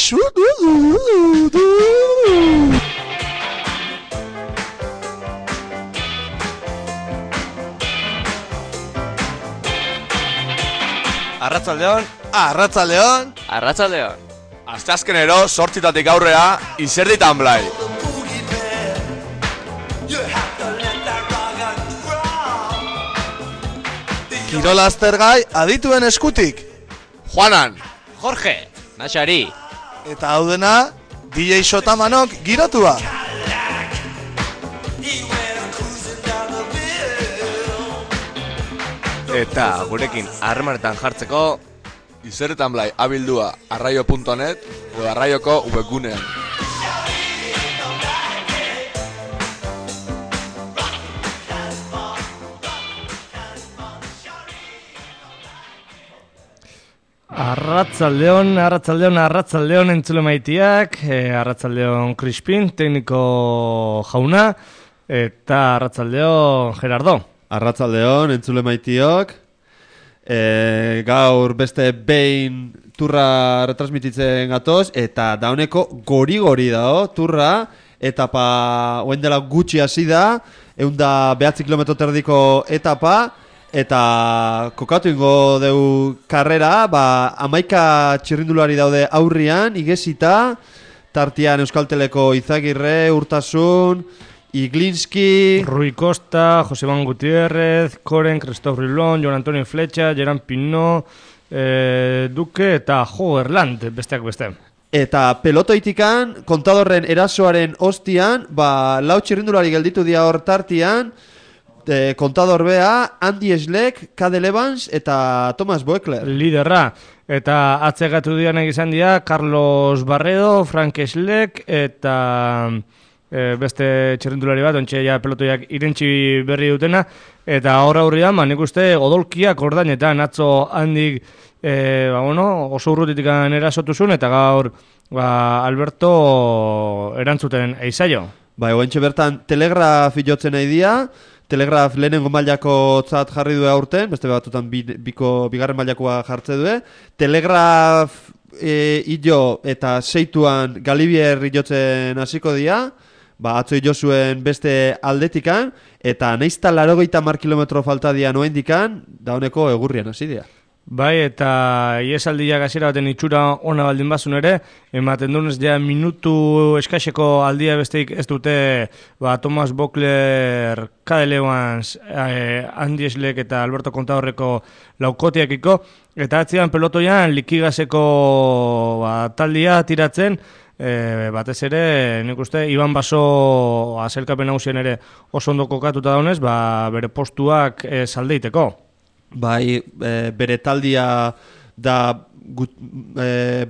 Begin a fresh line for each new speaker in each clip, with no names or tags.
Arratsaldeon, arratsaldeon,
arratsaldeon.
Asteazkenero 8:00 aurrera izerditan blai. Kirol aztergai adituen eskutik. Juanan,
Jorge, Naxari.
Eta hau dena, DJ Sotamanok girotua.
Eta gurekin harremanetan jartzeko
Izerditan blai abildua arraio.net edo arraioko webgunean.
Arratsaldeon entzule maitiak, arratsaldeon Crispin, tekniko jauna, eta arratsaldeon Gerardo.
Arratsaldeon entzule maitiok, gaur beste behin turra retransmititzen gatoz, eta dauneko gori dao turra, etapa oen dela gutxi hasi da, 109 kilometro terdiko etapa, eta kokatu ingo deu karrera, 11 txirrindulari daude aurrian, igesita, tartian Euskalteleko Izagirre, Urtasun, Iglinski,
Rui Costa, Joseban Gutiérrez, Koren, Christophe Rilon, Jon Antonio Fletxa, Geran Pinot, Duque eta Hogerland, besteak beste.
Eta pelotoitikan, kontadorren erasoaren ostian, 4 txirrindulari gelditu dia hor tartian, kontador bea, Andy Schleck, Cadel Evans eta Thomas Boekler.
Liderra. Eta atzegatu dianek izan dira, Carlos Barredo, Frank Schleck eta beste txirrindulari bat, ontxe ja pelotoiak irentxi berri dutena, eta aurrean, nik uste odolkiak ordainetan atzo handik oso urrutitik erasotuzun, eta gaur Alberto erantzuten eizaio.
Oentxe bertan Telegraf jotzen nahi dia, Telegraf lehenengo mailako tzat jarri du aurten, beste batutan bigarren mailakoa jartze du. Telegraf illo eta seituan Galibier jotzen hasiko dira, atzo illo zuen beste aldetikan, eta naizta 80 kilometro falta dian oendikan, dauneko egurrian hasi dira.
Bai, eta iesaldiak hasiera baten itxura ona baldin bazun ere, ematen dunez ja minutu eskaxeko aldia besteik ez dute Thomas Boekler, Cadel Evans, Andy Schleck eta Alberto Contadorreko laukotiakiko, eta atzian pelotoian Likigaseko taldia tiratzen, batez ere, nik uste, Iban Baso azelkapen nagusien ere oso ondo kokatuta daunez, bere postuak saldeiteko.
Bai, bere taldia da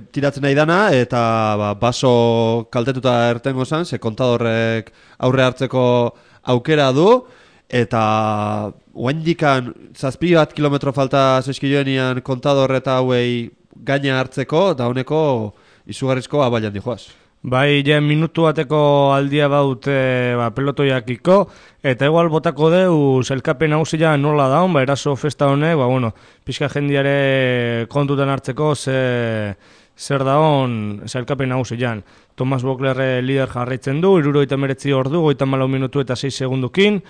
tiratzen nahi dana, eta Baso kaltetuta ertengo zan, ze kontadorrek aurre hartzeko aukera du, eta oendikan 7 kilometro falta zeskioenian kontador eta hauei gaina hartzeko, da honeko izugarrizko abailan dijoaz.
Bai, ja minutu bateko aldia baut pelotoiakiko, eta igual botako deu zelkapen hausia nola daun, eraso festa honek, pixka jendiare kontutan hartzeko zer daun zelkapen hausian. Thomas Boekler lider jarraitzen du, 79 ordu, 54 minutu eta 6 segundukin,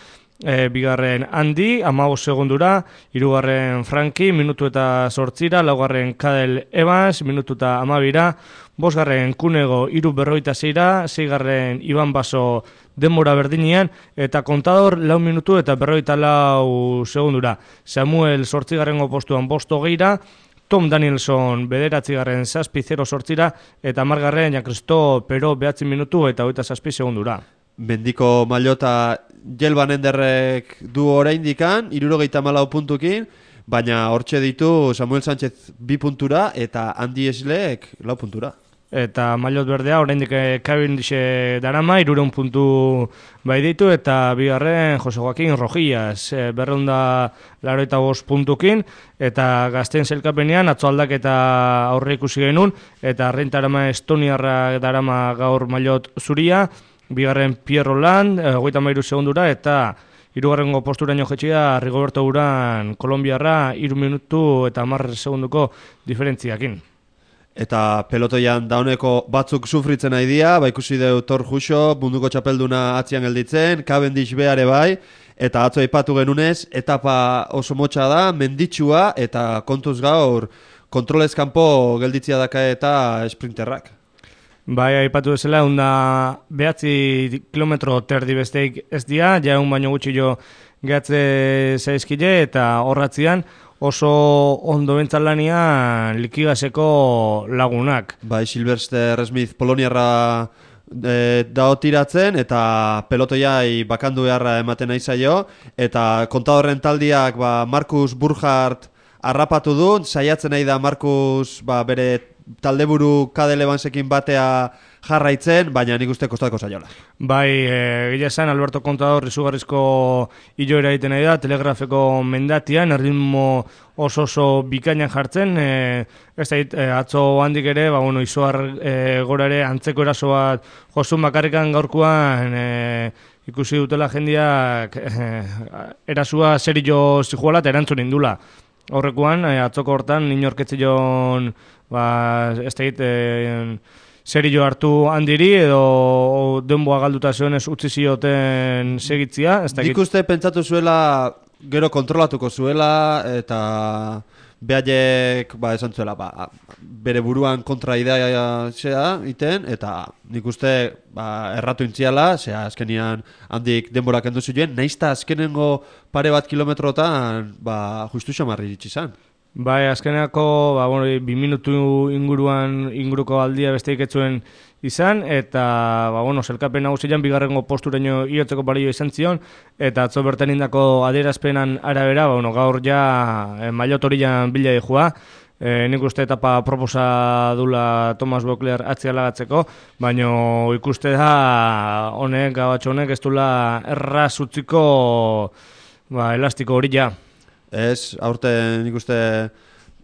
bigarren Andy, 15 segundura, hirugarren Franki, minutu eta 8, laugarren Cadel Evans, minutu eta 12, bosgarren Kunego, 3:46, seigarren Iban Baso denbora berdinean, eta kontador 4 minutu eta 44 segundura. Samuel 8. postuan 5:20, Tom Danielson 9. 7:08, eta 10. Jean-Christophe Pero 9 minutu eta 27 segundura.
Mendiko Maillota Jelban Enderrek du oraindikan, 74 puntukin, baina hortxe ditu Samuel Sánchez 2 puntura eta Andy Schleck 4 puntura.
Eta Maillot berdea oraindik Cavendish darama 300 puntu bai ditu, eta bigarren Jose Joaquín Rojillas 285 puntukin, eta gazten zelkapenean atzo aldaketa aurre ikusi genuen, eta rentarama estoniarra darama gaur Maillot zuria, bigarren Pierre Roland 33 segundura, eta hirugarrengo posturaino jetxia Rigoberto Uran Kolonbiarra 3 minutu eta 10 segunduko diferentziakin.
eta pelotoian dauneko batzuk sufritzen nahi dira, ikusi deu Thor Juxo, munduko txapelduna atzian gelditzen, Cavendish beare bai, eta atzo aipatu genunez, etapa oso motxa da, menditsua, eta kontuz gaur kontrolez kanpo gelditzia daka eta sprinterrak.
Bai, aipatu bezala, onda 9 kilometro terdi besteik ez dira, jaun baino gutxi jo gehatze zaizkile, eta horratzian oso ondo bentzalanian likigaseko lagunak.
Bai, Sylvester Smith Poloniarra dao tiratzen, eta pelotoiai bakandu beharra ematen nahi zaio, eta kontadorren taldiak Markus Burkhardt harrapatu du, saiatzen nahi da Markus bere taldeburu Kade Levansekin batea jarraitzen, baina nik uste kostatuko zaiola.
Bai, gila esan, Alberto Contador izugarrizko iloera egiten nahi da, Telegrafeko mendatian, erritmo oso bikainan jartzen, ez da, atzo handik ere, izuar gora ere antzeko eraso bat josun bakarrikan gaurkoan ikusi dutela jendiak erasua serio zijuala eta erantzun indula. Horrekuan, atzoko hortan, inorketzion, ez da, serio hartu handiri edo denboa galduta zionez utzi zioten segitzia.
Nik uste pentsatu zuela gero kontrolatuko zuela eta behaiek esan zuela bere buruan kontra idea zea iten eta nik uste erratu intziala, zera azkenian handik denbora kendu zuen, naizta azkenengo pare bat kilometrotan justu xamarri itxizan.
Bai, azkeneako 2 minutu inguruko aldia besteik etzuen izan, eta zelkapen nagusian bigarrengo posturaino iotzeko balio izan zion, eta atzo bertan indako adierazpenan arabera, gaur ja mailotorian bila dihua, nik uste etapa proposa dula Thomas Voeckler atzialagatzeko, baina ikuste da honek, gabatxo honek, ez dula erraz utziko elastiko hori ja.
Ez, aurten nik uste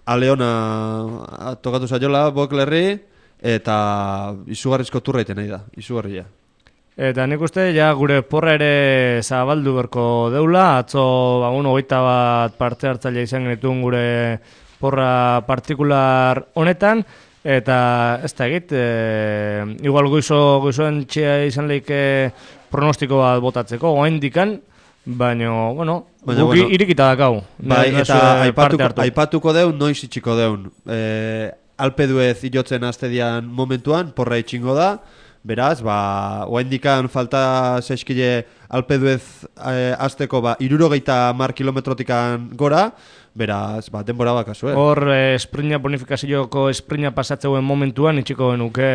Aleona tokatu zaiola Voecklerri eta izugarrizko turra iten nahi da, izugarria.
Eta nik uste ja gure porra ere zabaldu berko deula, atzo 21 parte hartzaile izan genituen gure porra partikular honetan, eta ez da egit, igual goizoen txea izan lehike pronostiko bat botatzeko, oaindikan, baina, guk irikita dakau.
Bai, eta aipatuko deun, noiz itxiko deun. Alpeduez iotzen aztedian momentuan, porra itxingo da, beraz, oaindikan falta zaizkile Alpeduez azteko 60 kilometrotikan gora, beraz, denbora bakazue.
Hor, esprina bonifikazioko esprina pasatzeuen momentuan itxiko genuke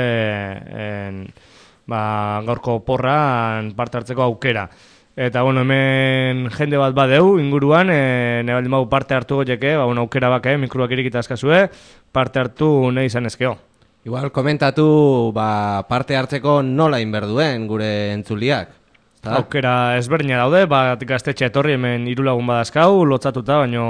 gaurko porran parte hartzeko aukera. Eta, hemen jende bat badeu inguruan, nebaldin bau parte hartu goieke, aukera bake, mikroak irikita askazue, parte hartu nahi izan ezkeo.
Igual komentatu parte hartzeko nola inberduen gure entzuliak.
Aukera ezberdina daude, gaztetxe etorri hemen 3 lagun badazkau, lotzatuta, baina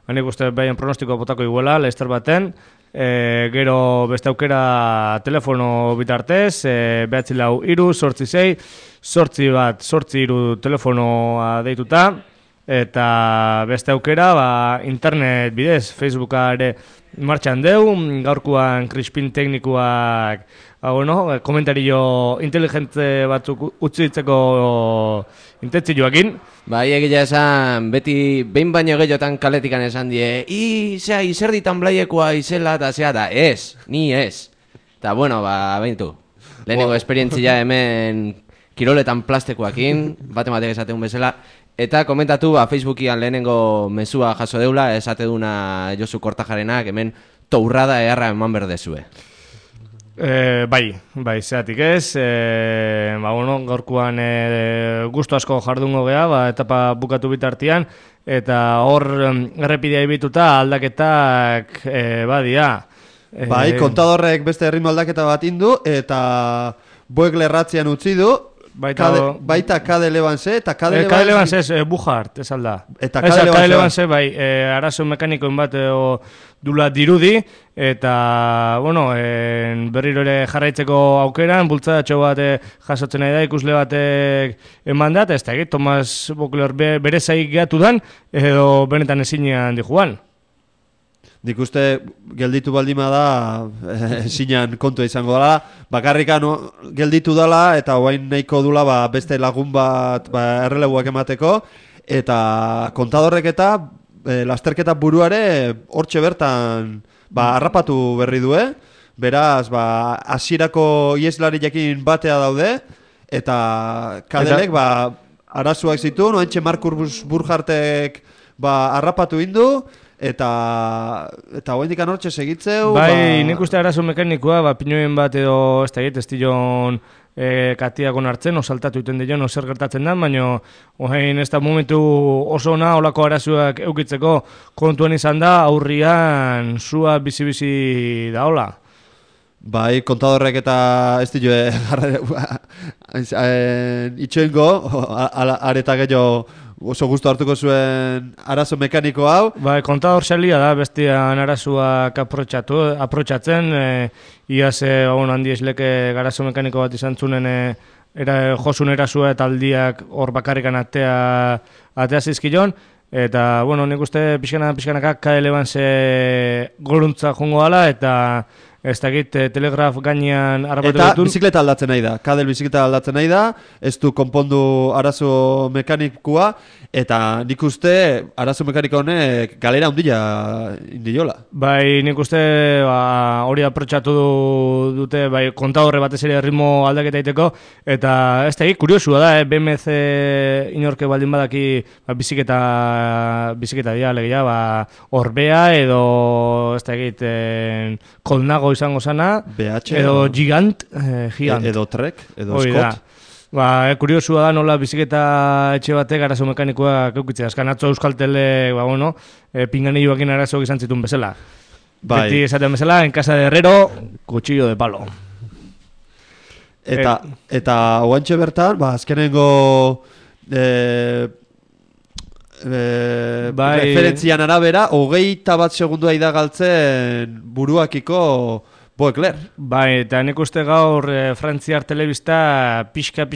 hanik uste behien pronostiko botako iguela, Leicester baten, gero beste aukera telefono bitartez, 943-868-8 telefonoa deituta, eta beste aukera internet bidez, Facebooka ere martxan deu, gaurkoan Crispin teknikoak komentario inteligente batzuk utzi ditzeko intentzioakin.
Bai, egia esan, beti behin baino gehiotan kaletikan esan die, izer ditan blaiekoa izela eta zea da, ni ez. Eta, behintu, lehenengo esperientzia hemen kiroletan plastekoakin, batematek esateun bezala, eta komentatu, Facebookian lehenengo mezua jaso deula, esate duna Josu Kortajarenak, hemen tourrada eharra eman berdezue.
Bai, zeatik ez, gaurkoan gustu asko jardungo gea, etapa bukatu bitartian, eta hor errepidea ibituta aldaketak badia.
Bai, kontadorrek beste ritmo aldaketa bat indu, eta Voeckler ratzian utzi du, baita Kade Levanse, eta Kade
Levanse ez, Burkhardt, ez alda.
Eta Kade
Levanse, bai, arazo mekanikoen bat dula dirudi, eta, berriro ere jarraitzeko aukeran, bultzadatxo bat jasotzen nahi da, ikusle batek eman dat, ez da egit, Thomas Voeckler bere zaik gehatu dan, edo benetan ezinean dijuan.
nik uste gelditu baldima da zinan kontua izango dela, bakarrikan gelditu dela eta oain nahiko dula beste lagun bat erreleguak emateko, eta kontadorrek eta lasterketa buruare hortxe bertan harrapatu berri du, beraz hasierako ieslariakin batea daude, eta kadelek arazoak zitu, noentxe Markus Burkhartek harrapatu indu, eta hoendik anortxe segitzeu.
Bai, nik uste arazo mekanikoa, pinoen bat edo ez tilon katiakon hartzen, saltatu iten dion, zer gertatzen da, baina oain ez da momentu oso ona olako arazoak eukitzeko kontuan izan da, aurrian zua bizi-bizi da hola.
Bai, kontadorrek eta ez dio itxoengo, areta gehiago oso gustu hartuko zuen arazo mekaniko hau.
Bai, kontador salia da, bestian arazoak aprotxatzen, iaz handi esleke garazo mekaniko bat izan zunen josun erazoa eta aldiak hor bakarrikan atea zizkion, eta, nik uste pixkanaka KL-ban goruntza jongo dala, eta ez dakit telegraf gainean harrapatu
eta
dutun.
bizikleta aldatzen nahi da, kadel bizikleta aldatzen nahi da, ez du konpondu arazo mekanikoa, eta nik uste arazo mekaniko honek galera hundila indiola.
Bai, nik uste hori aprotxatu dute kontadorre batez ere ritmo aldaketa iteko, eta ez dakit kuriosua da, BMC inorke baldin badaki biziketa dira legia, Orbea edo ez dakit Kolnago izango sana,
BH,
edo Gigant.
Edo Trek, edo Scott.
Kuriosua da nola biziketa etxe batek arazo mekanikoa keukitzea. Azkan atzo Euskaltele, pinganilloakin arazoak izan zituen bezala.
Bai.
Beti esaten bezala, en casa de herrero, cuchillo de palo.
Eta oantxe bertan, azkenengo referentzian arabera, 21 segundua idagaltzen buruakiko Boekler.
Bai, eta nik uste gaur Frantziar telebista pixka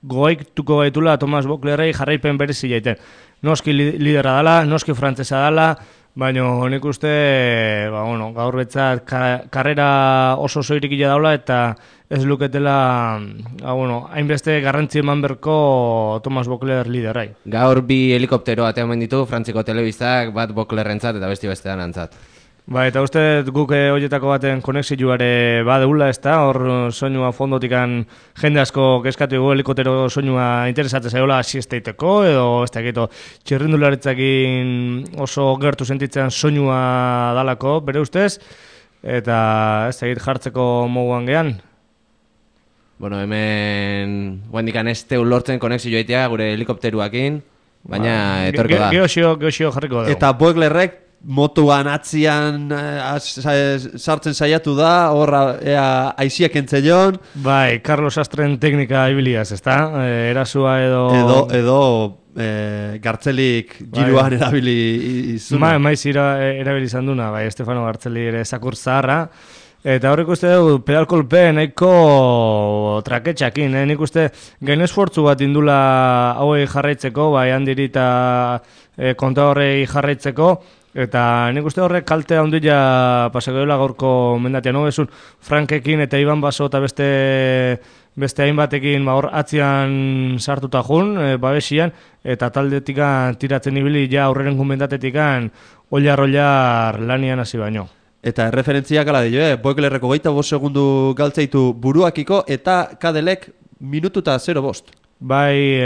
goaituko gaitula Thomas Boeklerrei jarraipen berezi jaiten. Noski lidera dala, noski frantzesa dala, baina nik uste gaur betzat karrera oso zoirikila daula eta ez luketela hainbeste garrantzi eman berko Thomas Boekler liderai.
Gaur bi helikoptero ateamen ditu Frantziko telebistak, bat Boeklerrentzat eta bestean antzat.
Bai, eta uste guk horietako baten konexioare badeula, ez da, hor soinua fondotikan jende asko keskatu ego helikoptero soinua interesatzen zaiola asiesteiteko, edo ez da egito txirrindularitzakin oso gertu sentitzen soinua dalako, bere ustez, eta ez da egit jartzeko moguan gehan.
Hemen guendikan ez teu lortzen konexioa itea gure helikopteruakin, baina etorko da.
Geosio jarriko dugu.
Eta Boeklerrek motuan atzian sartzen saiatu da, horra aiziak entzeion.
Bai, Carlos Astren teknika ibiliaz, ez da? Erasua
edo Gartzelik giruan erabili izuna.
Maiz erabili izan duna, bai, Estefano Gartzeli ere zakur zaharra. Eta horrek uste dugu, pedalkolpe nahiko traketxakin, nik uste gain esfortzu bat indula hauei jarraitzeko, bai handiri eta konta horrei jarraitzeko, eta nik uste horrek kalte handia pasako dela gaurko mendatia, no? Esun Frankekin eta Iban Baso eta beste hainbatekin hor atzian sartuta jun, babesian, eta taldetikan tiratzen ibili ja aurreren mendatetikan ollar lanian hasi baino.
Eta referentziak ala dio, Boeklerreko 25 segundu galtzeitu buruakiko eta Kadelek minututa 0:5.
Bai,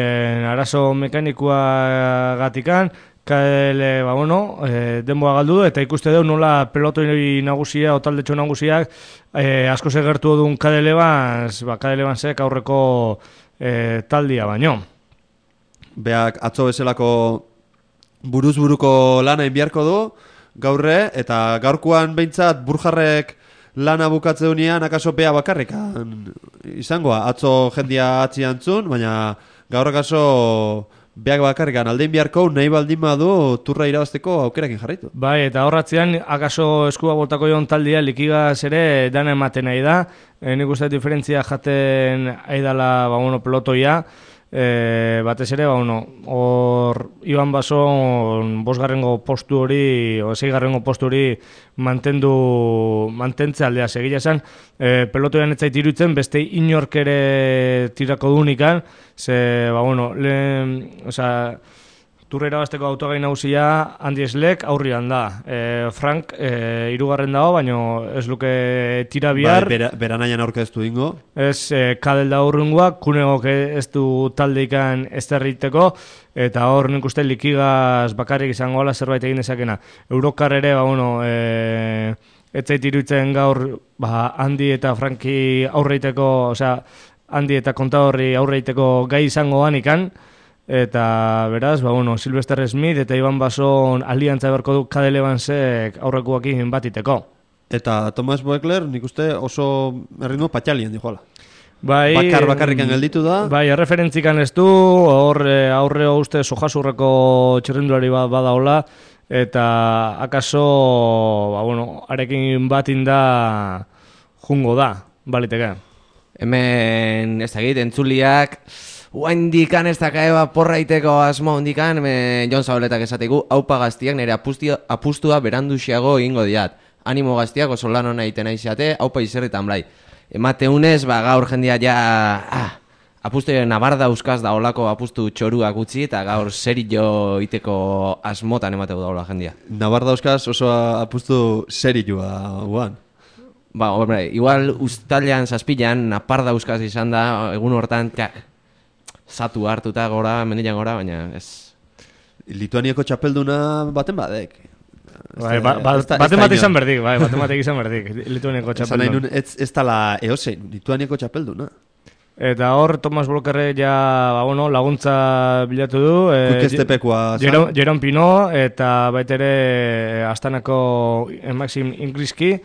arazo mekanikoa gatikan, Kadele, denboa galdu du, eta ikuste dugu nola pelotoi nagusia, otaldetxo nagusiak, asko segertu duen Kadele zek aurreko taldia baino.
Beak atzo bezalako buruz-buruko lana inbiarko du, gaurre, eta gaurkoan behintzat Burjarrek lana bukatze dunean akaso bea bakarrikan izangoa. Atzo jendia atzian zun, baina gaur akaso beak bakarrikan aldein biharko nahi baldin badu turra irabazteko aukerakin jarraitu.
Bai, eta horratzean akaso eskua botako joan taldia likigaz ere dana ematen nahi da. Nik uste diferentzia jaten aidala pelotoia. batez ere, hor Iban Bason bosgarrengo postu hori, o seigarrengo postu hori mantentze aldea segila esan, pelotoan ez zait iruditzen, beste inork ere tirako dunikan, Tourra irabazteko autogai nagusia Andy Schleck aurrian da. Frank hirugarren dago, baina ez luke tira bihar.
Beranaian aurkeztu dingo.
Ez Kadel da aurrungoa, Kunegok ez du taldeikan ezterriteko, eta hor nik uste likigaz bakarrik izango ala zerbait egin dezakena. Eurokar ere, ez zait iruditzen gaur Andy eta Franki aurreiteko, Andy eta Kontadorri aurreiteko gai izango ganikan, eta beraz, Sylvester Smith eta Iban Bason aliantza beharko du Cadel Evansek aurrekoakin batiteko.
Eta Thomas Voeckler nik uste oso erritmo patxalien dijoala. Bakarrikan gelditu da.
Bai, erreferentzikan ez du, aurre uste sojasurreko txirrindulari bat badaola, eta akaso, arekin batin da jungo da, baliteke.
Hemen, ez dakit, entzuliak, indikan ez dakaeba porraiteko asmo indikan, Jon Zaboletak esategu, haupa gaztiak nire apustua beranduxiago egingo diat. Animo gaztiak oso lan hona egiten aiziate, haupa izerritan blai. Emateunez, gaur jendia apustu nabar dauzkaz da olako apustu txoruak utzi, eta gaur serio iteko asmotan emateu daula jendia.
Nabar dauzkaz oso apustu serioa guan.
Igual ustalean, zazpilan, napar dauzkaz izan da, egun hortan, zatu hartuta gora, mendilan gora, baina ez.
Lituaniako txapelduna baten badek.
Baten bat izan berdik, baten batek izan berdik, Lituaniako txapelduna.
Ez tala eosein, Lituaniako txapelduna.
Eta hor, Thomas Volkerre laguntza bilatu du.
Kuikestepekoa.
Jeron Pino, eta baitere Astanako Maxim Ingriski,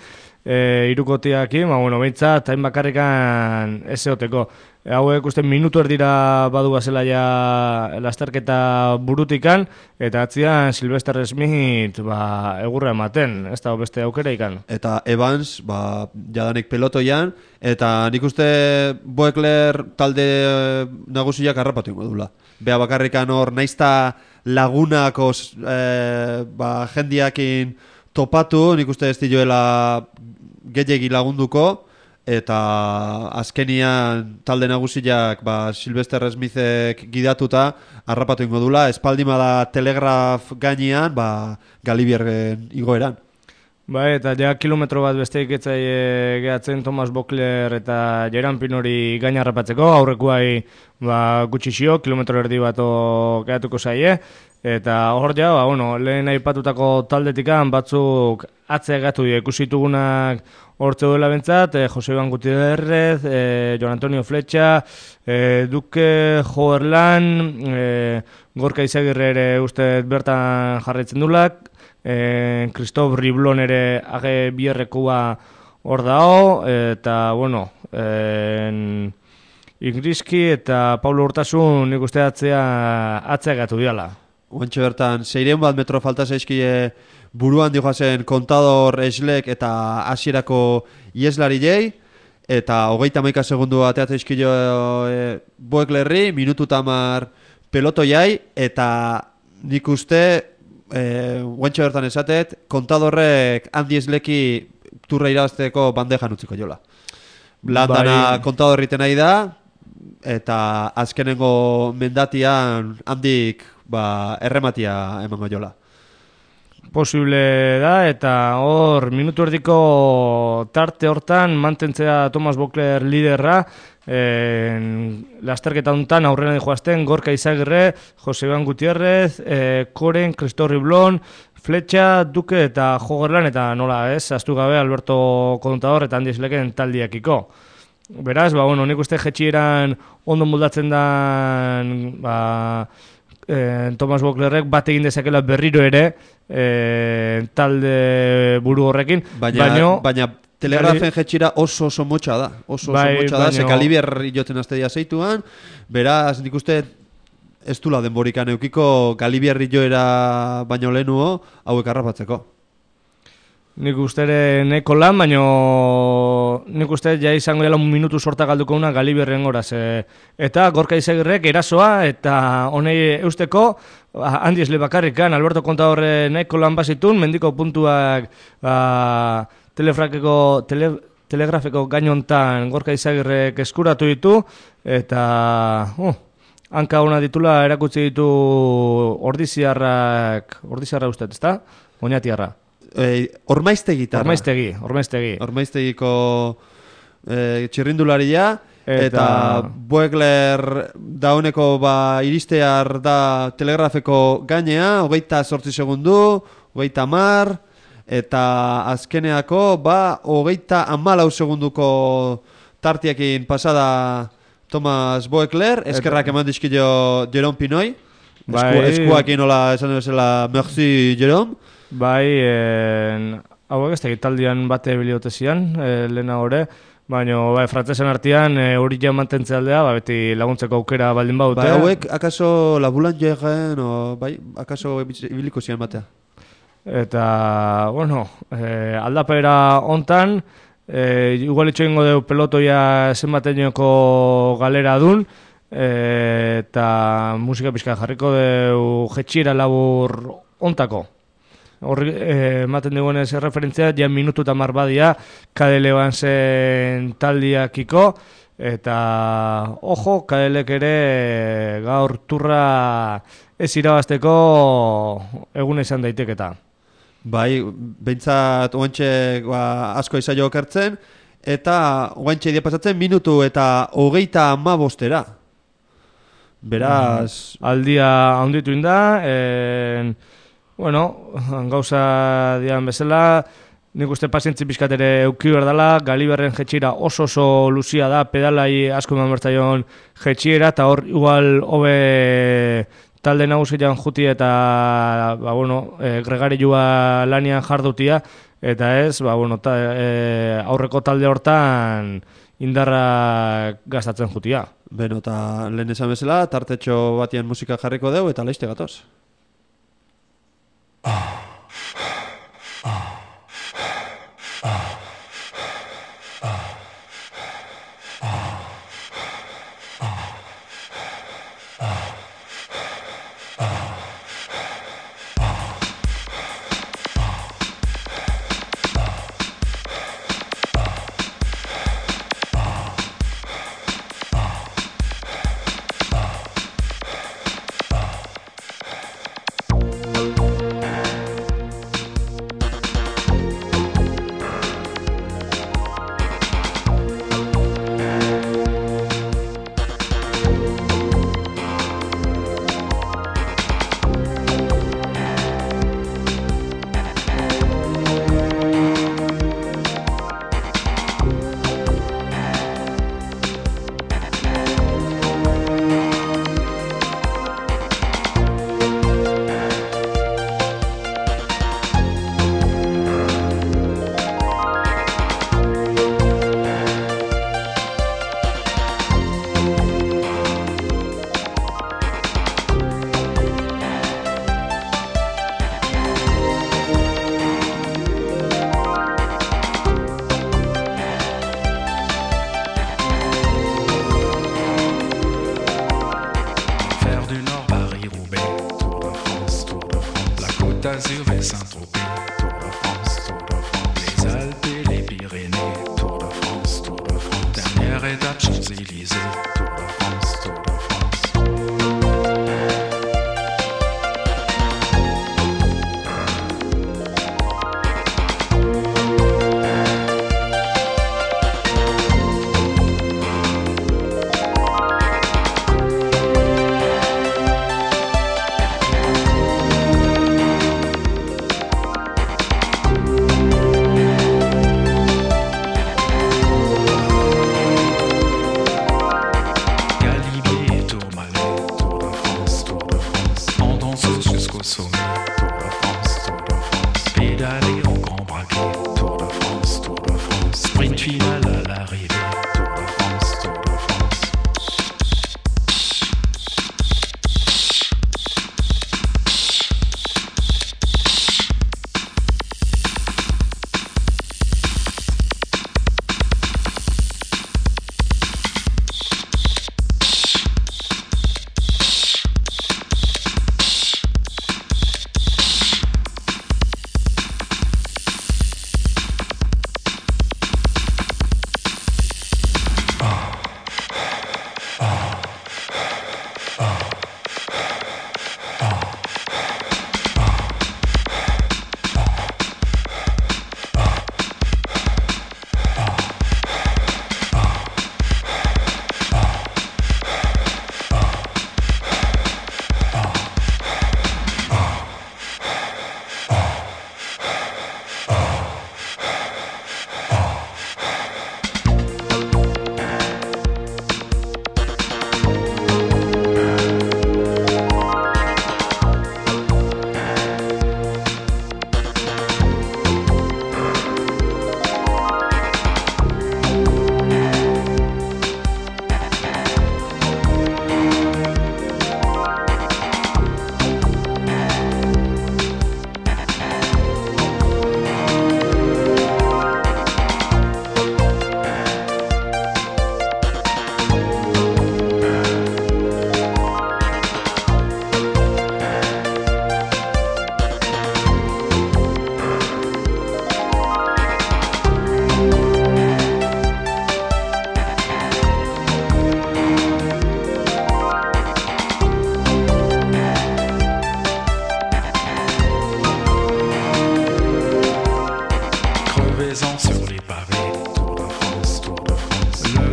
irukotiakin, behintzat, tain bakarrikan ez eoteko. Hauek uste minutu erdira badu bazela ja lasterketa burutikan, eta atzian Sylvester Smith egurra ematen, ez da beste aukera ikan.
Eta Evans, jadanik pelotoian, eta nik uste Voeckler talde nagusiak harrapatu ingo dula. Bea bakarrikan hor, naizta lagunako jendiakin topatu, nik uste ez dioela gehiegi lagunduko, eta azkenian talde nagusiak Sylvester Smithek gidatuta harrapatu ingo dula, espaldima da Telegraf gainean, Galibierren igoeran.
Eta kilometro bat besteik etzai gehatzen Thomas Voeckler eta Jeran Pinori gaina harrapatzeko, aurrekuai gutxixio, kilometro erdi bat gehatuko zaie, eta hor lehen aipatutako taldetikan batzuk atzea gatu ikusitugunak hortze duela bentzat, Jose Iban Gutierrez, Jon Antonio Fletxa, Duke Joerlan, Gorka Izagirre ere uste bertan jarraitzen dulak, Christophe Riblon ere age bierrekua hor dao, eta Ingriski eta Paulo Urtasun nik uste atzea gatu diala.
Oantxe bertan, 600 bat metro falta zaizkie buruan dihoazen Kontador, Schleck eta hasierako ieslari jei, eta 31 segundu ateat zaizkio Voecklerri, minutu 10 peloto jai, eta nik uste, oantxe bertan esatet, Kontadorrek Andy Schlecki Tourra irabazteko bandejan utziko jola. Landana Kontadorriten nahi da, eta azkenengo mendatian handik errematia emango jola.
Posible da, eta hor minutu erdiko tarte hortan mantentzea Thomas Voeckler liderra, lasterketa hontan aurrena joazten Gorka Izagirre, Jose Iban Gutierrez, Koren, Christophe Riblon, Fletxa, Duke eta Jogerlan, eta nola ez, aztu gabe Alberto Contador eta Andy Schlecken taldiakiko. Beraz, nik uste jetxieran ondo moldatzen dan Thomas Voecklerrek bat egin dezakela berriro ere talde buru horrekin,
baina Telegrafen jetxira oso motxa da, motxa da, Galibier joten aztedia zeituan, beraz nik uste ez dula denborikan eukiko Galibier joera baino lehenuo hauek harrapatzeko.
Nik uste ere nahiko lan, baina nik uste ja izango dela 1 minutu sorta galduko una Galiberren horaz. Eta Gorka Izagirrek erasoa eta honei eusteko handi esle bakarrikan, Alberto Contadorre nahiko lan bazitun, mendiko puntuak telegrafeko gainontan Gorka Izagirrek eskuratu ditu, eta hanka ona ditula erakutsi ditu ordiziarra uste, ezta? Oñatiarra.
Ormaiztegi. Ormaiztegiko txirrindularia eta Boegler dauneko iristear da telegrafeko gainea, 28 segundu, 30, eta azkeneako 34 segunduko tartiakin pasada Thomas Boegler, eskerrak eman dizkio Jerome Pinoi, eskuakin hola esan bezala merci Jerome.
Bai, hauek ez taldian bate biliote zian, lehena gore, baina frantzesen artean hori ja mantentzea aldea, beti laguntzeko aukera baldin baute.
Bai, hauek akaso la Boulangeren, akaso ibiliko zian batea.
Eta, bueno, aldapera hontan, igual itxoingo deu pelotoia zenbateneko galera dun, eta musika pixka jarriko deu jetxira labur hontako. Horri ematen dugunez referentzia, ja minutu eta marbadia Kadele zen taldiakiko, eta ojo, Kadelek ere gaur turra ez irabazteko eguna izan daiteketa.
Bai, behintzat oantxe asko izaio okertzen, eta oantxe dia pasatzen minutu eta 35 Beraz...
Aldia handitu inda, bueno, gauza dian bezala, nik uste pazientzi pixkat ere euki berdala, Galiberren jetxira oso luzia da, pedalai asko eman bertzaion jetxiera, eta hor igual hobe talde nagusian juti eta gregarilua lanian jardutia, eta ez, aurreko talde hortan indarra gastatzen jutia.
Beno, eta lehen esan bezala, tartetxo batian musika jarriko deu, eta laizte gatoz.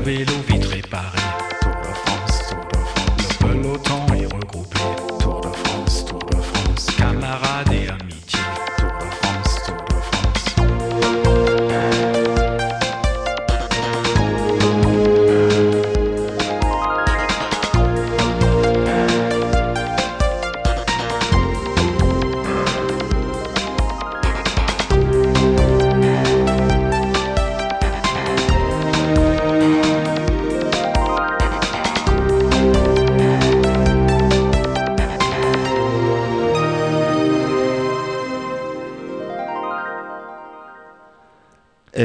vélo vite réparé. Tour de France, Tour de France. Le peloton est regroupé. Tour de France, Tour de France. Camarades et amitié. Tour de France, Tour de France.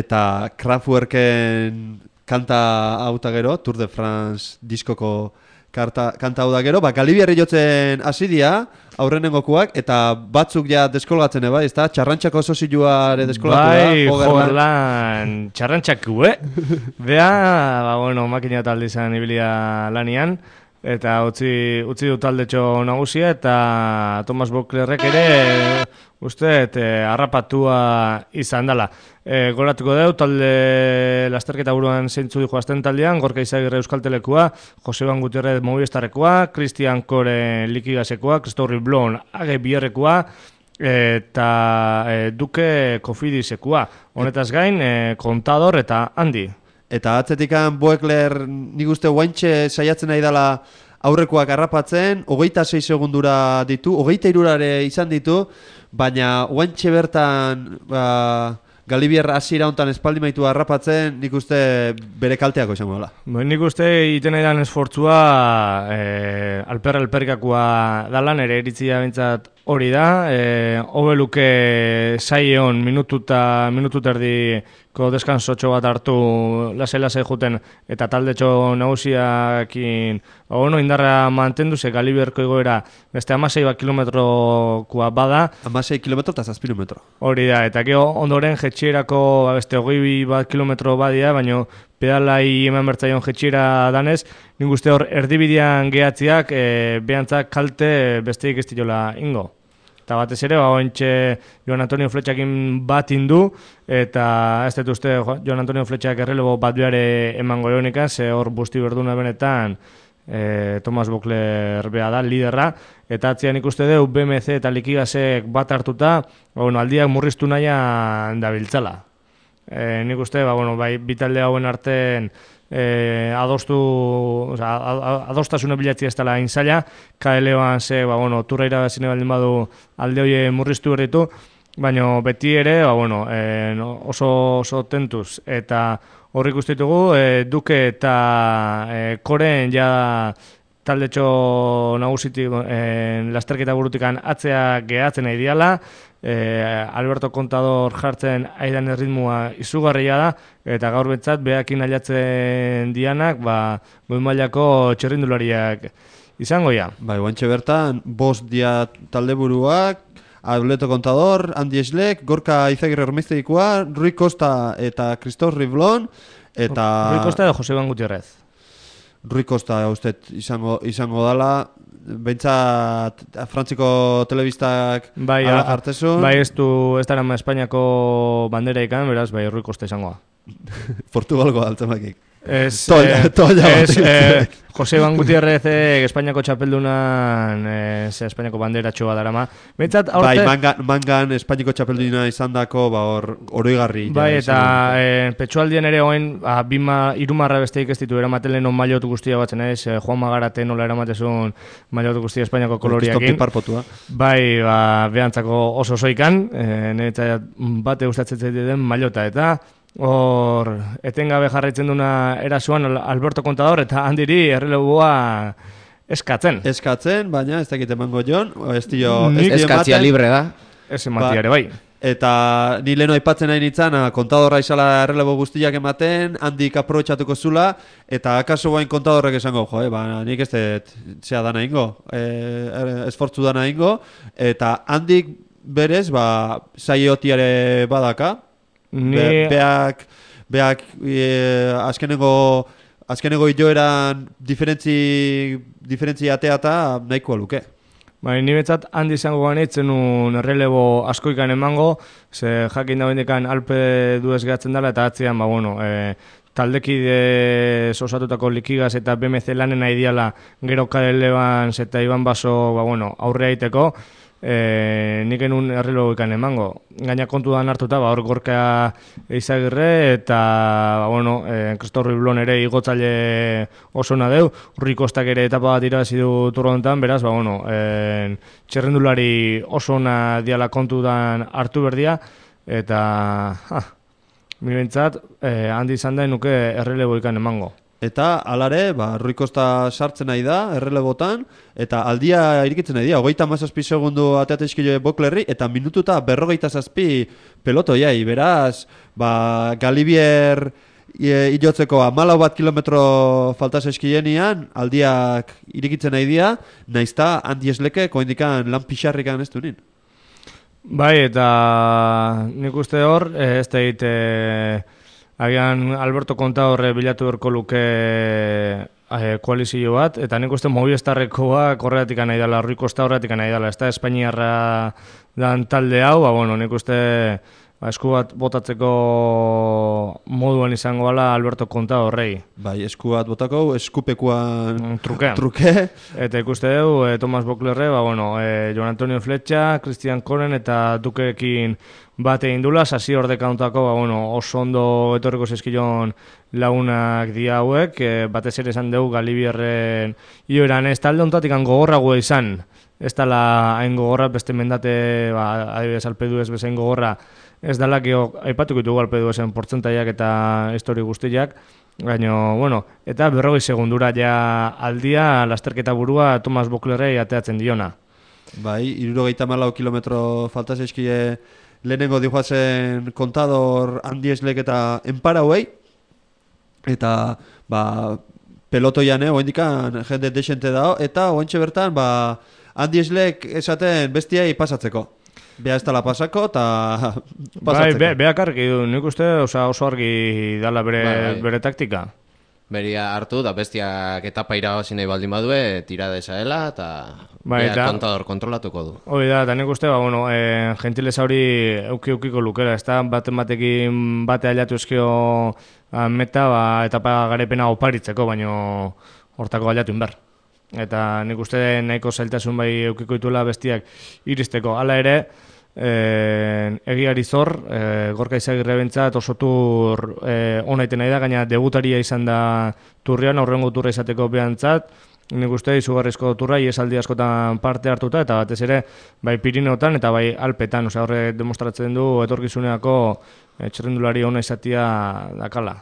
Eta Kraftwerken kanta hau eta gero, Tour de France diskoko kanta hau da gero, Galibiarri jotzen hasi dira, aurrenengokuak, eta batzuk ja deskolgatzen eba, ezta? Txarrantxako sozioare deskolgatu da.
Bai, jogerlan, txarrantxaku, Bea, bueno, makina talde izan ibilia lanian, eta utzi du taldetxo nagusia, eta Thomas Boklerrek ere, harrapatua izan dela. Goratuko deu, talde lasterketa buruan zeintzu dijo azten taldean, Gorka Izagirre Euskaltelekua, Joseban Gutierrez Movistarrekoa, Christian Kore Likigasekoa, Christopher Blon Age Bierrekoa, eta Duke Kofidisekoa. Honetaz gain, Kontador eta Handi.
Eta atzetikan Boekler nik uste guaintxe saiatzen nahi dela aurrekoak harrapatzen, 26 segundura ditu, 23 izan ditu, baina guaintxe bertan Galibiarra hasiera hontan espaldi maitu harrapatzen, nik uste bere kalteako izango dela.
Nik uste iten edan esfortzua alperrikakoa dala, nire iritzia bintzat hori da, hobeluke saion minutu erdiko deskansotxo bat hartu lase juten eta taldetxo nagusiakin indarra mantendu ze Galibiarko igoera beste 16 kilometrokoa bada.
16 kilometro eta 7 kilometro.
Hori da, eta gero ondoren jetxierako beste 21 kilometro badia, baina pedalai eman bertzaion jetxiera danez, nik uste hor erdibidean gehatziak behantzak kalte besteik ez diola ingo. Eta batez ere, ointxe Joan Antonio Fletxakin bat indu, eta ez dut uste Joan Antonio Fletxak errelebo bat behare emango egonika, ze hor busti berduna benetan Thomas Bokler bea da, liderra, eta atzian ikuste deu BMC eta Likigasek bat hartuta, aldiak murriztu nahian dabiltzala. Nik uste, bai, bitalde hauen artean adostasuna bilatzi ez dela inzaila, KL-oan ze, turra irabazine baldin badu alde hoie murriztu berritu, baina beti ere, oso tentuz, eta horrik usteitugu, Duke eta Koren ja taldetxo nagusitik lasterketa burutikan atzea gehatzen nahi diala, Alberto Contador jartzen aidan erritmua izugarria da, eta gaur betzat behakin ailatzen dianak, goi mailako txerrindulariak izango ja.
Bai, guantxe bertan, bost dia talde buruak, Alberto Contador, Handi Eslek, Gorka Izagirre Ormeizteikoa, Rui Costa eta Christophe Riblon, eta...
Rui Costa edo Joseban Gutierrez.
Rui Costa uste izango dala, bentsat Frantziko telebistak hartezun.
Bai, ez dara Espainiako bandera ikan, beraz, bai, Rui Costa izangoa.
Portugalgo altzamakik.
Joseban Gutierrez Espainiako txapeldunan Espainiako bandera txoa darama.
Bai, mangan Espainiako txapelduna izan dako oroigarri.
Bai, eta petxualdien ere oen irumarra besteik ez ditu eramaten leheno mailotu guztia batzen ez, Juan Magarate nola eramatezun mailotu guztia Espainiako koloriakin. Bai, behantzako oso zoikan, niretzat bate gustatzen den mailota eta hor, etengabe jarraitzen duna erasuan Alberto Contador eta handiri erreleboa eskatzen.
Baina ez dakit emango jon.
Eskatzia libre da.
Ez ematia ere bai.
Eta ni leheno aipatzen nahi nintzen, Contadorra izala errelebo guztiak ematen, handik aprobetxatuko zula, eta akaso bain Contadorrek esango, nik ez dut zea dana ingo, esfortzu dana ingo, eta handik berez, saiotiare badaka, Beak azkeneko joeran diferentzi ateata nahikoa luke.
Ni betzat handi izango ganitzen un errelebo askoikan emango, ze jakin da bendekan Alpe duez gehatzen dela eta atzian, taldekide osatutako Likigas eta BMC lanen aidiala gero Karel Evans eta Iban Baso aurre aiteko, nik enun errelo ikan emango. Gaina kontuan hartuta, hor Gorka Eizagirre eta Kristof Riblon ere igotzaile oso nadeu, Rui Kostak ere etapa bat irabazi du Tour honetan, beraz, txerrendulari oso ona diala kontudan hartu berdia, eta mirentzat, handi izan da nuke errelebo ikan emango.
Eta, alare, Rui Costa sartzen nahi da, errelebotan, eta aldia irikitzen nahi da, 37 segundu ateatezkilo Boklerri, eta minututa 47 pelotoiai, beraz, Galibier ilotzeko 14 kilometro falta zaizkienian, aldiak irikitzen nahi dira, naizta handi esleke, koindikan lan pixarrikan ez dunin.
Bai, eta nik uste hor, ez da agian Alberto Contador bilatu berko luke koalizio bat, eta nik uste Movistarrekoa korreatik nahi dela, Rui Costa horretik nahi dela, ez da Espainiarra dan talde hau, nik uste esku bat botatzeko moduan izango gala Alberto Contadorrei.
Bai, esku bat botako, eskupekuan truke.
Eta ikuste dugu, Tomas Boklerre, Jon Antonio Fletxa, Christian Koren eta Dukekin bat egin dula, sasi ordeka ontako, oso ondo etorriko zeskilon lagunak dia hauek, batez ere esan dugu Galibierren ioeran ez talde ontatik gogorragoa izan, ez dala hain gogorra, beste mendate, adibidez alpedu ez bezain gogorra, ez dala, aipatuko ditugu alpedu ezen portzentaiak eta histori guztiak, baina, eta 40 segundura ja aldia lasterketa burua Tomas Boklerrei ateatzen diona.
Bai, 74 kilometro falta zaizkie lehenengo dihoazen Contador, Handi Eslek eta Enparauei, eta pelotoian oendikan jende desente dao, eta oentxe bertan Handi Eslek esaten bestiai pasatzeko. Bea ez tala pasako, eta pasatzeko.
Bai, beak argi du, nik uste oso argi dala bere taktika.
Beria hartu, da bestiak etapa irabazi nahi baldin badue, tira desaela, eta beak Contador kontrolatuko du.
Hoi da, eta nik uste, gentileza hori eukiko lukera, ez da, batekin bate aliatu eskio meta, etapa garepena oparitzeko, baino hortako aliatu inber. Eta nik uste nahiko zailtasun bai eukiko dituela bestiak iristeko. Hala ere, egiari zor, Gorka Eizagirre bentzat oso tur onaiten nahi da, gaina debutaria izan da turrean, aurrengo turra izateko behantzat, nik uste izugarrizko turra, iesaldi askotan parte hartuta, eta batez ere, bai Pirineotan eta bai Alpetan, horre demostratzen du etorkizuneako txerrendulari ona izatia dakala.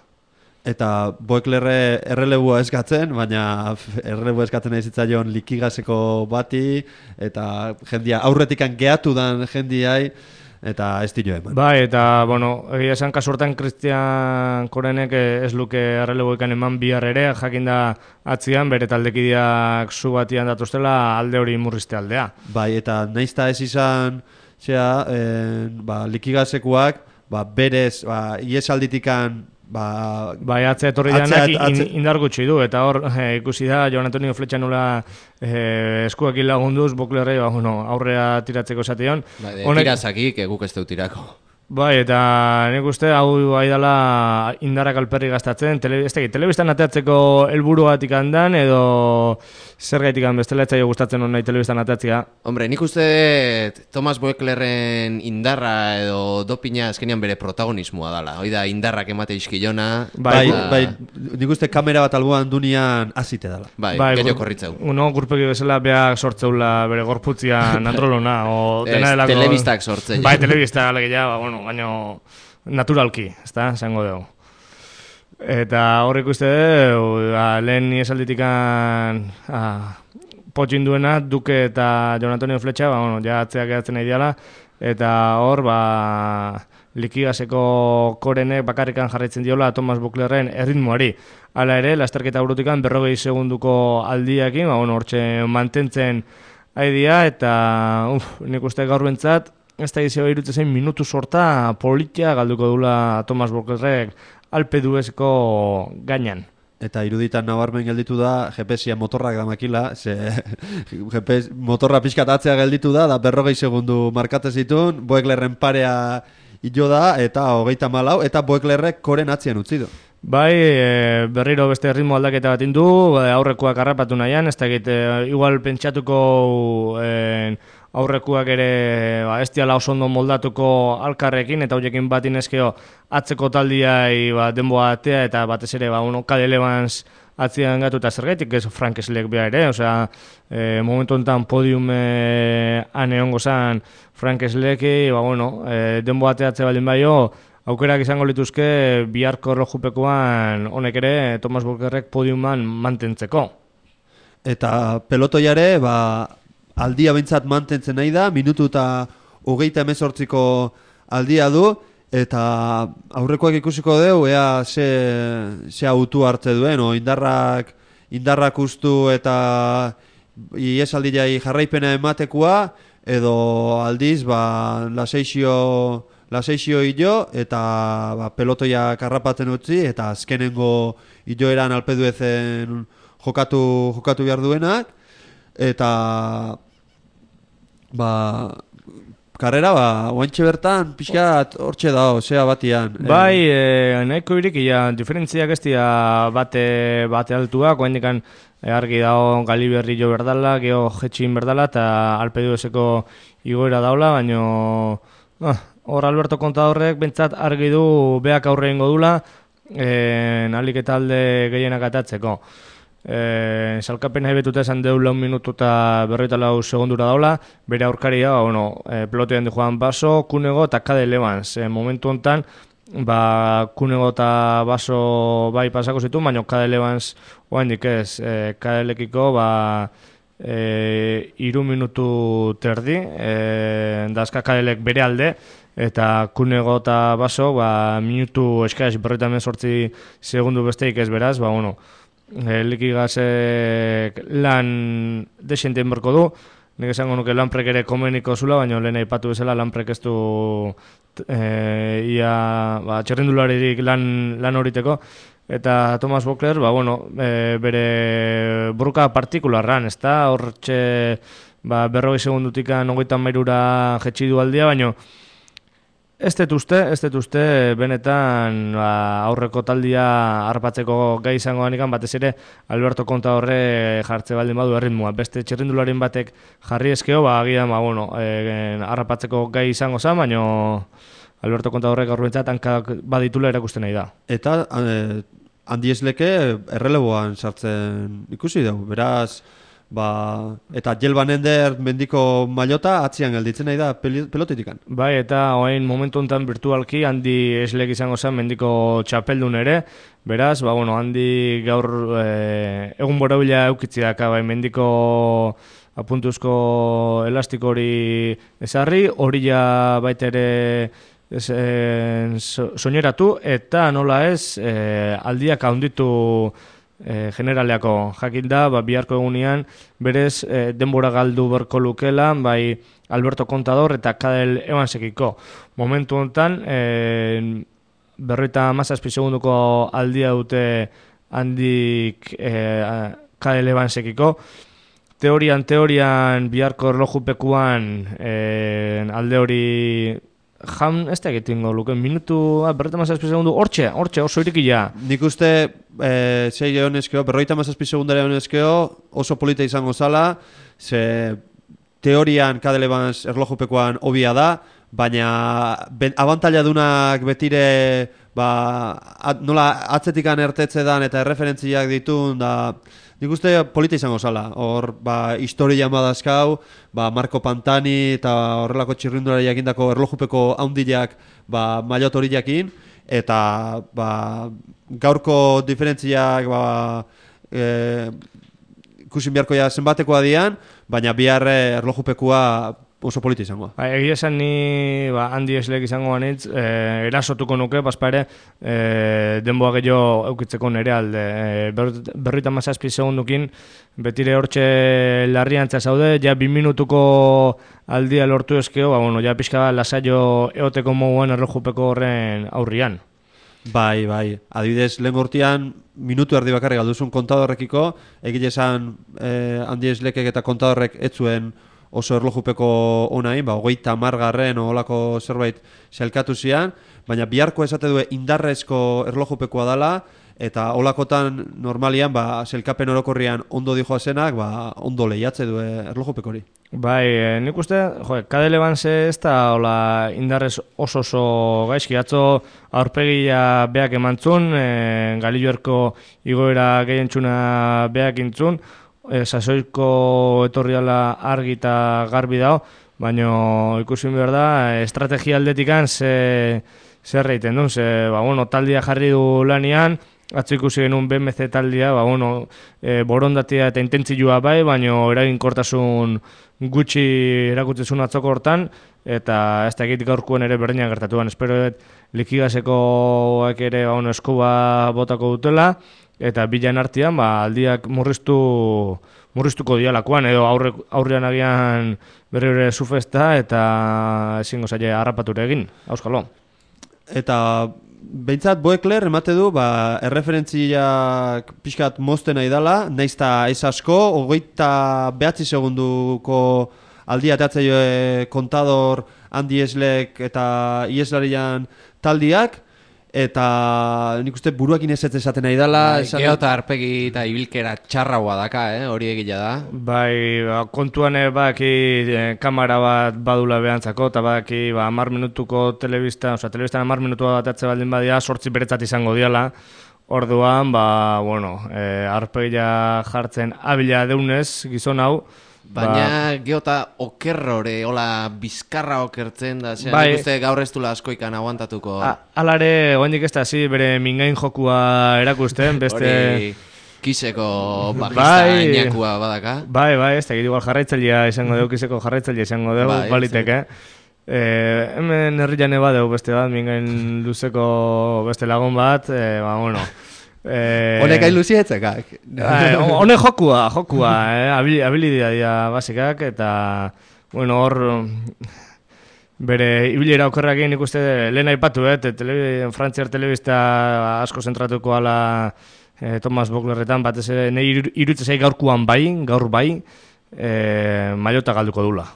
Eta Boeklerre errelebua eskatzen, baina errelebua eskatzen nahi zitzaion Likigaseko bati, eta jendia aurretikan gehatu dan jendiai, eta ez dilo eman.
Bai, eta, egia esan kasurtan Christian Korenek ez luke erreleboikan eman bihar ere, jakinda atzian, bere taldekideak zu batian datuztela alde hori murrizte aldea.
Bai, eta naizta ez izan, Likigasekoak, berez, iesalditikan,
bai, atzea etorri janak indar gutxi du, eta hor ikusi da Jon Antonio Fletxa nola eskuak lagunduz Boklerrei aurrea tiratzeko esateon.
Tirazakik guk ez dut tirako.
Bai, eta nik uste hau dela indarrak alperri gastatzen, telebistan ateatzeko helburu batik handan, edo zer gaitik bestela etzaio gustatzen hon nahi telebistan ateatzea.
Hombre, nik uste Tomas Boeklerren indarra edo dopina azkenean bere protagonismoa dala. Hoi da, indarrak emate izkilona.
Bai, nik uste kamera bat alboan dunian azite dala.
Bai, gehiago korritzeu.
Gurpegi bezala beak sortzeula bere gorputzian androlona.
Telebistak sortzea.
Bai, telebistak alegia, baina naturalki, ez da, zango dugu. Eta horrek uste dugu, lehen iesalditikan potxin duena, Duke eta Jon Antonio Fletxa, ja atzeak edatzen nahi diala, eta hor, Likigaseko Korenek bakarrikan jarraitzen diola Tomas Boklerren erritmoari. Hala ere, lasterketa burutikan 40 segunduko aldiakin, hortxe mantentzen aidia, eta nik uste gaur bentzat, ez da izio irutzen minutu sorta politia galduko dula Tomas Boklerrek Alpeduezko gainan.
Eta iruditan nabarmen gelditu da GPS-ia motorrak damakila, GPS motorra pixkat atzea gelditu da 40 segundu markatzen zituen, Boeklerren parea hilo da, eta 34, eta Boeklerrek Koren atzian utzi du.
Bai, berriro beste ritmo aldaketa bat indu, aurrekoak harrapatu nahian, ez dakit, igual pentsatuko aurrekuak ere ez diala oso ondo moldatuko alkarrekin, eta horiekin bat inezkeo atzeko taldiai denboa atea, eta batez ere, Kade Levans atzian gatu eta zergaitik, ez Frank Slek beha ere, osea, momentu enten podiumean egongo zan Frank Sleki, denboa ateatze baldin baio, aukerak izango lituzke biharko erlojupekoan honek ere Thomas Volkerrek podiuman mantentzeko.
Eta pelotoiare, aldia bintzat mantentzen nahi da, minutu eta 38ko aldia du, eta aurrekoak ikusiko deu, ea ze autu hartze duen, indarrak ustu eta iesaldiai jarraipena ematekoa, edo aldiz, laseixio hilo, eta pelotoiak harrapatzen utzi, eta azkenengo hiloeran alpeduezen jokatu behar duenak, eta karrera, oantxe bertan, pixkat hortxe dao, zea batian.
Bai, nahiko irikia, diferentziak ez dira bate altuak, oandikan argi dao Galiberri jo berdala, geho jetxin berdala, eta alpeduezeko igoera daula, baino hor Alberto Contadorrek bentsat argi du beak aurre ingo dula, alik eta alde gehienak atatzeko. Salkapena betuta esan deu 4 minutu eta 44 segundura daula, bere aurkaria, pelotean di Juan Baso, Kunego eta Kade Levans. Momentu honetan, Kunego eta Baso bai pasako zitu, baina Kade Levans oaindik ez, Kade Lekiko 3 minutu terdi, dazka Kadelek bere alde, eta Kunego eta Baso minutu eskaz 48 segundu besteik ez beraz, Likigazek lan desenten berko du, nik esango nuke Lanprek ere komeniko zula, baina lehen aipatu bezala Lanprek ez du txerrindularirik lan horiteko, eta Thomas Voeckler, bere burka partikularran, ez da, hortxe 40 segundutikan 33 jetxi du aldia, baina ez dut uste, benetan aurreko taldia harpatzeko gai izango ganikan, batez ere Alberto Contadorre jartze baldin badu erritmoa. Beste txerrindularen batek jarri eskeo, agian, harrapatzeko gai izango zen, baina Alberto Contadorrek aurrentzat hankak baditula erakusten nahi da.
Eta Andi Esleke erreleboan sartzen ikusi dugu, beraz, eta Jelban Ender mendiko mailota atzian gelditzen nahi da pelotitikan.
Bai, eta oain momentu honetan virtualki Andi Eslek izango zen mendiko txapeldun ere, beraz, Andi gaur egun borabila eukitzi daka, mendiko apuntuzko elastiko hori ezarri, hori ja baita ere soineratu, eta nola ez, aldiak handitu generaleako jakin da, biharko egunean berez denbora galdu berko lukela, bai Alberto Contador eta Kade Levansekiko. Momentu honetan, 57 segunduko aldia dute handik Kade Levansekiko. Teorian biharko erlojupekuan alde hori ez da egitingo luke, minutu, 57 segundu, hortxe, oso irikila.
Nik uste, 6 honezkeo, 57 segundare honezkeo, oso polita izango zala, ze teorian Kade Levans erlojupekoan obia da, baina abantaila dunak betire, nola atzetikan ertetze dan eta erreferentziak ditun, da nik uste polita izango zala. Hor, historia madazkau, Marco Pantani eta horrelako txirrindulari jakindako erlojupeko haundilak mailot hori jakin, eta gaurko diferentziak ikusin beharko zenbatekoa dian, baina bihar erlojupekoa oso polita izango.
Egia esan ni Andi Eslek izango banitz, erasotuko nuke, ere denboa gehiago eukitzeko nere alde. 57 segundukin, betire hortxe larriantza zaude, ja 2 minutuko aldia lortu eskeo, ja pixka lasaio eoteko moguan erlojupeko horren aurrian.
Bai, adibidez, lehen gortian minutu erdi bakarrik galduzun Contadorrekiko, egile esan Andi Eslekek eta Contadorrek etzuen oso erlojupeko onain, 30garren olako zerbait sailkatu zian, baina biharko esate du indarrezko erlojupekoa dela, eta olakotan normalian sailkapen orokorrian ondo dijoazenak, ondo lehiatze du erlojupekori.
Bai, nik uste, Cadel Evanse ez da hola indarrez oso gaizki, atzo aurpegia beak emantzun, Galilluerko igoera gehientxuna beak intzun, sasoiko etorriala argi eta garbi dao, baina ikusin behar da, estrategia aldetikan zer reiten duen, taldia jarri du lanian, atzo ikusi genuen BMC taldia, borondatia eta intentzioa bai, baina eraginkortasun gutxi erakutzezun atzoko hortan, eta ez da egit gaurkoen ere berdina gertatuan. Espero likigasekoak ere eskuba botako dutela, eta bilan artean aldiak murriztuko dialakoan, edo aurrean agian berri zufesta, eta ezingo zaila harrapature egin, auskalo.
Eta behintzat Boekler emate du erreferentziak pixkat mozten nahi dela, naizta ez asko, 29 segunduko aldia teatzaio kontador Andi Eslek eta Ieslarian taldiak, eta nik uste buruakin ez esaten nahi dela.
Gero eta arpegi eta ibilkera txarragoa daka, hori egila da.
Bai, kontuan kamera bat badula behantzako, eta baki 10 minutuko telebistan 10 minutu bat atze baldin badia, 8 beretzat izango diala. Orduan, arpegia jartzen abila deunez gizon hau.
Baina geota okerrore, hola bizkarra okertzen da, nik uste gaur ez dula askoikan aguantatuko.
Alare, oendik ez da, bere mingain jokua erakusten, beste...
Hori kiseko bajista inakua badaka.
Bai, ez da, igual jarraitzailea izango deu, kiseko jarraitzailea izango deu, baliteke. Hemen herrian badeu beste bat, mingain luzeko beste lagun bat,
Honek ailuziatzekak.
Honek jokua, habilidea dira basikak, eta hor bere ibilera okerrakin ikuste lehen aipatu, Frantziar telebista asko zentratuko ala Thomas Boeklerretan, batez ere nahi irutzezai gaur bai, mailota galduko dula.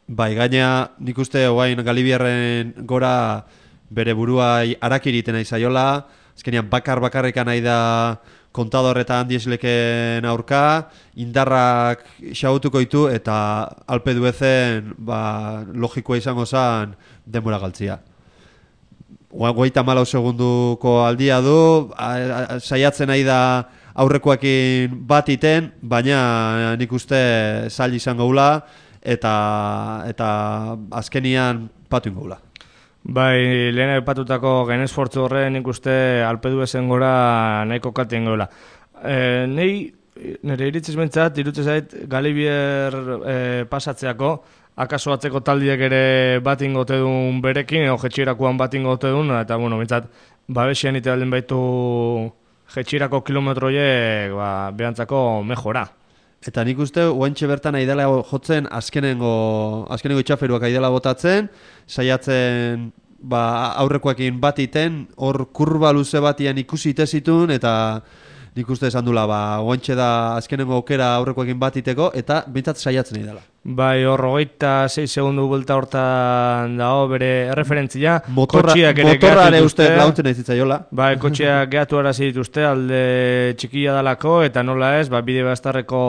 Bai, gaina nik uste oain Galibiarren gora bere burua arakiriten nahi zaiola, azkenean bakarrikan nahi da kontador eta Andi Esleken aurka, indarrak xagutuko ditu eta alpe duezen logikoa izango zen denbora galtzia. 34 segunduko aldia du, saiatzen nahi da aurrekoakin bat iten, baina nik uste zail izango gula eta azkenian patu ingo gula.
Bai, lehen aipatutako gain esfortzu horren nik uste alpedu ezen gora nahiko kalte ingo gula. Nire iritzez bentsat, irutzez zait Galibier pasatzeako, akaso atzeko taldiek ere bat ingote duen berekin, edo jetxirakoan bat ingote duen, eta bentsat, babesian ite alden baitu jetxirako kilometroiek behantzako mejora.
Eta nik uste, oantxe bertan aidela jotzen azkenengo itxaferuak aidela botatzen, saiatzen aurrekoekin bat iten, hor kurba luze batian ikusi itezitun, eta nik uste esan dula, oantxe da azkenengo aukera aurrekoekin bat iteko, eta bintzat saiatzen aidela.
Bai, hor 26 segundu bulta hortan dago bere referentzia.
Motorrare uste launtzen ez zitzaiola.
Bai, kotxeak gehatu arazi dituzte, alde txikia dalako, eta nola ez, bide bastarreko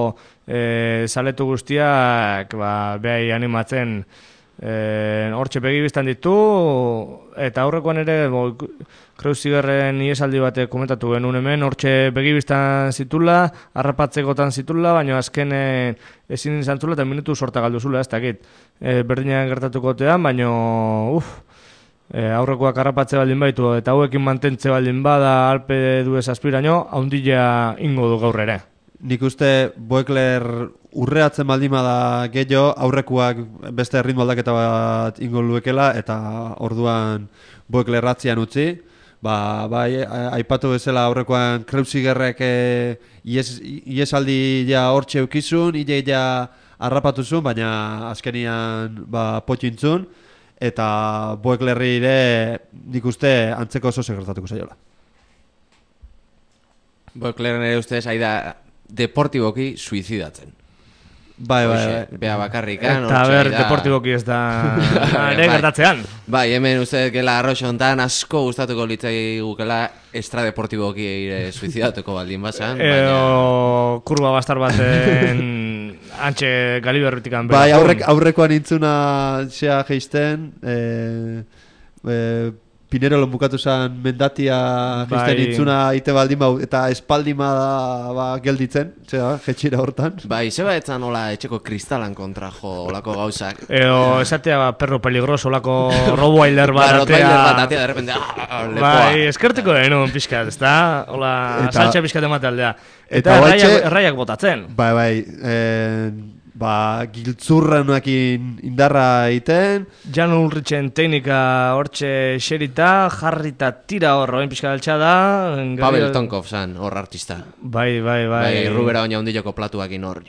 zaletu guztiak behai animatzen hortxe begibiztan ditu, eta aurrekoan ere Kreuzigerren iesaldi batek komentatu genuen hemen, hortxe begibiztan zitula, harrapatzekotan zitula, baina azken ezin izan zula eta minutu sorta galdu zula, ez dakit. Berdinean gertatuko tean, baina aurrekoak harrapatze baldin baitu, eta hauekin mantentze baldin bada alpe duez aspiraino, haundila ingo du gaur ere.
Nik uste Boekler urreatzen baldin bada gehiago, aurrekoak beste ritmo aldaketa bat ingo luekela, eta orduan Boekler ratzian utzi. Bai, aipatu bezala aurrekoan Kreuzigerrek iesaldi ja hortxe eukizun, ja harrapatuzun, baina azkenian potxintzun, eta Boeklerri ere nik uste antzeko oso gertatuko zaiola.
Boeklerren ere ustez aida deportiboki suizidatzen.
Bai.
Bea bakarrikan.
Eta ber, deportiboki ez da ere gertatzean.
Bai, hemen uste gela arroxo hontan asko gustatuko litzai gukela extradeportiboki ere suizidatuko baldin basan.
Edo kurba bastar baten antxe galiberritikan.
Bai, aurrekoan intzuna xea geisten, Pinerolon bukatu zen mendatia geisten intzuna ite baldin bau, eta espaldima da gelditzen, jetxira hortan.
Bai, zeba etzan hola etxeko kristalan kontra jo olako gauzak.
Edo esatea perro peligroso olako rottweiler bat atea.
Rottweiler bat atea, de repente, lepoa.
Bai, eskerteko denun pixkat, ez da? Hola, saltxa pixkat emate aldea. Eta erraiak botatzen.
Giltzurranuakin indarra egiten.
Jan Ulrichen teknika hortxe xerita, jarrita tira hor, oin pixka altxa da.
Pavel Tonkov zan, hor artista.
Bai.
Rubera oina hundiloko platuakin hor.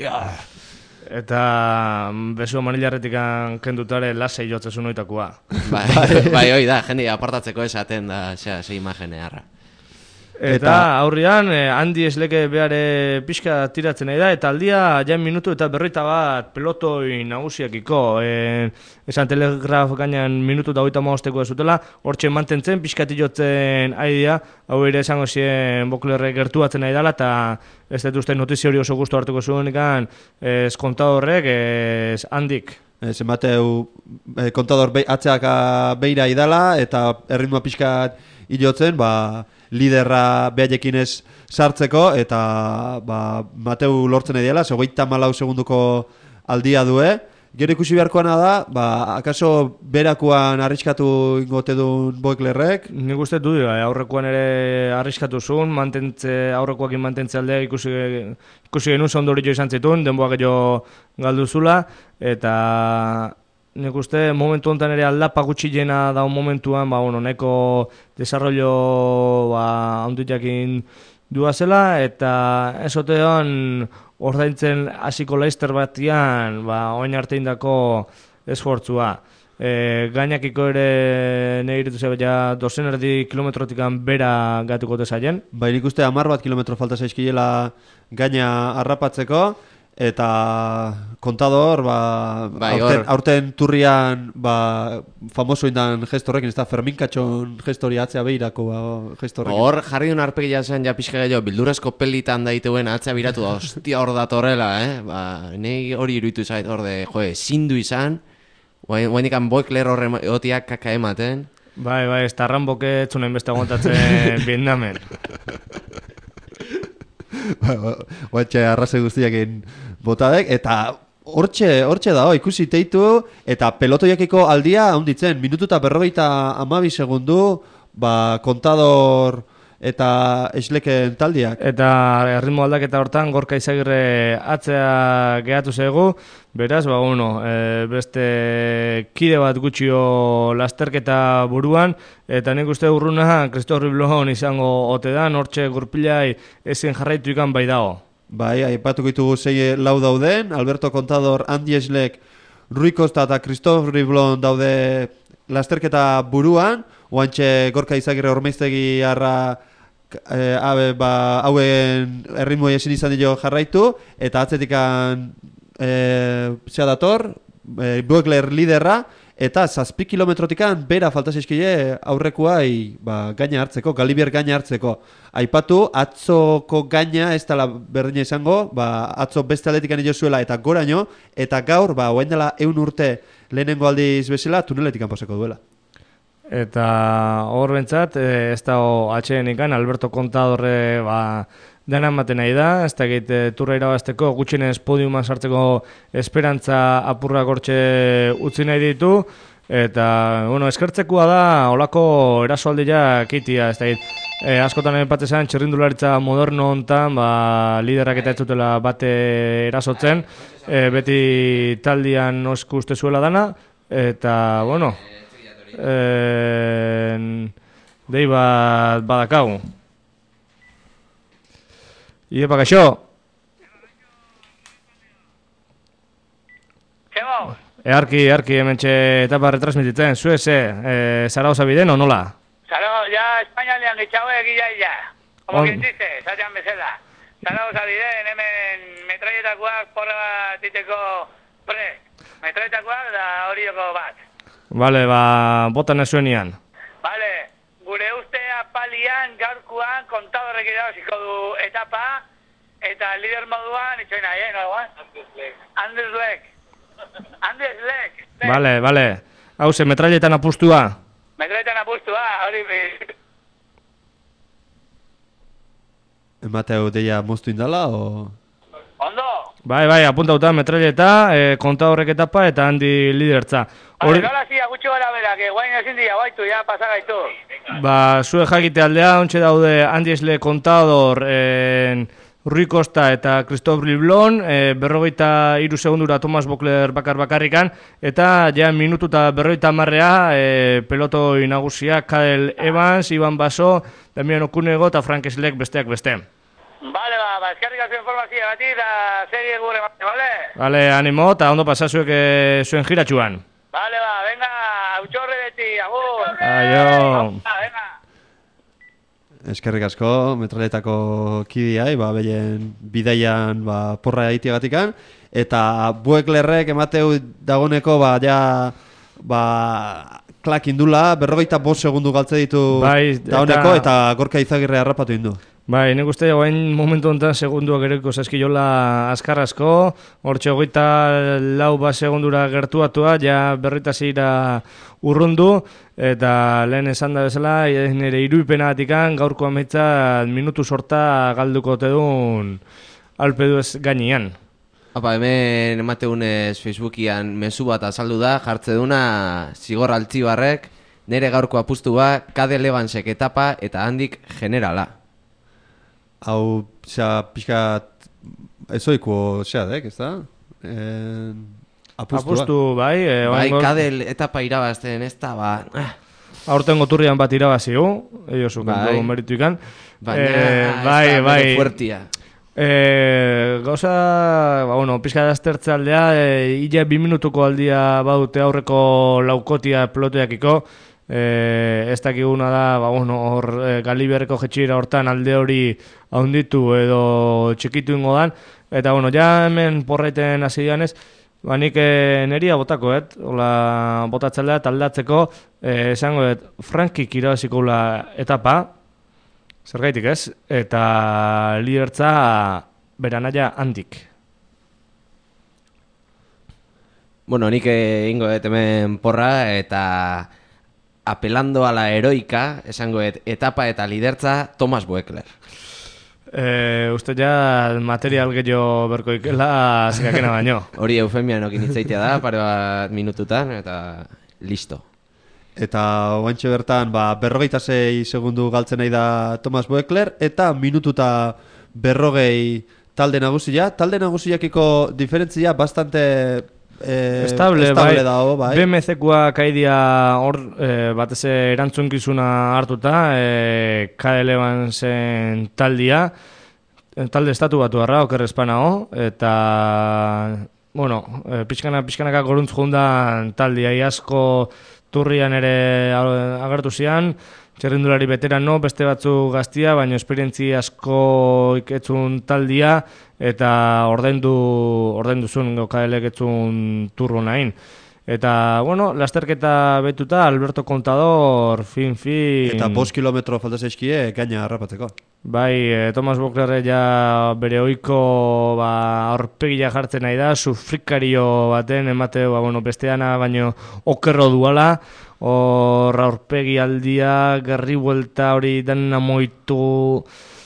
Eta besu manilarretik kendutare lasei jotzezun oitakoa.
Bai, hoi da, jende apartatzeko esaten da, ze imagene harra.
Eta aurrian, handi esleke behare pixka tiratzen nahi da, eta aldia jain minutu eta berroita bat pelotoi nagusiakiko. Esan Telegraf gainan minutu eta 35 ez zutela, hortxe mantentzen, pixkati jotzen aidea, hau ere esango zien Boklerre gertuatzen nahi dela, eta ez dut uste notizio hori oso gustu hartuko zuen ikan, kontadorrek, handik.
Zenbateu kontador atzeak beira idala, eta erritmoa pixkat hilotzen, liderra behaiekin ez sartzeko, eta Mateu lortzen ediela, 34 segunduko aldia due. Gero ikusi beharkoana da, akaso berakuan arriskatu ingote duen Boeklerrek?
Nik uste du, aurrekoan ere arriskatu zuen, aurrekoakin mantentze aldea ikusi genuen zondorio izan zituen, denboa gehiago galduzula, eta nik uste momentu honetan ere aldapa gutxilena daun momentuan, neko desarrollo handutiakin duazela, eta esotean ordaintzen hasiko Leicester batian, oin arte indako esfortzua. Gainakiko ere negiritu zebea 200 kilometrotikan bera gatuko tezaien.
Nik uste 10 kilometro falta zaizkiela gaina harrapatzeko, eta kontador, aurten turrian famoso indan gestorrekin, ez da Fermin Katxon gestori atzea behirako gestorrekin.
Hor jarri duen arpegia zen ja pixka gehiago, bildurazko pelitan daituen atzea biratu da, hostia hor datorrela, nahi hori iruditu zait hor de, zindu izan, guain ikan Boekler horre otiak kaka ematen.
Bai, ez da Ramboke etzunen beste aguantatzen Vietnamen.
Guatxe arraze guztiak botadek, eta hortxe da, ikusi teitu, eta pelotoiakiko aldia handitzen, minutu eta 52 segundu, kontador eta esleken taldiak.
Eta erritmo aldaketa hortan, Gorka Izagirre atzea gehatu zego, beraz, beste kide bat gutxio lasterketa buruan, eta nik uste urruna Christophe Riblon izango ote da, hortxe gurpilai ezin jarraitu ikan bai dago.
Bai, aipatuko ditugu 6 lau dauden, Alberto Contador, Andi Eslek, Rui Costa eta Christophe Riblon daude lasterketa buruan, oantxe Gorka Izagirre Ormaiztegi harra hauen erritmoi ezin izan dio jarraitu, eta atzetikan zea dator, Boekler liderra, eta 7 kilometrotikan bera falta zaizkile aurrekoai gaina hartzeko, Galibier gaina hartzeko. Aipatu, atzoko gaina ez dela berdina izango, atzo beste atletikan zuela eta goraino, eta gaur, oain dela 100 urte lehenengo aldiz bezala, tuneletikan pasako duela.
Eta hor bentsat, ez da atxeen ikan, Alberto Contadorre dena ematen nahi da, ez da egite turra irabazteko, gutxinez podiuman sartzeko esperantza apurra gortxe utzi nahi ditu, eta, eskertzekoa da, olako erasoaldia kitia, ez da egite, askotan epatesan txirrindularitza moderno hontan, liderak eta ez dutela bate erasotzen, beti taldian osku uste zuela dana, eta, dei bat badakagu. Iepa, kaixo? Earki, hementxe etapa retransmititzen, zueze, Zaragoza biden, o nola?
Zaragoza, ya Espainialean gitxaue egila. Como quien dice, zatean bezala. Zaragoza biden, hemen metralleta metraletakoak porra bat iteko prest. Metraletakoak da horioko bat.
Bale, botan ezuenian.
Bale, gure uste apalian, gaurkoan, kontadorrek irabaziko du etapa, eta lider moduan, itxoin nahi, Andes Lek.
Bale. Hau ze, metrailetan apustua?
Metraletan apustua, hori...
Emateu deia moztu indala, o...
Ondo?
Bai, apuntauta metraileta, konta horrek etapa eta handi lidertza.
Hori... Nola zia, gutxi gara berak, guain ezin dira, baitu, ja, pasagaitu.
Zue jakite aldea, ontsa daude Handi Esle Contador, Rui Costa eta Christophe Liblon, 43 segundura Thomas Bokler bakarrikan, eta ja minutu eta 50 pelotoi nagusia, Cadel Evans, Iban Baso, Damian Okunego eta Frank Slek besteak beste.
Bale, eskerrik asko informazioa bati, eta serie gure bate, bale?
Bale, animo, eta ondo pasazuek zuen jiratxuan.
Bale, venga, hautxorre beti, agur!
Aio!
Venga!
Eskerrik asko, metraletako kidiai, behien bidaian porra egiteagatikan, eta Bueklerrek emateu dagoneko, klak indula, 45 segundu galtze ditu dagoneko, eta Gorka Izagirre harrapatu indu.
Bai, nik uste guain momentu honetan segunduak ereko zaskiola azkarrazko, hortxe 24 segundura gertuatua, ja berritazira urrundu, eta lehen esan da bezala, nire iruipena atikan, gaurko ametza minutu sorta galduko tedun alpedu ez gainean.
Hemen emateunez Facebookian mezu bat azaldu da, jartze duna Zigor Altzibarrek, nire gaurko apustua, Cadel Evansek etapa eta handik generala.
Hau, pixkat, ezoiko xeadek, ez da?
Apustu, bai.
Cadel etapa irabazten, ez da,
Aurten goturrian bat irabaziu, eiosu kontu meritu ikan.
Bai. Fuertia.
Gauza, pixka daztertze aldea, illa 2 minutuko aldia badute aurreko laukotia pelotoiakiko, ez dakiguna da, hor Galiberreko jetxira hortan alde hori haunditu edo txikitu ingo dan, eta ja hemen porraiten hasi dianez, nik neria botako, hola botatzaldea taldatzeko, esango, Frankik irabaziko etapa, zergaitik ez, eta lidertza beranaia handik.
Nik ingo hemen porra, eta apelando a la heroica, esango etapa eta lidertza Thomas Buekler.
Uste ja material gehiago berko ikela zikakena baino.
Hori eufemian okin itzaitea da, pare bat minututan, eta listo.
Eta oantxe bertan, 46 segundu galtzen nahi da Thomas Buekler, eta minututa 40 talde nagusia. Talde nagusiakiko diferentzia bastante...
estable bai. BMC-koa kaidia hor batez erantzunkizuna hartuta, Cadel Evansen talde estatu batu harra, okerrezpanao, eta pixkanaka goruntz jundan taldea asko turrian ere agertu zian, txerrindulari veterano, beste batzu gaztia, baina esperientzi asko iketzun taldia, eta ordaindu zuen Cadelek etzun turro nahin. Eta, lasterketa betuta, Alberto Contador, fin.
Eta 5 kilometro falta zaizkie, gaina harrapatzeko.
Bai, Thomas Bokler ja bere oiko aurpegia jartzen nahi da, sufrikario baten, emate, besteana, baino okerro duala, hor aurpegi aldia, gerri buelta hori dena moitu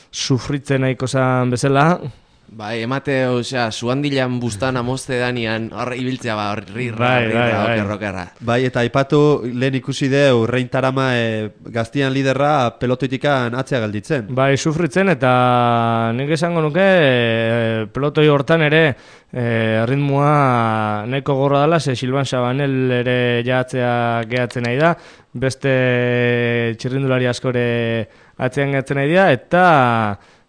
sufritzen nahiko zan bezala.
Bai, emate, zuhandilan bustan amozte danian, hor ibiltzea okerra.
Bai, eta aipatu lehen ikusi deu, Rein Tarama gaztian liderra pelotoitikan atzea galditzen.
Bai, sufritzen, eta nik esango nuke pelotoi hortan ere ritmoa nahiko gorra dela, Silvan Sabanel ere jatzea gehatzen nahi da, beste txirrindulari askore atzean gehatzen nahi da, eta...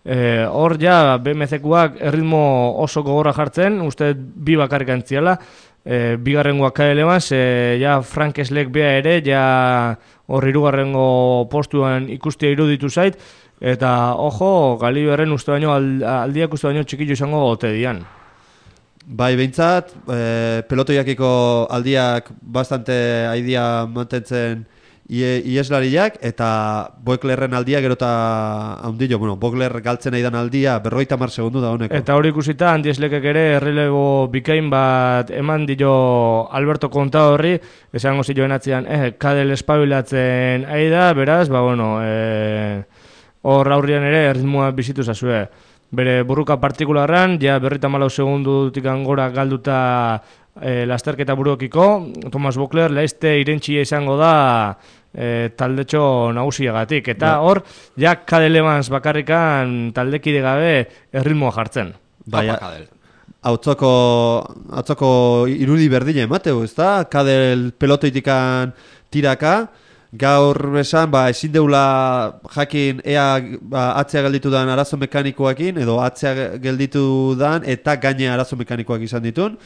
hor ja BMC-koak erritmo oso gogorra jartzen, uste bi bakarrik antziala, bigarrengoak Cadel Evans, ja Frank Slek bea ere, ja hor hirugarrengo postuan ikustia iruditu zait, eta ojo, Galiberren uste baino, aldiak uste baino txikillo izango gote dian.
Bai, behintzat, pelotoiakiko aldiak bastante aidia mantentzen ieslariak, eta Boeklerren aldia gerota haundillo. Bueno, Boekler galtzen aidan aldia 50 segundu da honeko.
Eta hori ikusita, Andieslekek ere errelebo bikain bat eman dio Alberto Contadorri, esango zioen atzean, kadel espabilatzen aida, beraz, hor aurrian ere erritmoa bizitu zazue. Bere burruka partikularran, ja 54 segundutik gora galduta lasterketa buruokiko, Thomas Boekler laizte irentxia izango da taldetxo nagusiagatik. Eta hor, ja Cadel Evans bakarrikan taldekide gabe erritmoa jartzen.
Bai, Autzoko irudi berdine emateu, ezta? Cadel pelotoitikan tiraka, gaur esan, ezin deula jakin ea atzea gelditu dan arazo mekanikoakin, edo atzea gelditu dan eta gaine arazo mekanikoak izan ditun,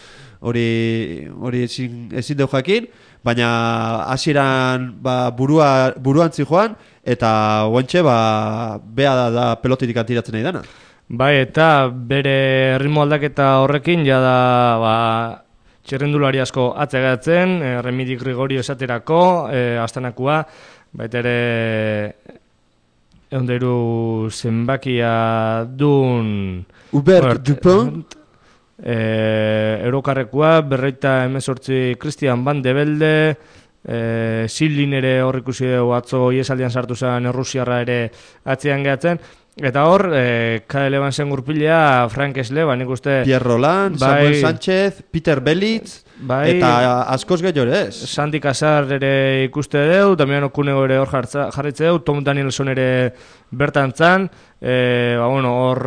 hori ezin deu jakin, baina hasieran buruan zijoan, eta guantxe bea da pelotitik antiratzen nahi dana.
Bai, eta bere ritmo aldaketa horrekin, jada, txerrendulari asko atzegatzen, Remidi Gregorio esaterako, Astanakua, baita ere eundeiru zenbakia dun
Hubert Dupont,
Eurokarrekoa, 58 Christian Van de Velde, Zillin ere hor ikusi dugu atzo iesaldian sartu zen Errusiarra ere atzean gehatzen. Eta hor, Cadel Evansen gurpilea, Frank Esle, nik uste...
Pierre Roland, Samuel Sánchez, Peter Belitz, eta askoz gehiago ere ez.
Santi Casar ere ikuste deu, Damian Okunego ere hor jarritze deu, Tom Danielson ere bertantzan, hor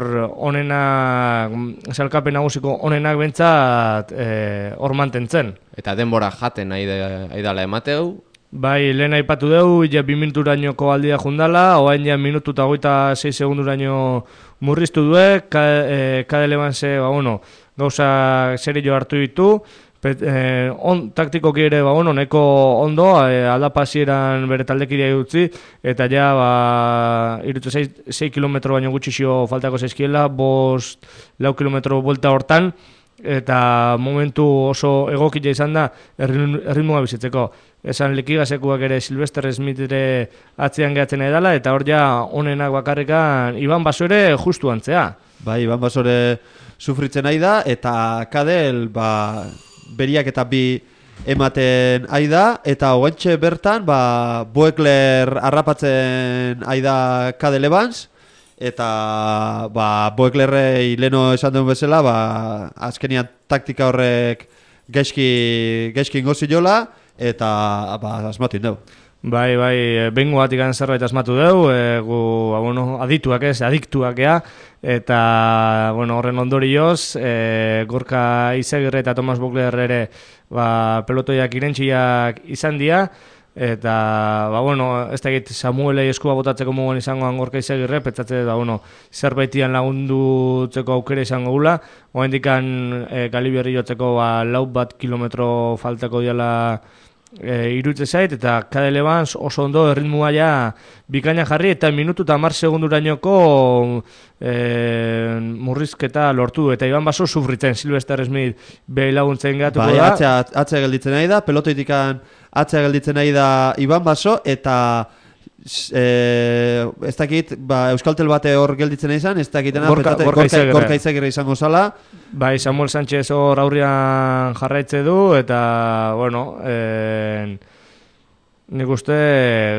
onenak, salkapen nagusiko onenak bentsat hor mantentzen.
Eta denbora jaten aidala emateu.
Bai, lehen aipatu dugu, ja 2 minuturainoko aldia jundala, oain ja minutu eta 26 segunduraino murriztu due, Cadel Evanse, gauza serio hartu ditu, taktikoki ere, neko ondo, aldapasieran bere taldekidea utzi, eta ja, irutze 6 kilometro baino gutxixio faltako zaizkiela, 4 kilometro buelta hortan, eta momentu oso egokia izan da erritmoa bizitzeko. Esan Likigasekuak ere Sylvester Smith ere atzean gehatzen edala, eta hor ja onenak bakarrikan Iban Basore justu antzea.
Bai, Iban Basore sufritzen nahi da, eta Cadel beriak eta bi ematen aida, eta hoentxe bertan Boekler harrapatzen aida Cadel Evans, eta Boeklerrei leno esan duen bezala, azkenian taktika horrek gaizki ingo ziola, eta asmatu indau.
Bai, bengo batik zerbait asmatu deu, adiktuak ea, eta horren ondorioz, Gorka Izagirre eta Thomas Boekler ere pelotoiak irentxiak izan dira, eta ez da egit Samuelei eskua botatzeko mugon izangoan Gorka Izagirre, petzatze zerbaitian lagundutzeko aukera izango gula, oendikan Galiberri jotzeko 4 kilometro faltako diala irutze zait, eta Cadel Evans oso ondo erritmua ja bikaina jarri, eta minutu eta 10 segundurainoko murrizketa lortu, eta Iban Baso sufritzen, Sylvester Smith behi laguntzen gehatuko da.
Atzea gelditzen nahi da, pelotoitikan atzea gelditzen nahi da Iban Baso, eta ez dakit, Euskaltel bate hor gelditzen izan, ez dakitena Gorka Izagirre izango zala.
Bai, Samuel Sánchez hor aurrian jarraitze du, eta, nik uste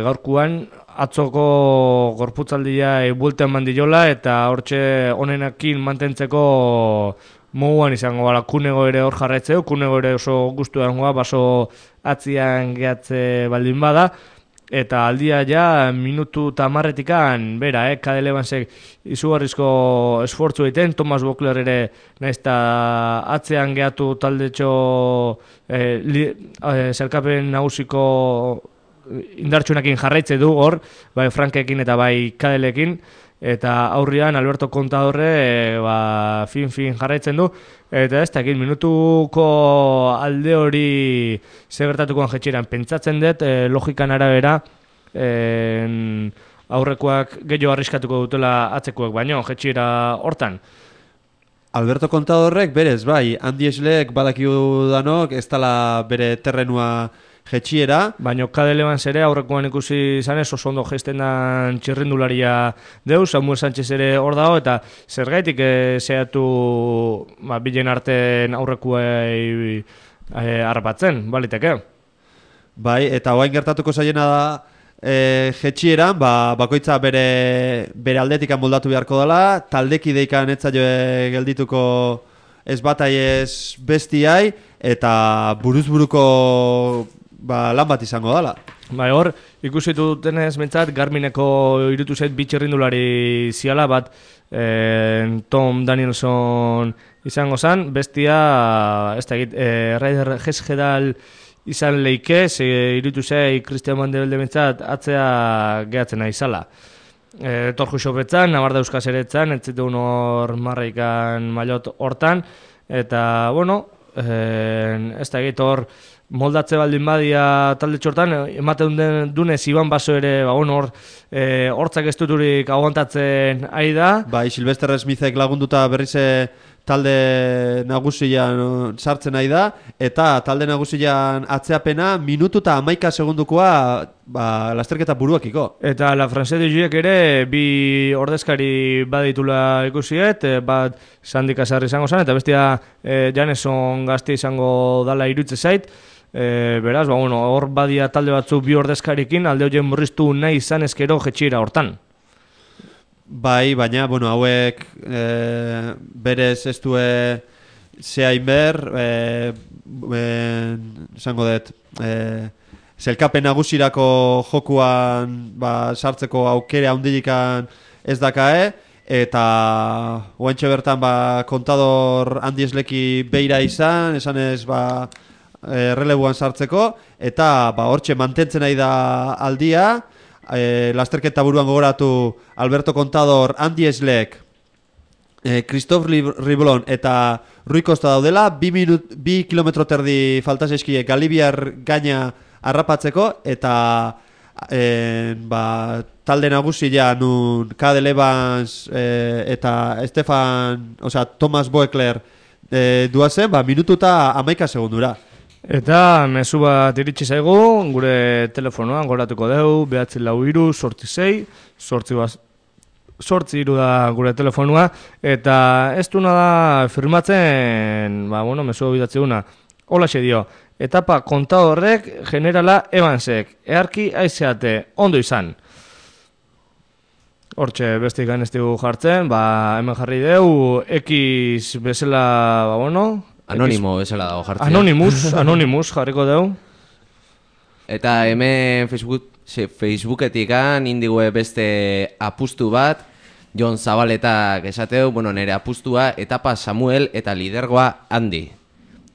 gaurkuan atzoko gorputzaldia buelten mandiola, eta hortxe onenakin mantentzeko moguan izango bala. Kunego ere hor jarraitze du, Kunego ere oso gustu dangoa, Baso atzian gehatze baldin bada, eta aldia ja minutu eta 10 bera, Cadel Evansek izugarrizko esfortzu egiten, Thomas Boekler ere naizta atzean gehatu taldetxo zerkapen nagusiko indartsuenakin jarraitze du hor, bai Frankekin eta bai Cadelekin, eta aurrian Alberto Contadorre fin jarraitzen du, eta ez dakit minutuko alde hori segertatukoan jetxeran pentsatzen dut, logikan arabera aurrekoak gehiago arriskatuko dutela atzekoek, baino jetxera hortan.
Alberto Contadorrek berez, bai, Andi Eslek badakigu danok, ez dala bere terrenua jetxiera.
Baina kadeleban ere aurrekoan ikusi zanez oso ondo gesten dan txirrindularia deu, Samuel Sánchez ere hor dago, eta zergaitik zehatu bilen arten aurrekuei harrapatzen, baliteke.
Bai, eta oain gertatuko zaiena da jetxieran, bakoitza bere aldetikan moldatu beharko dela, taldekideikan etzaio geldituko ez batai ez bestiai, eta buruzburuko lan bat izango dela.
Bai, hor, ikusi dutenez mentzat, Garmineko irutu zait bitxerrindulari ziala bat Tom Danielson izango zan, bestia, ez da egit, Raider Gesgedal izan leike, irutu zei Christian Mandebelde mentzat atzea gehatzen izala. Torju xopetzan, Navarra Euskaz ere etzan, etzitu hor marraikan mailot hortan, eta, bueno, ez da egit hor, moldatze baldin badia talde txortan, ematen dunez Iban Baso ere, hor, hortzak ez duturik aguantatzen ari da.
Bai, Silvester Smithek lagunduta berrize talde nagusian sartzen nahi da, eta talde nagusian atzeapena minutu eta 11 segundukoa lasterketa buruakiko.
Eta La France de Juiek ere bi ordezkari baditula ikusiet, bat Sandy Casar izango zen, eta bestia Janeson Gazte izango dala irutze zait. Beraz, hor badia talde batzu bi ordezkarikin, alde horien murriztu nahi izan ezkero jetxira hortan.
Bai, baina, hauek berez ez du zehain ber, esango dut, zelkapen nagusirako jokuan sartzeko aukere handilikan ez dakae, eta oantxe bertan Contador Andi Esleki beira izan, esanez relebuan sartzeko, eta hortxe mantentzen nahi da aldia, lasterketa buruan gogoratu Alberto Contador, Andi Eslek, Christophe Riblon eta Rui Costa daudela, 2 kilometro terdi falta zaizkie Galibiar gaina harrapatzeko, eta talde nagusia nun Cadel Evans eta Thomas Boekler duazen, minutu eta 11 segundura.
Eta mezu bat iritsi zaigu, gure telefonoan goratuko dugu, 943 8 da gure telefonua, eta ez duna da firmatzen, mezu bidatzi duna, hola dio, etapa Contadorrek generala Evansek, earki aizeate, ondo izan. Hortxe bestik ez dugu jartzen, hemen jarri dugu, X bezala,
Anonimo bezala dago jartzea.
Anonymous jarriko dugu.
Eta hemen Facebooketik indigue beste apustu bat, Jon Zabaletak esateu, nire apustua etapa Samuel eta lidergoa Andi.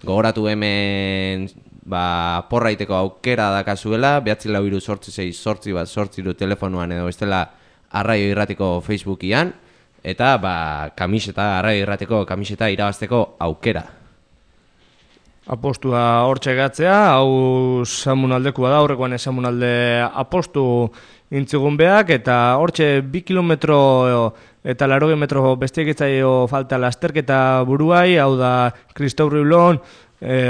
Gogoratu hemen porraiteko aukera dakazuela, 943 telefonuan edo bestela Arraio Irratiko Facebookian, eta Arraio Irratiko kamiseta irabazteko aukera.
Apostua hortxe gatzea, hau Samunaldekua da, horrekoan Samunalde apostu intzigun beak, eta hortxe 2 kilometro eta 80 metro bestiek etzaio falta lasterketa buruai, hau da Christophe Riblon,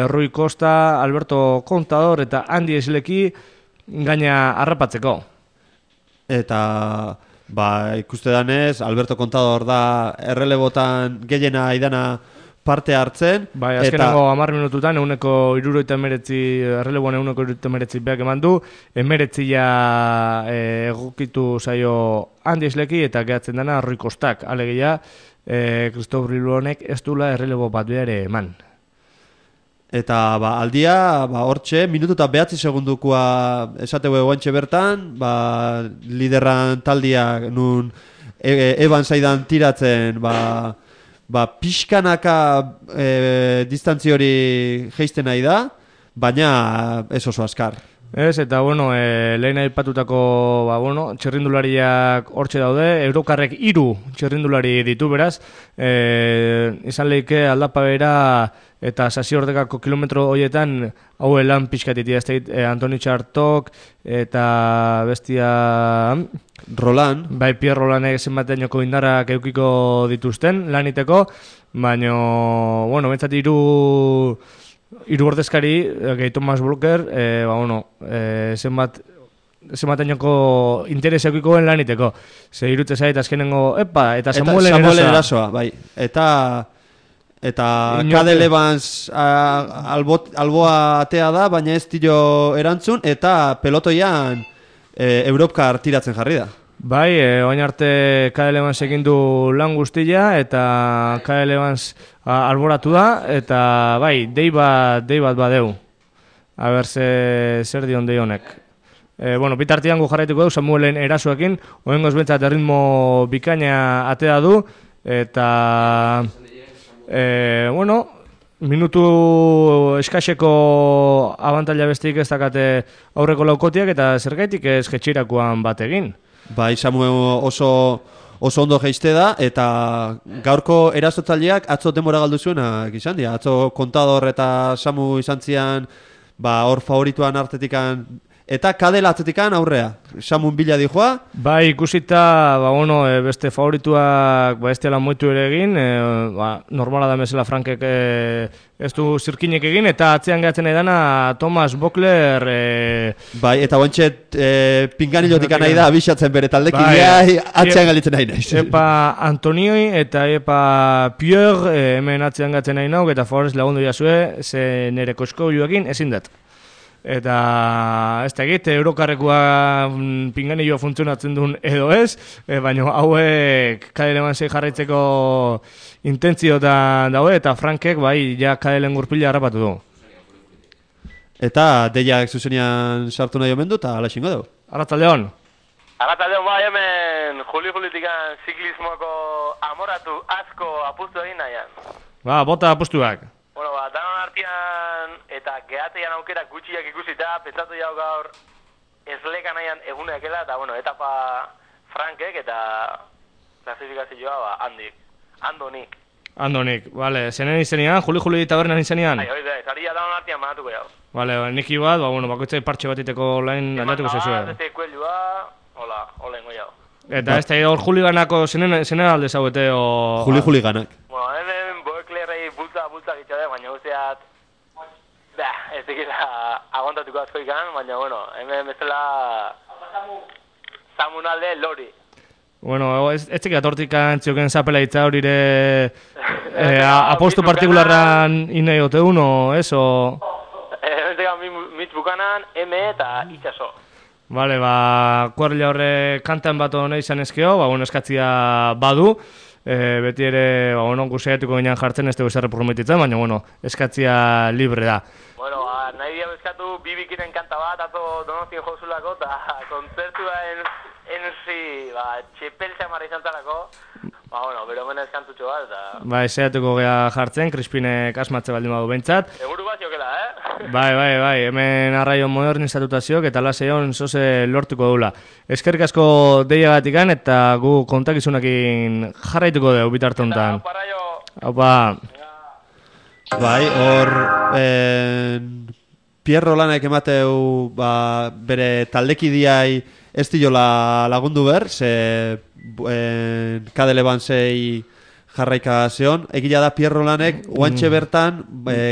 Rui Costa, Alberto Contador eta Andi Esleki gaina harrapatzeko.
Eta ikuste danez, Alberto Contador da errelebotan gehiena idana parte hartzen.
Azkenengo 10 minututan, 169 errelebuan 169 beak eman du, 19 egokitu zaio Andi Esleki eta gehatzen dana Rui Costak, alegia Christophe Riblonek ez dula errelebo bat behar eman.
Eta aldia, hortxe, minutu eta 9 segundukoa esateu eguantxe bertan, lideran taldia nun eban zaidan tiratzen, pixkanaka distantzio hori geisten nahi da, baina ez oso askar.
Ez, eta, bueno, lehen aipatutako, txirrindulariak hortxe daude, Eurokarrek 3 txirrindulari ditu, beraz, izan lehike aldapa bera eta Sasiordekako kilometro horietan hau lan pixkatitia, ez da, Antoni Txartok eta bestia...
Roland.
Bai, Pierre Rolandek zenbateñoko indarrak eukiko dituzten laniteko, baina, bueno, bentsat hiru ordezkari, gehi Thomas Blocker, zenbateñoko interes eukikoen laniteko. Ze irutze zait, azkenengo, eta Samuelen
erasoa, bai. Eta Cadel Evans alboa atea da, baina ez tiro erantzun, eta pelotoian Europkar tiratzen jarri da.
Bai, oain arte Cadel Evans egin du lan guztia, eta Cadel Evans alboratu da, eta bai, dei bat badeu. A ber, zer dion dei honek. Bitartian gu jarraituko du Samuelen erasoekin, oengoz bentsat erritmo bikaina atea du, eta... minutu eskaseko abantaila besteik ez dakate aurreko laukotiak eta zergaitik ez jetxirakoan bat egin.
Bai, Samuel oso ondo jeiste da eta gaurko erasotzaileak atzo denbora galdu zuenak izan dira. Atzo Contador eta Samu izan zian hor favorituan artetikan eta Cadel atzetikan aurrea. Samun bila dijoa.
Bai, ikusita, beste favorituak ez diala moitu ere egin, normala da mesela Frankek ez du zirkinek egin, eta atzean gehatzen edana Thomas Bockler...
Bai, eta guantxet pinganilotik nahi da abixatzen bere taldekin, atzean galitzen nahi nahi.
Epa Antonioi eta epa Pierre hemen atzean gehatzen nahi nauk, eta favorez lagundu jasue, ze nire kosko joakin ezin dut. Eta ez da egit, Eurokarrekoa pinganillo funtzionatzen duen edo ez, baina hauek Cadel Evansek jarraitzeko intentziotan daue, eta Frankek ja Cadelen gurpila harrapatu du.
Eta deiak zuzenian sartu nahi omen du, eta ala xingo dugu.
Arratzaldeon.
Arratzaldeon, hemen juli-julitikan ziklismoko amoratu asko apustu egin nahian.
Bota apustuak.
Danon artean eta gehateian aukera gutxiak ikusita, pentsatu jau gaur esleka nahian eguneakela, eta etapa Frankek eta klasifikazioa Andonik, bale, zenen izenian, juli tabernan izenian? Zaria danon artean manatuko jau.
Bale, niki bat, bakoitzai partxe bat iteko lain aldatuko zezue.
Beste kuelua, hola ingo jau.
Eta ez da, hor juliganako zenen alde zauete, o...
Juliganak.
Hemen Boeklerrei bulta gitxade, baina guztiat... ez dikila agontatuko asko ikan, baina, hemen bezala... Samunalde lori.
Ez txekia tortik antzioken zapela itza horire... apostu partikularran inai ote uno, eso...
Hemen txekia mitz bukanan, M eta itxaso.
Bale, kuarrila horre kantan bat hona izan ezkeo, eskatzia badu, beti ere, guztiatuko ginean jartzen, ez dugu zerre prometitzen, baina, eskatzia libre da.
Nahi diago eskatu bibikiren kanta bat, ato Donostien jozulako, eta kontzertua enzi, txepel xamarra izan talako, bero mena eskantutxo bat, eta...
Ezeatuko gea jartzen, Crispinek asmatze baldin badu bentsat.
Eguru bat jokela,
Bai, hemen arraio modernizatutaziok eta laseion zoze lortuko dula. Eskerrik asko deiagatikan eta gu kontakizunakin jarraituko dugu bitarte honetan. Haupa.
Bai, hor Pierre Rolandek emateu bere taldekidiai ez diola lagundu ber, ze Cadel Evansei jarraika zeon. Egia da Pierre Rolandek oantxe bertan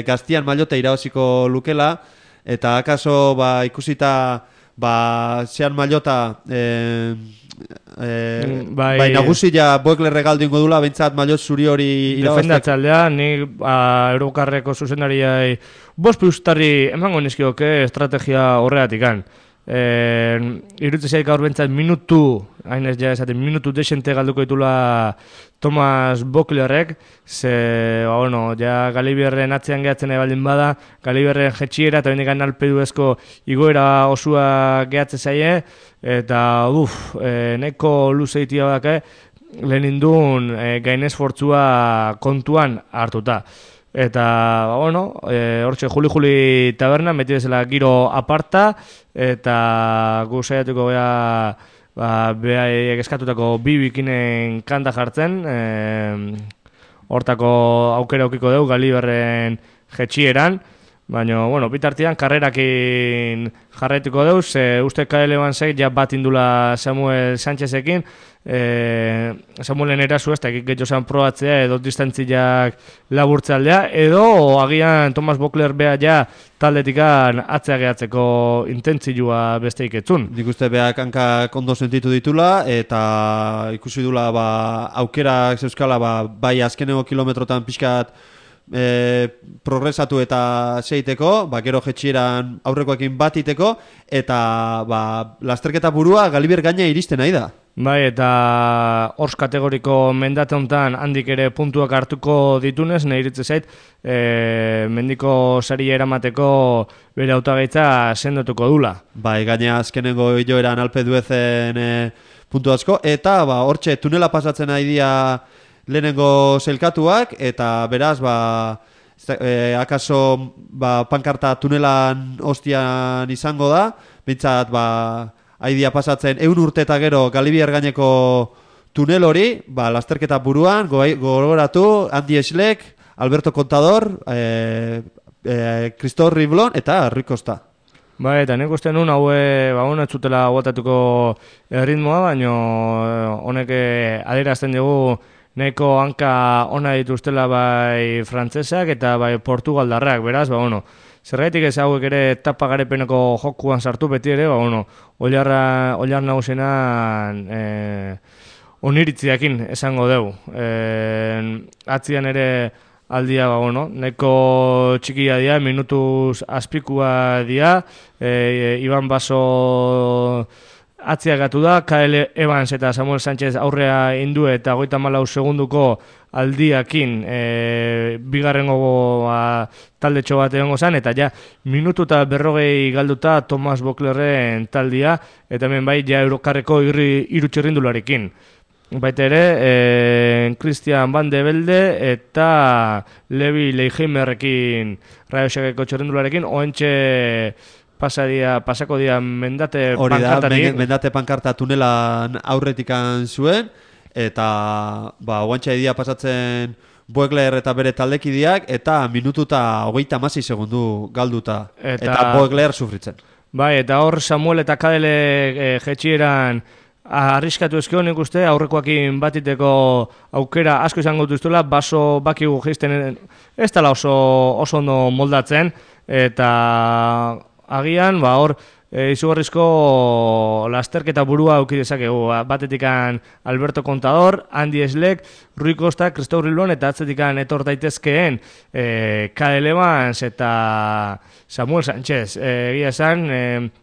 gaztian mailote irabaziko lukela, eta akaso ikusita zean mailota nagusia Boekler regaldu ingo dula, bentsat mailot zuri hori irabaztek.
Defendatzaldea, nik Eurokarreko zuzendariai 5 plustarri emango nizkioke estrategia horregatikan. Irutze zaik gaur bentsat minutu desente galduko ditula Thomas Bocklerrek, ze, Galibierren atzean gehatzen baldin bada, Galibierren jetxiera eta bendekan alpeduezko igoera osua gehatze zaie, eta neko luzeitia badake, lehen indun gainez fortzua kontuan hartuta. Eta, bueno, hortxe Juli taberna, beti bezala giro aparta, eta gu saiatuko gea, behaiek eskatutako bi bikinen kanta jartzen, hortako aukera aukiko dugu Galiberren jetxieran, baina, bueno, bitartian karrerakin jarraituko dugu, uste KL Bansek ja bat indula Samuel Sánchezekin, Samuelen erasu ez da getxo zan probatzea edo distantziak laburtzaldea, edo agian Thomas Bokler bea ja taldetikan atzea gehatzeko intentzioa besteik etzun.
Nik uste beak hankak ondo sentitu ditula, eta ikusi dula aukerak zeuskala bai azkeneko kilometrotan pixkat progresatu eta zeiteko, gero jetxieran aurrekoekin bat iteko, eta lasterketa burua Galiber gaina iristen nahi da.
Bai, eta hors kategoriko mendate honetan handik ere puntuak hartuko ditunez, nahi iritze zait, mendiko sari eramateko bere hautagaitza sendatuko dula.
Bai, gaina azkenengo hiloeran Alpe d'Huezen puntu asko, eta hortxe tunela pasatzen nahi dia lehenengo zelkatuak, eta beraz, akaso pankarta tunelan hostian izango da, bintzat, haidia pasatzen 100 urte eta gero Galibier gaineko tunel hori, lasterketa buruan, gogoratu, Andy Schleck, Alberto Contador, Christophe Riblon eta Rui Costa.
Bai, eta nik uste nun ez zutela guatatuko ritmoa, baina honek adierazten dugu nahiko hanka ona dituztela bai frantsesak eta bai portugaldarrak, beraz, zergaitik ez hauek ere etapa garepeneko jokuan sartu beti ere, oilar nagusenan oniritziakin esango dugu. Atzian ere aldia, nahiko txikia dia, minutuz azpikua dia, Iban Baso atziagatu da, KL Evans eta Samuel Sánchez aurrea indu eta 34 segunduko aldiakin bigarrengo taldetxo bat egongo zen, eta ja minutu eta 40 galduta Thomas Boklerren taldia, eta hemen bai ja Eurokarreko hiru txirrindularekin. Baita ere, Christian Van de Velde eta Levi Leigheimerrekin Raiosakeko txirrindularekin, oentxe pasako dia mendate pankartatik.
Mendate pankarta tunelan aurretikan zuen, eta oantxa edia pasatzen Boegler eta bere taldekideak, eta minutu eta 36 segundu galduta, eta Boegler sufritzen.
Bai, eta hor Samuel eta Kadele jetxieran arriskatu ezkio nik uste, aurrekoakin batiteko aukera asko izango duztuela, Baso bakigu geizten ez dela oso ondo moldatzen, eta agian, hor, izugarrizko lasterketa burua auki dezakegu. Batetikan Alberto Contador, Andy Schleck, Rui Costa, Christophe Riblon, eta atzetikan etor daitezkeen KL Evans eta Samuel Sánchez. Egia esan,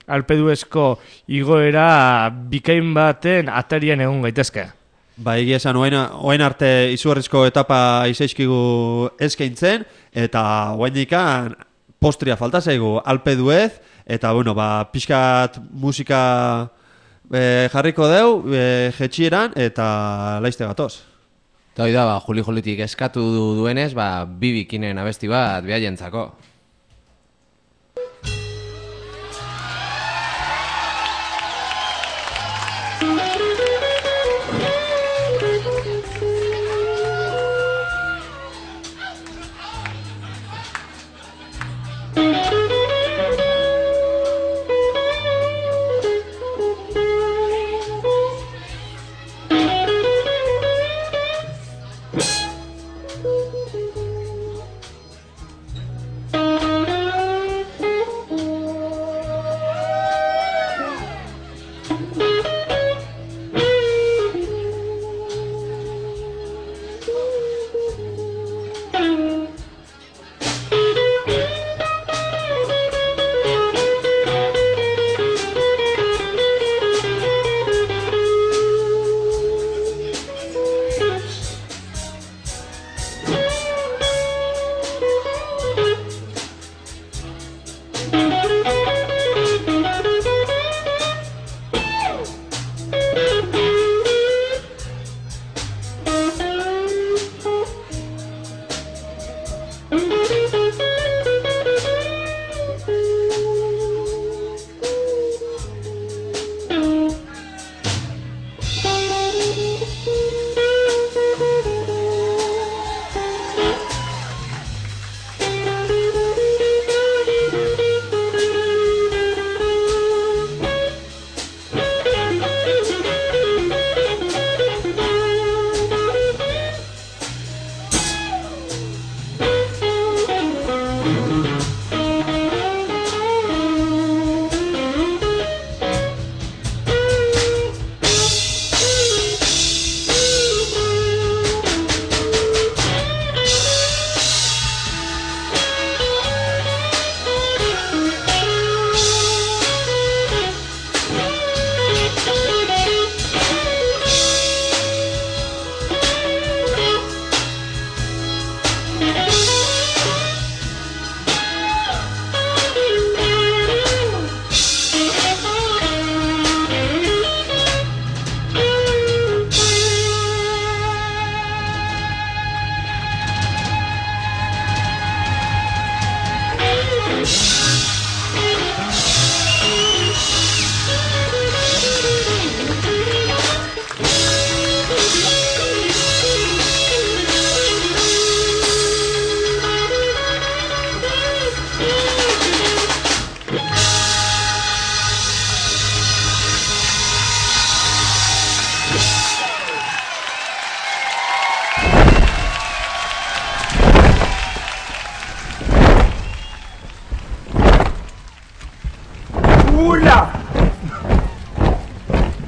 Alpe d'Huezko igoera bikain baten atarian egon gaitezke.
Egia esan, oain arte izugarrizko etapa izaizkigu eskaintzen, eta oain dikan postria falta zaigu Alpe d'Huez, eta, pixkat musika jarriko deu, jetxieran, eta laizte gatoz.
Eta hori da, Juli-Julitik eskatu duenez, bi bikinen abesti bat behaientzako.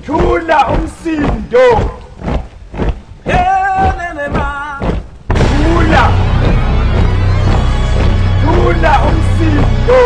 Tuna umsindo. Tuna umsindo.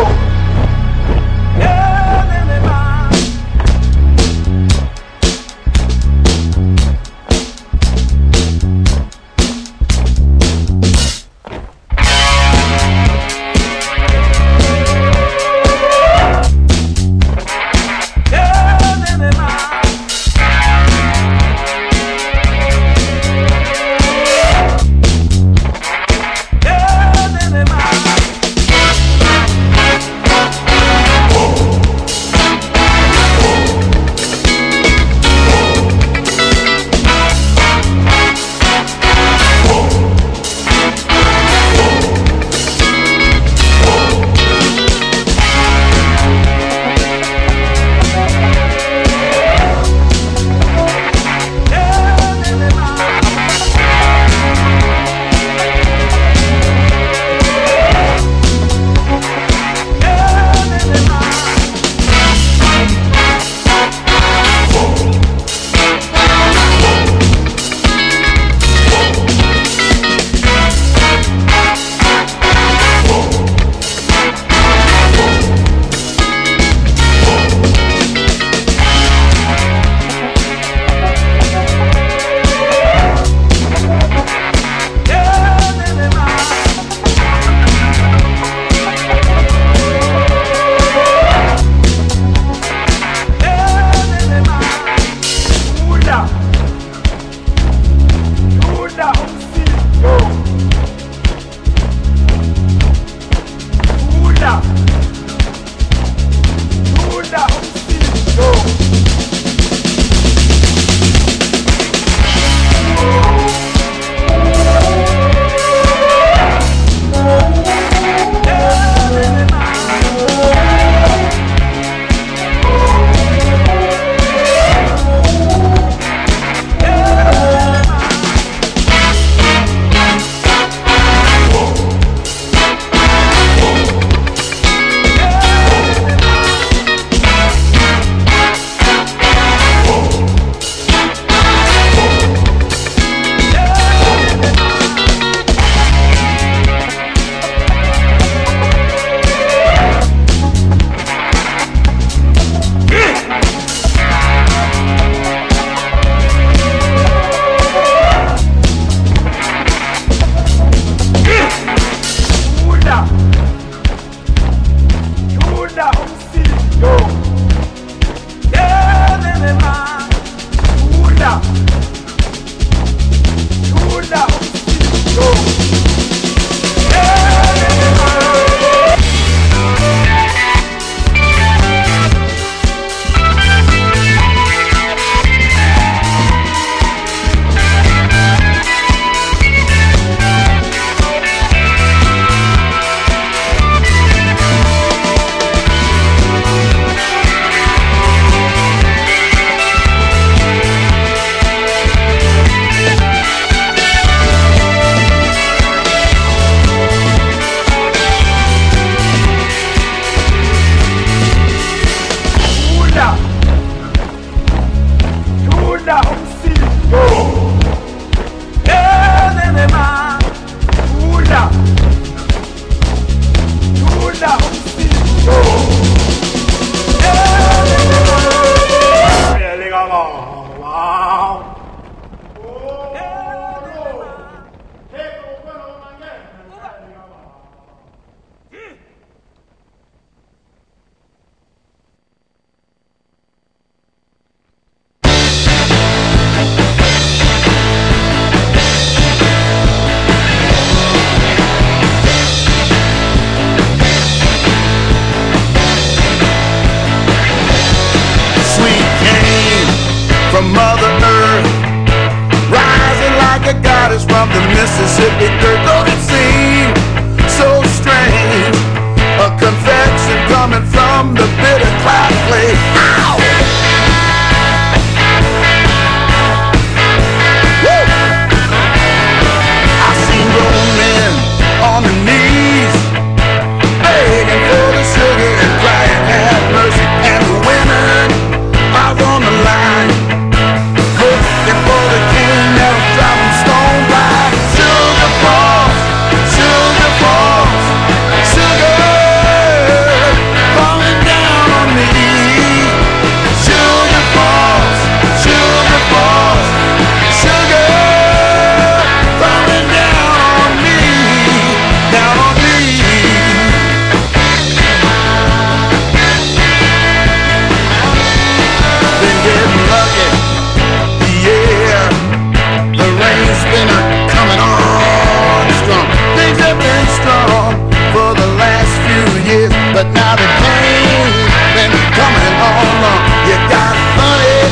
but now the pain's been coming on. You got honey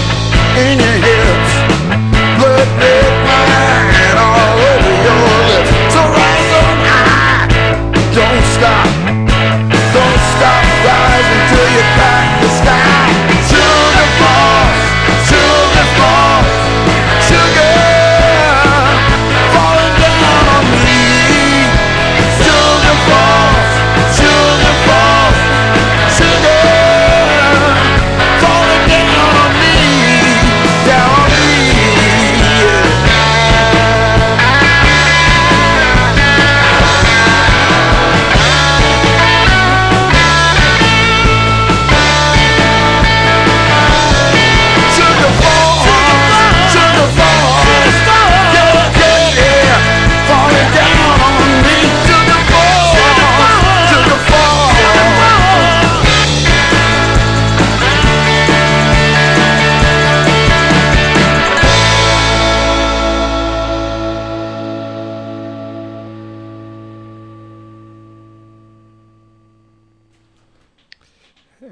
in your hips, blood red wine all over your lips. So rise on high, don't stop rising till you crack the sky. Sugar falls, sugar falls, sugar falling down on me. Sugar falls, sugar falls, sugar falling down on me, down on me.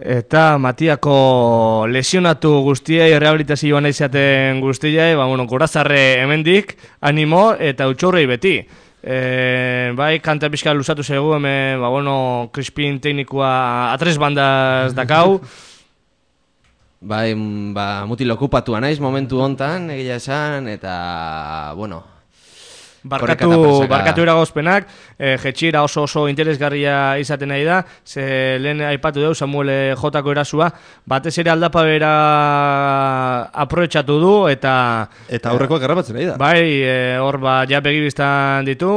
Eta Matiako lesionatu guztiei, rehabilitazioan izaten guztiei, gorazarre hemendik, animo eta utxorrei beti. Bai, kanta pixka luzatu zegu, hemen, Crispin teknikoa atres bandaz dakau.
Bai, mutil okupatua naiz momentu hontan, egia esan, eta,
Barkatu eragozpenak, jetxira oso interesgarria izaten nahi da, ze lehen aipatu dugu Samuel Jotako erasua, batez ere aldapa bera aprobetxatu du, eta
aurrekoak errapatzen nahi da.
Bai, hor ja begibiztan ditu,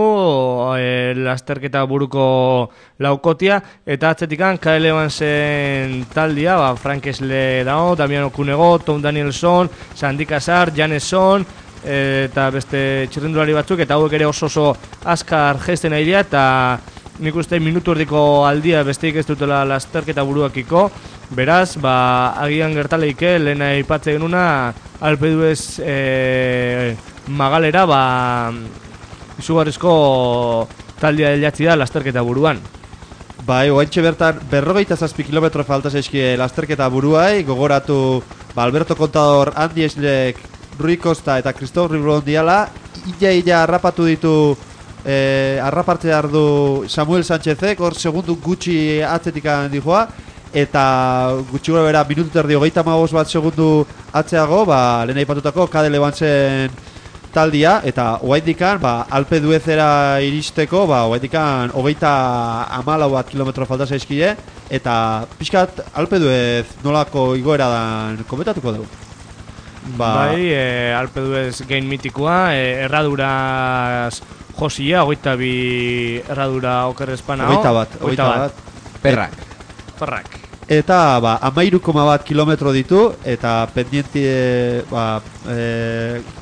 lasterketa buruko laukotia, eta atzetikan KL Evansen taldia, Frank Esle dago, Damiano Cunego, Tom Danielson, Sandy Casar, Janeson, eta beste txirrindulari batzuk, eta hauek ere oso azkar gesten nahi dira, eta nik uste minutu erdiko aldia besteik ez dutela lasterketa buruakiko, beraz, agian gertaleike, lehena aipatze genuna, Alpe d'Huez Magalera, izugarrizko taldia deliatzi da lasterketa buruan.
Bai, oaintxe bertan, 47 kilometro falta zaizkie lasterketa buruai, gogoratu Alberto Contador, Andy Eslek, Rui Costa eta Christophe Riblon diala, illa harrapatu ditu, harrapartze ardu Samuel Sánchezek, hor segundu gutxi atzetik dijoa, eta gutxi gora bera minutu terdi 35 bat segundu atzeago, lehen aipatutako KL Evansen taldia, eta oaindikan, Alpe d'Huezera iristeko, oaindikan 34 bat kilometro falta zaizkie, eta pixkat Alpe d'Huez nolako igoera dan komentatuko dugu.
Bai, Alpe d'Huez gain mitikoa, erraduraz josia, 22 erradura okerrezpana.
21 bat.
Perrak.
Eta 13,1 kilometro ditu, eta pendienti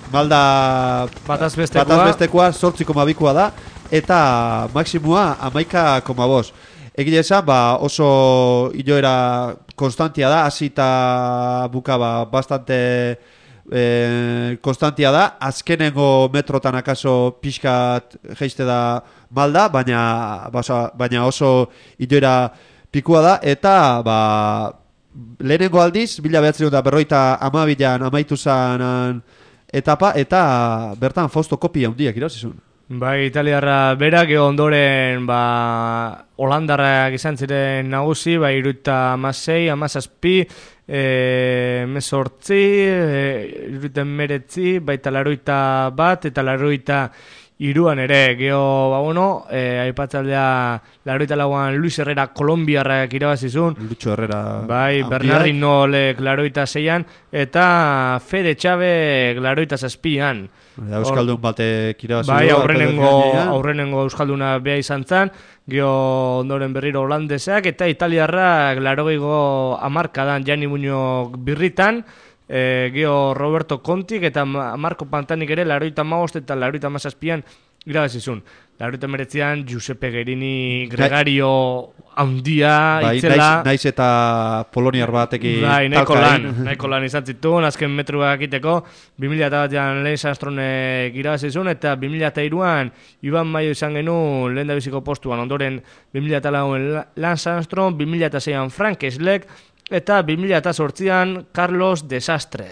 malda batazbestekoa 8,2koa da, eta maksimua 11,5. Egile esan, oso iloera konstantia da, hasi eta buka bastante konstantia da, azkenengo metrotan akaso pixkat geiste da malda, baina oso iloera pikua da, eta lehenengo aldiz, 1952an amaitu zanan etapa, eta bertan Fausto Coppi handiak irauzizun.
Bai, italiarra berak, ondoren holandarrak izan ziren nagusi, 76, 17, 18, 19, baita 81 eta 83an ere, aipatzaldea 84an Luis Herrera kolombiarrak irabazizun.
Lucho Herrera.
Bai, Bernardinolek 86an, eta Fede Txabek 87an.
Euskaldun batek irabazizun.
Bai, aurrenengo Euskalduna beha izan zan, ondoren berriro holandesak, eta italiarrak 80ko hamarkadan Gianni Muñoz birritan, Roberto Contik eta Marco Pantanik ere 85 eta 87an irabazizun. 89an Giuseppe Guerini Gregario handia,
Bai,
itzela...
naiz eta poloniar batekin
Bai, nahiko lan
talkain.
izan zituen, azken metroak egiteko, 2001an Lance Armstrongek irabazizun, eta 2002an Iban Maio izan genuen lehen da biziko postuan, ondoren 2004an Lance Armstrong, 2006an Frank Schleck, eta 2008an Carlos Desastre.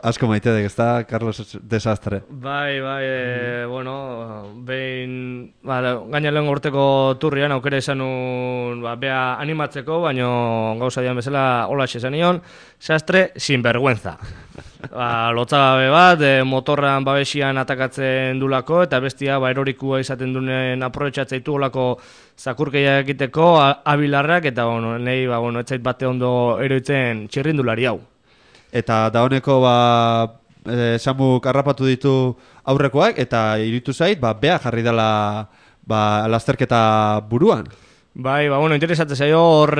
Asko maite dek, ez da, Carlos Desastre.
Bai, bueno, behin, gaina lehen urteko turrian aukera izan nun, bea animatzeko, baino gauza dian bezala holaxe esan nion, Sastre sinvergüenza. Lotzagabe bat, motorran babesian atakatzen dulako, eta bestia erorikua izaten duen aprobetxatzeitu olako zakurkeia egiteko, abilarrak, eta nahi, etzait bate ondo eroitzen txirrindulari hau.
Eta dauneko Samuk harrapatu ditu aurrekoak eta iruditu zait bea jarri dela lasterketa buruan.
Bai, interesatzen zaio hor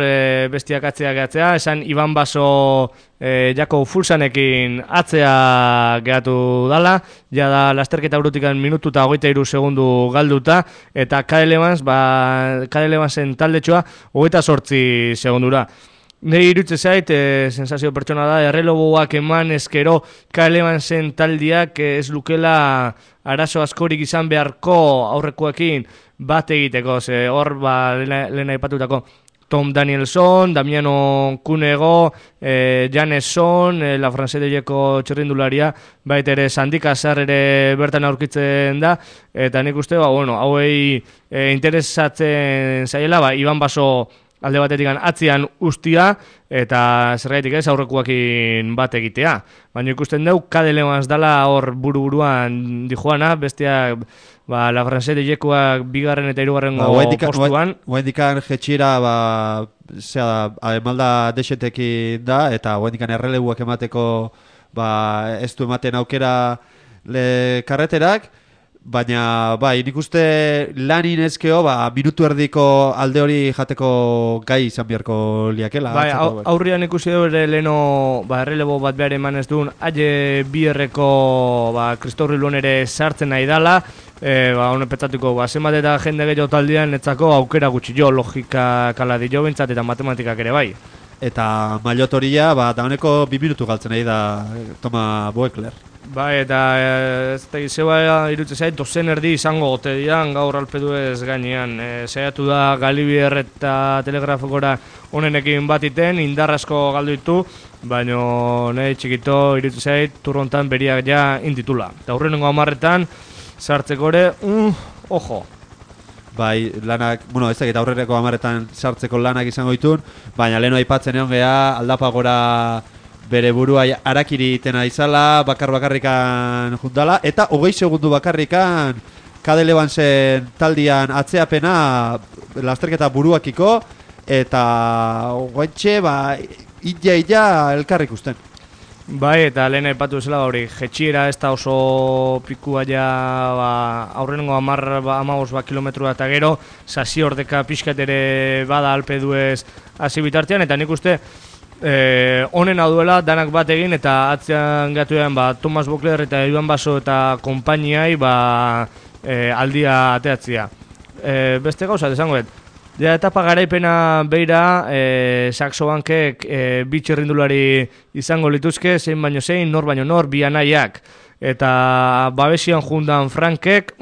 bestiak atzea gehatzea, esan Iban Baso Jako Fulsanekin atzea gehatu dala, ja da lasterketa urutikan minutu eta 23 segundu galduta, eta Cadel Evansen taldetxoa 28 segundura. Nei irutze zait, sensazio pertsona da, erreloboak eman ezkero Cadel Evansen taldiak ez lukela arazo askorik izan beharko aurrekoekin bat egiteko, ze hor lehen aipatutako Tom Danielson, Damiano Cunego, Janeson, La Franceseko txirrindularia, baita ere Sandika Azar ere bertan aurkitzen da, eta nik uste, hauei interesatzen zaiela, Iban Baso alde batetik atzian ustia, eta zergaitik ez aurrekoakin bat egitea. Baina ikusten dugu, Cadel Evans dala hor buru-buruan dijoana, bestiak La Franceseko bigarren eta hirugarrengo postuan.
Guaindikan jetxira, emalda desetekin da, eta guaindikan errelebuak emateko ez du ematen aukera karreterak, baina, nik uste lanin ezkeo, minutu erdiko alde hori jateko gai izan biharko liakela.
Aurrian ikusi du ere leno errelebo bat behar eman ez duen, aie bierreko Christophe Riluan ere sartzen nahi dala, honen petzatuko, zenbat eta jende gehiago taldean etzako aukera gutxi jo, logika kala di jo bentsat eta matematikak ere bai.
Eta maillotoria, da honeko 2 minutu galtzen nahi da Toma Boekler.
Eta ez da izeba irutze zait, dozen erdi izango gote dian gaur alpedu ez gainean. Zaiatu da Galibier eta Telegrafokora honenekin batiten, indarrasko galdu ditu, baina nahi txikito irutze zait, turrontan beriak ja inditula. Eta hurrenengo 10etan, sartzeko ere, ojo.
Lanak, ez dakit aurrereko 10etan sartzeko lanak izango ditun, baina leheno aipatzen egon geha, aldapagora bere burua harakiri itena izala, bakarrikan jundala, eta 20 segundu bakarrikan Cadel Evansen taldian atzeapena lasterketa buruakiko, eta guaintxe, illa elkarrik usten.
Eta lehen aipatu zela hori, jetxiera ez da oso pikua ja aurrenengo 15 kilometroa eta gero, sasi ordeka pixkat ere bada alpeduez hasi bitartean, eta nik uste honena duela danak bat egin eta atzean gatuean Thomas Boekler eta Iban Baso eta konpainiai aldia ateatzia. Beste gauza, desangoet. Ja, etapa garaipena beira, Saxo Bankek bi txirrindulari izango lituzke, zein baino zein, nor baino nor, bi anaiak. Eta babesian jundan Frankek,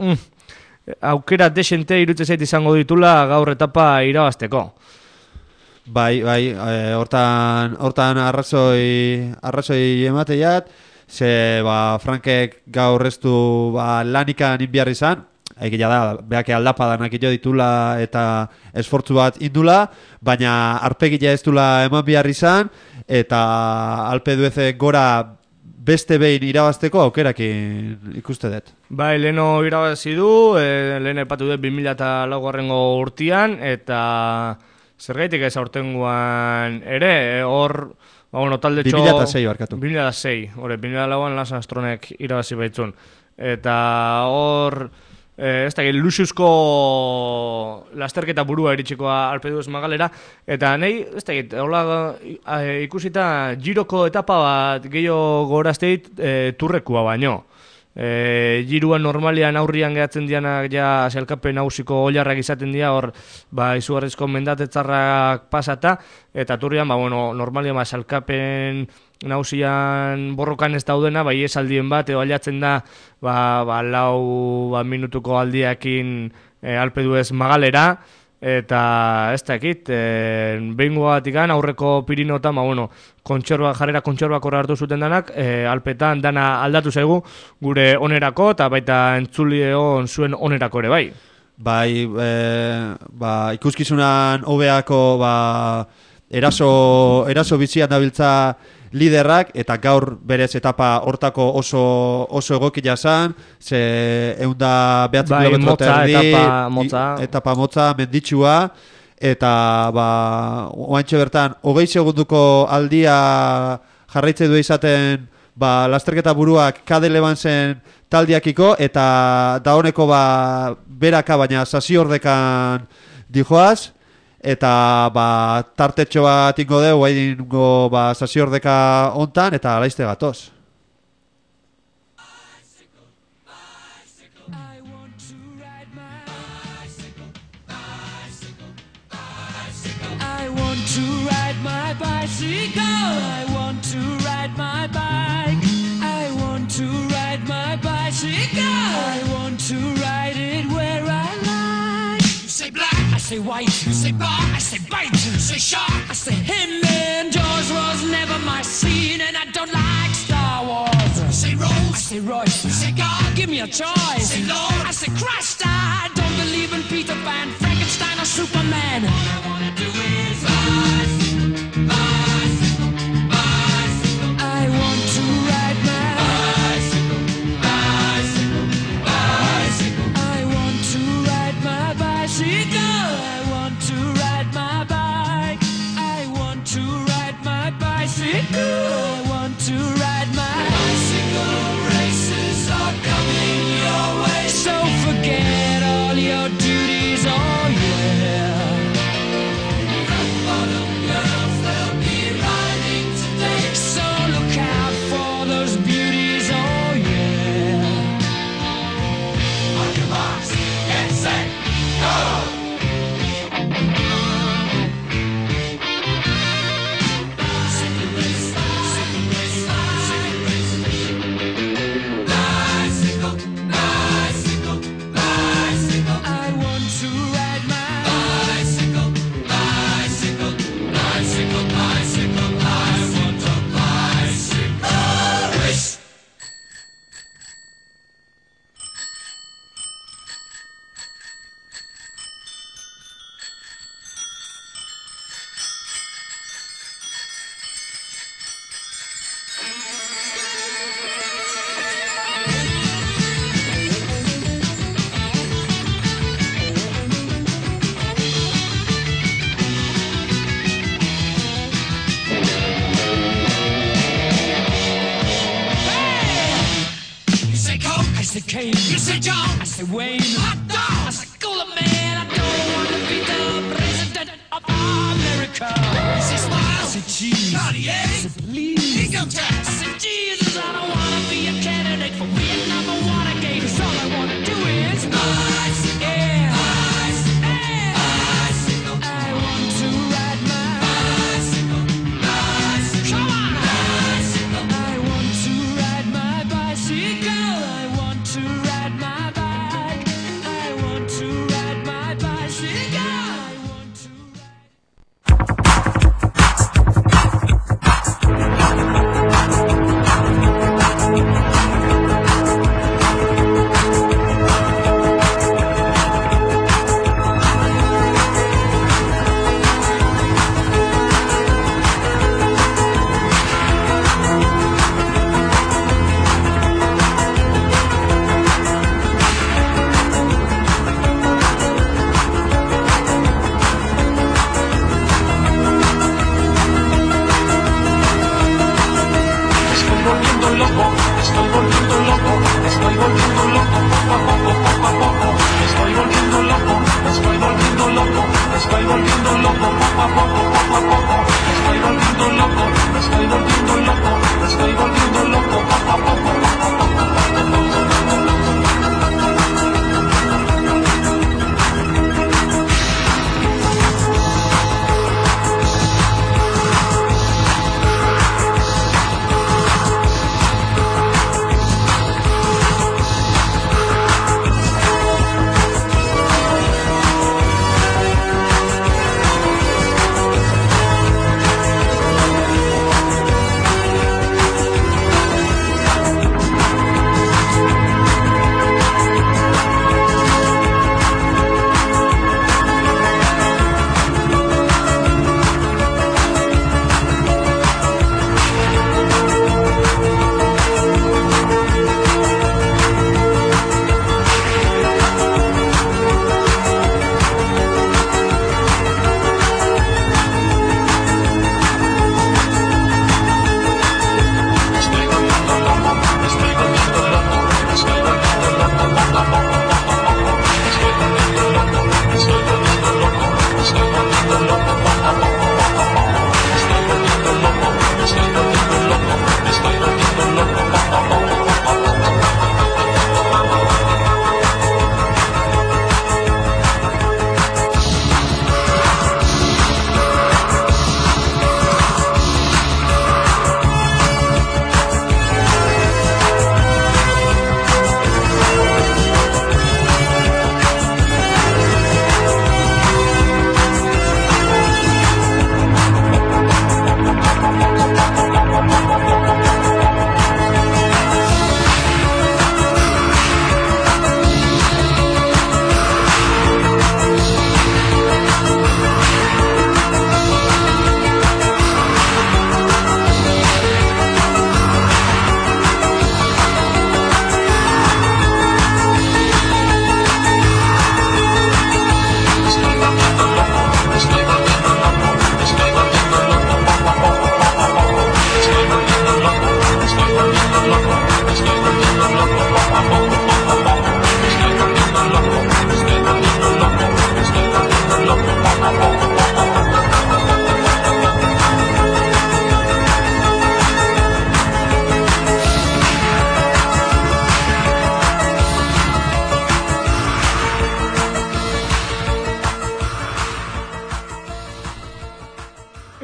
aukera desente irutze zait izango ditula gaur etapa irabazteko.
Hortan arrazoi emateiat, ze Frankek gaur ez du lanikan inbiar izan, egia da, behake aldapadanak jo ditula eta esfortzu bat indula, baina arpegila ez dula eman behar izan, eta alpedueze gora beste behin irabazteko aukerakin ikuste dut.
Leheno irabazi du, lehen epatu dut 2004 urtean, eta zergaitik ez aurtengoan ere, hor, taldetxo...
2006 barkatu.
2006, 2004an Lance Armstrongek irabazi baitzun. Eta hor... ez da, Luxuzko lasterketa burua iritsikoa alpedu ez magalera, eta nahi, ez da, ikusita giroko etapa bat gehiago gorazteit turrekua baino. Giruan normalian aurrian gehatzen dianak ja sailkapen nagusiko oilarrak izaten dira, hor izugarrizko mendatetzarrak pasata, eta turrian, normalian sailkapen nagusian borrokan ez daudena, iesaldien bat, edo aliatzen da, lau minutuko aldiakin alpedu ez Magalera, eta ez dakit, behingo batikan aurreko Pirinotan, jarrera kontxorbak horra hartu zuten danak, alpetan dana aldatu zaigu gure onerako, eta baita entzulio zuen onerako ere bai.
Ikuskizunan hobeako eraso bizian dabiltza liderrak, eta gaur berez etapa hortako oso egokia zan, ze 109 kilometro erdi, etapa motza, menditsua, eta oantxe bertan, 20 segunduko aldia jarraitze du izaten lasterketa buruak Kade Levansen taldiakiko, eta da honeko beraka, baina sasiordekan dijoaz, eta tartetxo bat ingo deu, haingo sasiordeka ontan, eta alaizte gatoz.
I want to ride my bicycle, I want to ride my bike, I want to ride my bicycle, I want to ride it where I like. You say black, I say white, you say bar, I say bite, you say shark, I say him, and Jaws was never my scene, and I don't like Star Wars. You say Rose, I say Royce, you say God, give me a choice. You say Lord, I say Christ, I don't believe in Peter Pan, Frankenstein or Superman. All I wanna do is bicycle, bicycle, bicycle. I want to ride my bicycle, bicycle, bicycle. I want to ride my bicycle. I want to ride my bike. I want to ride my bicycle. I want to ride my bicycle. Races are coming your way, so forget all your duties. Oh yeah. So look out for those beauties, oh yeah. On your marks, get set, go! Bicycle race, bicycle race, bicycle race. Bicycle, bicycle, bicycle. I want to ride my bicycle, bicycle, bicycle, bicycle. I want a bicycle race. You say Coke, I say Kane. You say John, I say Wayne. Hot dog, I say Cooler Man. I don't want to be the president of America. You say Smile, I say Cheese. Cartier, I say Please. Income tax, I say Jesus. I don't want to be a candidate for Vietnam or Watergate. 'Cause all I want to do is bicycle, yeah. Bicycle, bicycle. I want to ride my bicycle, bicycle. Come on, bicycle. I want to ride my bicycle. I want to ride my bike. I want to ride my bicycle. I want to ride.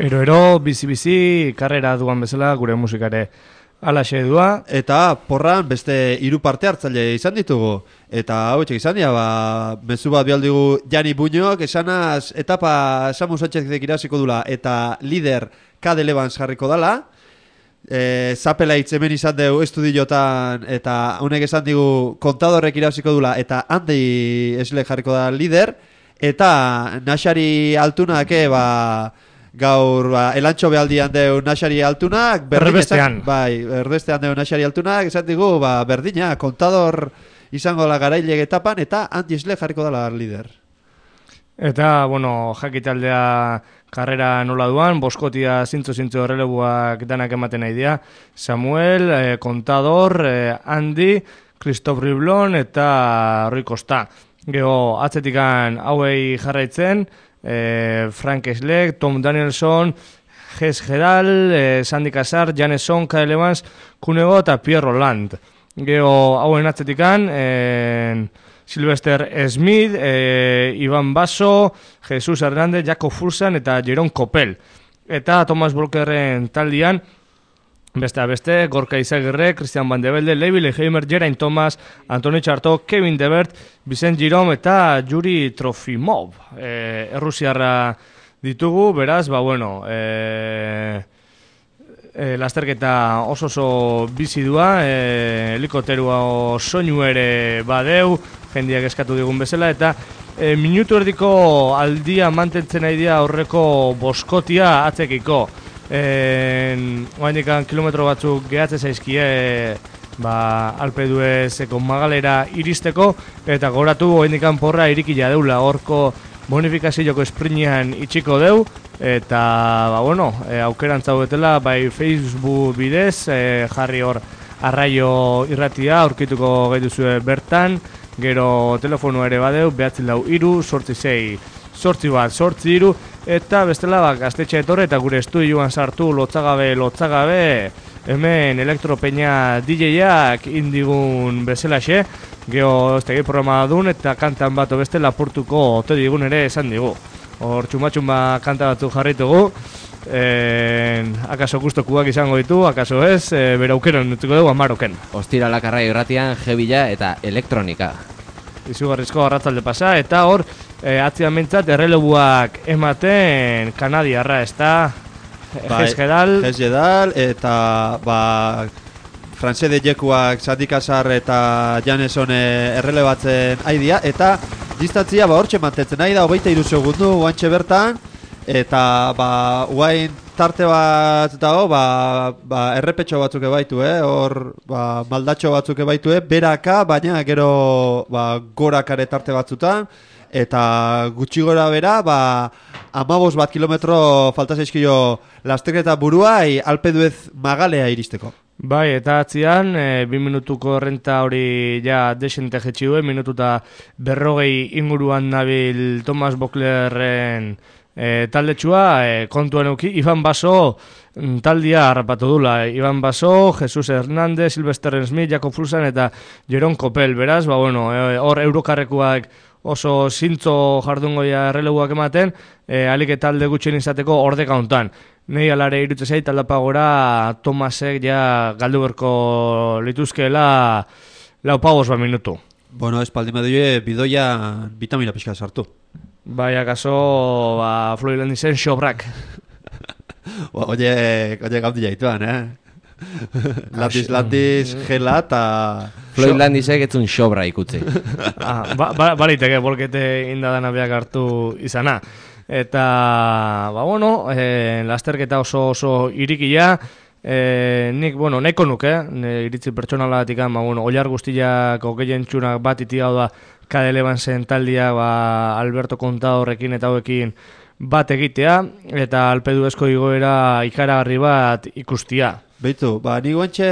Ero, bizi-bizi, karrera duan bezala gure musikare alaxe dua.
Eta porran beste 3 parte hartzaile izan ditugu. Eta hau izan dira, mezu bat bialdigu Jani Buñok, esanaz etapa Samu Sánchezek irasiko dula eta lider Kade Levans jarriko dala. Zapelaitz hemen izan dugu estudiotan eta honek esan digu kontadorrek irasiko dula eta Andi Esle jarriko da lider. Eta Naxari Altunak, gaur elantxo behaldian deu Naxari Altunak
Erbestean
Erbestean deu Naxari Altunak esan digu, berdina kontador izango la garailek etapan eta Andi Esle jarriko dala lider.
Eta, jakitaldea karrera nola duan, boskotia zintzo errelebuak danak ematen nahi dira. Samuel, Kontador, Andi, Christoph Riblon eta Rui Costa. Gero atzetikan hauei jarraitzen, Frank Schleck, Tom Danielson, Ges Gedal, Sandy Casar, Janeson, Kade Levans, Kunego eta Pierre Roland. Gero hauen atzetikan, Sylvester Smith, Ivan Basso, Jesus Hernández, Jakob Fulsan eta Jeroen Kopel. Eta Thomas Volkerren taldian, beste, Gorka Izagirre, Christian Van de Velde, Levi Leheimer, Geraint Thomas, Antoni Txarto, Kevin Debert, Vicent Girom eta Yuri Trofimov. Errusiarra ditugu, beraz, lasterketa oso bizi dua, helikoterua soinu ere badeu, jendiak eskatu digun bezala, eta minutu erdiko aldia mantentzen nahi dira aurreko boskotia atzekiko. Oaindikan kilometro batzuk gehatze zaizkie Alpe d'Huezeko Magalera iristeko, eta goratu oaindikan porra irikila deula, horko bonifikazioko esprinean itxiko deu, eta aukerantza betela bai Facebook bidez jarri hor Arraio irratia aurkituko gaituzue bertan, gero telefono ere badeu 944-868-8 eta bestela gaztetxe etorre eta gure estudioan sartu lotzagabe hemen Elektropeña DJ-ak indigun bezalaxe, geho ez programa dun eta kantan bat beste lapurtuko ote digun ere esan digu. Hor txumatxumba kanta batzuk jarritugu, akaso gustokuak izango ditu, akaso ez, bera aukeran nutuko dugu amaroken.
Ostiralak Arraio irratian, Jebila eta elektronika.
Izugarrizko arratzalde pasa, eta hor, atzian mentzat errelebuak ematen kanadiarra, ez da, Ges
Gedal, eta Franse de Jekuak, Sandy Casar eta Janeson errelebatzen aidia, eta distantzia hortxe mantetzen nahi da, 23 segundu guantxe bertan, eta guain tarte bat dago, errepetxo batzuk ebaitu, hor maldatxo batzuk ebaitu, beraka, baina gero gorakare tarte batzutan, eta gutxi gora bera, 15 kilometro falta zaizkio lasterketa buruai Alpe d'Huez Magalea iristeko.
Bai, eta atzian, 2 minutuko renta hori ja desente jetxi duen, minututa 40 inguruan nabil Thomas Boklerren taldetxua, kontuan euki, Ivan Basso taldia harrapatu dula. Ivan Basso, Jesus Hernández, Sylvester Smith, Jakob Fulsan eta Jeroen Kopel, beraz, hor eurokarrekuak oso zintzo jardungoia erreleguak ematen, alik eta talde gutxien izateko ordeka hontan. Nei alare irutze zait, aldapagora Tomasek ja galdu berko lituzkeela 4 minutu.
Espaldi medioe bidoia vitamina pixka sartu.
Bai, akaso, Floyd Landisen sobrak.
Oye, gauti jaituan, Landis, gela eta...
Floyd Landisek etzun sobra ikutzi.
Baliteke, bolkete indadana beak hartu izana. Eta, lasterketa oso irikia, nik, nahiko nuke, iritzi pertsonalatik, oilar guztiak gehien txunak bat iti hau da Kade Levansen taldia Alberto Contadorrekin eta hauekin bat egitea, eta Alpe d'Huezko igoera ikaragarri bat ikustia.
Beitu, ni guantxe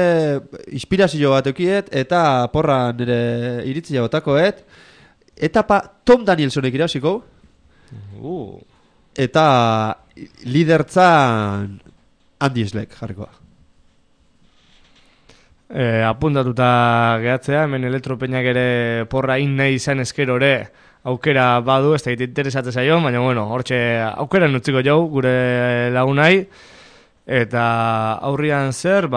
inspirazio bat eukiet, eta porra nire iritzia botakoet, etapa Tom Danielsonek irasiko, eta lidertzan Andi Esleck jarrikoa.
Apuntatuta gehatzea, hemen Elektropeñak ere porra nahi izan eskerore aukera badu, ez da interesatzen zaio, baina bueno, hortxe aukera nutziko jau gure lagunai. Eta aurrian zer,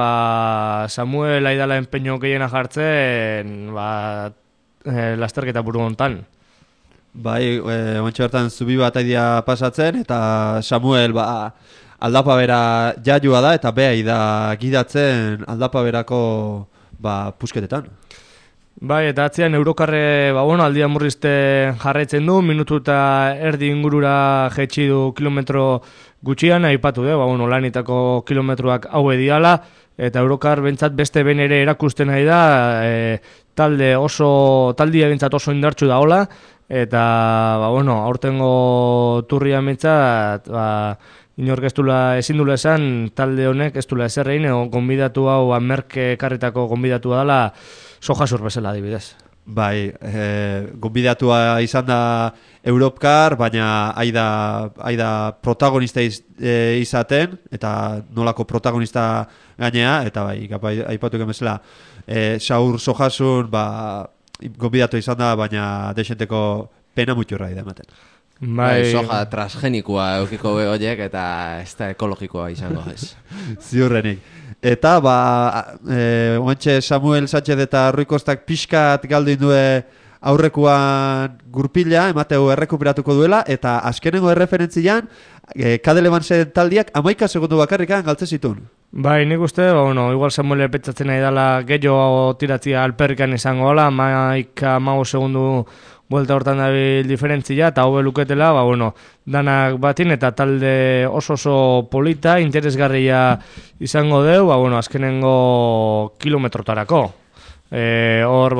Samuel aidala enpeño gehiena jartzen, lasterketa buru hontan.
Bai, ontsa bertan zubi bat aidia pasatzen, eta Samuel, aldapa bera jaiua da, eta behai da gidatzen aldapa berako, pusketetan.
Bai, eta atzean Eurokarre, aldia murrizte jarraitzen du, minutu eta erdi ingurura jetxi du kilometro gutxian, aipatu lanitako kilometroak haue diala, eta Eurokar bentsat beste ben ere erakusten nahi da, taldia bentsat oso indartsu da hola, eta, aurtengo turria bentsat, inork ezin dula esan, talde honek ez dula eserrein, gonbidatu hau, Merke karritako gonbidatua dela, Sojasur bezala adibidez.
Bai, gonbidatua izan da Europcar, baina aida protagonista izaten, eta nolako protagonista gainea, eta bai, aipatu bezala, Saur Sojasun, gonbidatu izan da, baina desenteko pena muturra da ematen.
Bai, soja transgenikoa eukiko horiek eta ez da ekologikoa izango ez.
Ziurrenik. Eta, oantxe Samuel Sánchez eta Rui Kostak pixkat galdu indue aurrekuan gurpila, emateu errekuperatuko duela, eta azkenengo erreferentzian, Cadel Evansen taldiak 11 segundu bakarrikan galtze zituen.
Bai, nik uste, igual Samuel petzatzen nahi dela gehiago tiratzia alperrikan izango gala, 11 segundu buelta hortan dabil diferentzia, eta hau luketela, danak batin, eta talde oso polita, interesgarria izango deu, azkenengo kilometrotarako. Hor,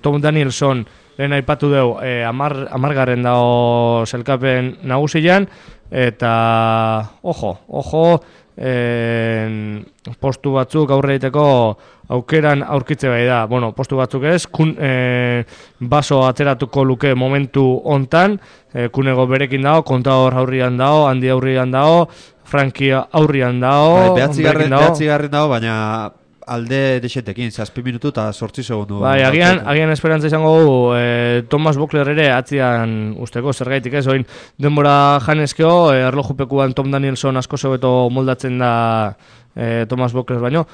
Tom Danielson lehen aipatu deu, amargarren dao zelkapen nagusian, eta, ojo, postu batzuk aurre egiteko aukeran aurkitze bai da. Postu batzuk ez, baso ateratuko luke momentu hontan, kunego berekin dao, Kontador aurrian dao, Handi aurrian dao, Franki aurrian dao,
behatzigarren dao, baina alde desetekin, 7 minutu eta 8 segundu.
Bai, agian esperantza izango du Thomas Bokler ere atzian usteko zergaitik ez, oin denbora janezkeo, erlojupekuan Tom Danielson asko zebeto moldatzen da Thomas Bokler baino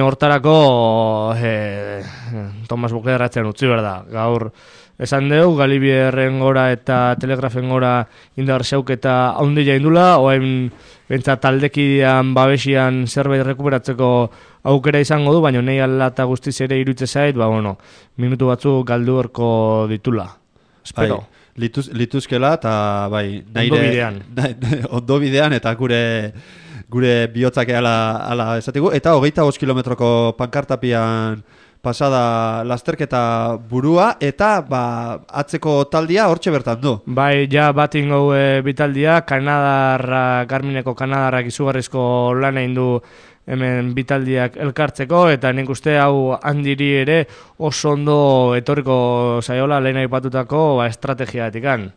hortarako Thomas Bokler atzean utzi behar da. Gaur esan deu, Galibierren gora eta Telegrafen gora indar zeuk eta haundila indula, oain bentsa taldekidean babesian zerbait rekuperatzeko aukera izango du, baina nahi alata guztiz ere irutze zait, minutu batzu galdu horko ditula. Espero.
Lituzkela, eta
ondo
bidean, eta gure bihotzak ala esatigu, eta 25 kilometroko pankartapian pasada lasterketa burua, eta atzeko taldia hortxe bertan du.
Bai, ja bat ingo bitaldia, Garmineko Kanadarrak izugarrizko lan egin du hemen bitaldiak elkartzeko, eta nik uste hau handiri ere oso ondo etorriko zaiola lehen aipatutako estrategiatikan.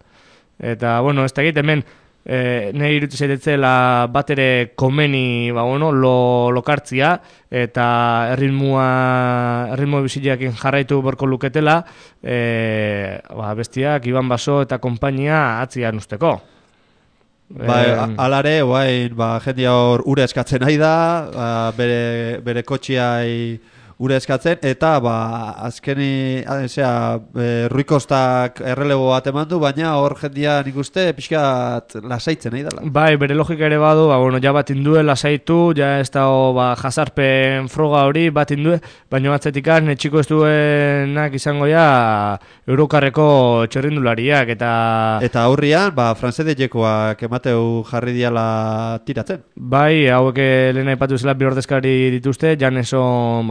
Eta, ez da egit, hemen nahi irutu zaitetzela bat ere komeni lokartzia, eta erritmo bizileakin jarraitu borko luketela, bestiak, Iban Baso eta konpainia atzian usteko.
Alare, jendia hor ura eskatzen nahi da, bere kotxiai ura eskatzen, eta azkeni Rui Kostak errelebo bat eman du, baina hor jendia nik uste pixkat lasaitzen nahi dela.
Bai, bere logika ere badu, ja bat indue lasaitu, ja ez da jazarpen froga hori bat indue, baina batzetikan etxiko ez duenak izango ja Eurokarreko txerrindulariak,
eta aurrian, francedejekoak emateu jarri diala tiratzen.
Bai, hauek lehen aipatu zela bi ordezkari dituzte, Janeson,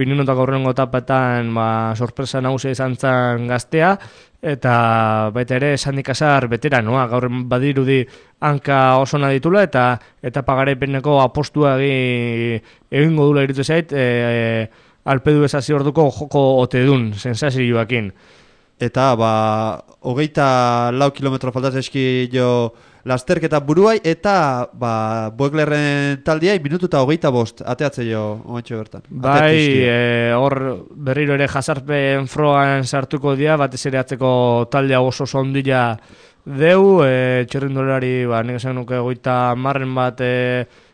Pirinotako aurrengo etapetan sorpresa nagusia izan zen gaztea, eta baita ere Sandy Casar veteranoa, gaur badirudi hanka oso ditula, eta pagarepeneko apostua egingo dula irutu zait, alpedu ezazi orduko joko otedun, sensazioakin.
Eta 24 kilometro faltaz eski jo lasterketa buruai, eta Boeklerren taldiai minutu eta 25 ateatze jo ointxo bertan.
Bai, hor berriro ere jazarpen frogan sartuko dira, batez ere atzeko taldea oso ondila deu, txerrindolari, nik esan nuke 30 bat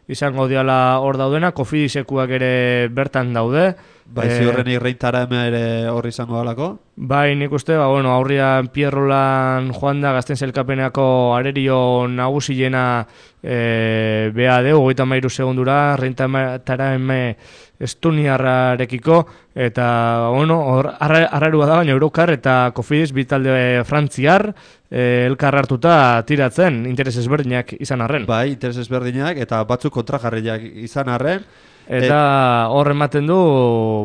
izango diala hor daudena, Kofidisekuak ere bertan daude.
Bai, ziurren irreintara ere hor izango dalako?
Bai, nik uste, aurrian Pierrolan joan da Gazten Sailkapeneko arerio nagusiena beha deu, 33 segundura, reintara Estoniarrarekiko, eta, hor arrarua da, baina Eurokar eta Kofidis bitalde frantziar elkar hartuta tiratzen, interes ezberdinak izan arren.
Bai, interes ezberdinak, eta batzuk kontrajarriak izan arren.
Eta hor ematen du,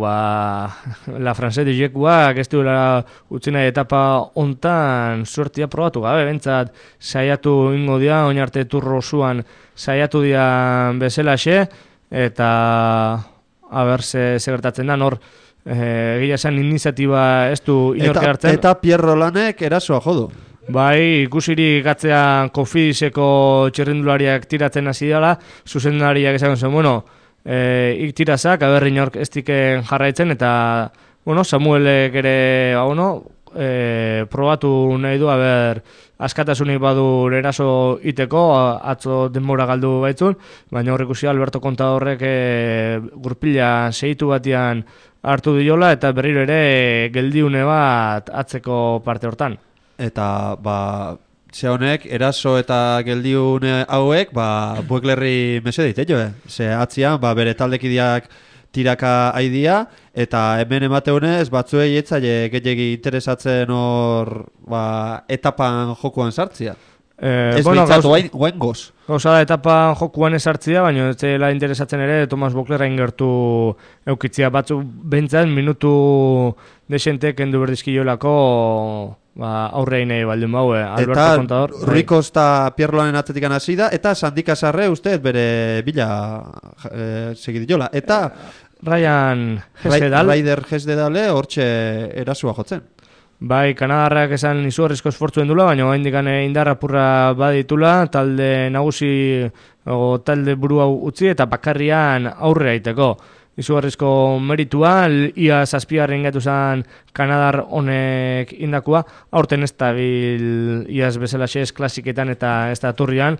La France de Jekuak ez duela utzi nahi etapa hontan suertia probatu gabe, bentsat saiatu ingo dia, oin arte turro zuan saiatu dia bezalaxe, eta haber ze gertatzen da, nor egia esan iniziatiba ez du inorke hartzen.
Eta Pierrolanek erasoa jodu.
Bai, ikusiri gatzean Kofidiseko txerrindulariak tiratzen hasi dela, zuzendariak esan zen, iktirazak, aberri inork ez diken jarraitzen, eta, Samuelek ere, probatu nahi du, askatasunik badu eraso iteko, atzo denbora galdu baitzun, baina hor ikusi Alberto Contadorrek gurpila segitu batian hartu diola, eta berriro ere geldiune bat atzeko parte hortan.
Eta, ze honek, eraso eta geldiune hauek, Boeklerri mesedeit, Ze atzian, bere taldekideak tiraka haidia, eta hemen emateunez, batzuei etzaile gehiagi interesatzen hor, etapan jokuan sartzia. Ez bintzatu guain goz.
Gauza da etapan jokuan esartzia, baina ez zela interesatzen ere Tomas Boeklerrain gertu eukitzia. Batzuk bentzan minutu desentek endu berdizkiolako aurrein nahi baldin bau, Alberto Contador.
Eta Rui Costa Pierrolanen atzetikan hasi da, eta Sandika Sarre uste bere bila segidiola. Eta
Ryan Hesjedal.
Raider Hesjedale hortxe erasua jotzen.
Bai, Kanadarrak esan izugarrizko esfortzuen dula, baina oraindik indarra apurra baditula, talde nagusi o talde burua utzi eta bakarrian aurre aiteko. Izugarrizko meritua, ia 7. gatu zen Kanadar honek indakua, aurten ez dabil iaz bezalaxe ez klasiketan eta ez da turrian,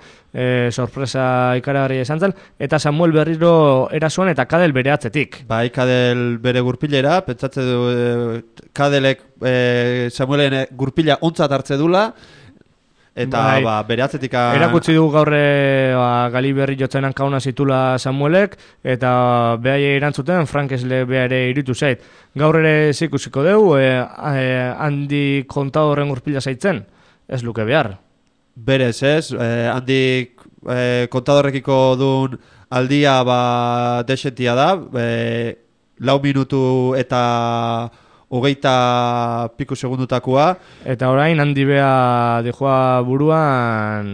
sorpresa ikaragarria izan zen, eta Samuel berriro erasoan eta Kadel bere atzetik.
Bai, Kadel bere gurpilera, pentsatze du Kadelek Samuelen gurpila ontzat hartze dula, eta bere atzetik
erakutsi dugu gaurre gali berri jotzen hankauna zitula Samuelek, eta behai erantzuten Frankesle behare iritu zait. Gaur ere zikusiko dugu, handi Contadorren gurpila zaitzen, ez luke behar.
Berez ez, handi Contadorrekiko duen aldia desentia da, 4 minutu eta 20 piku segundutakoa.
Eta orain handi beha dijoa buruan,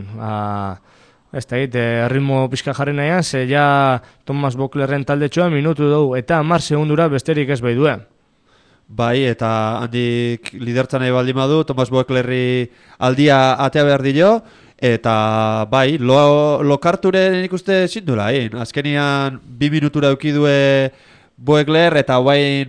ez da ritmo pixka jarri nahian, ze ja Tomas Boeklerren taldetxoa minutu dugu, eta 10 segundura besterik ez bai duen.
Bai, eta handik lidertzan nahi baldin badu, Tomas Boeklerri aldia atea behar dio, eta bai, lokarturen ikuste zindula, azkenian 2 minutura eukidue Boekler, eta guain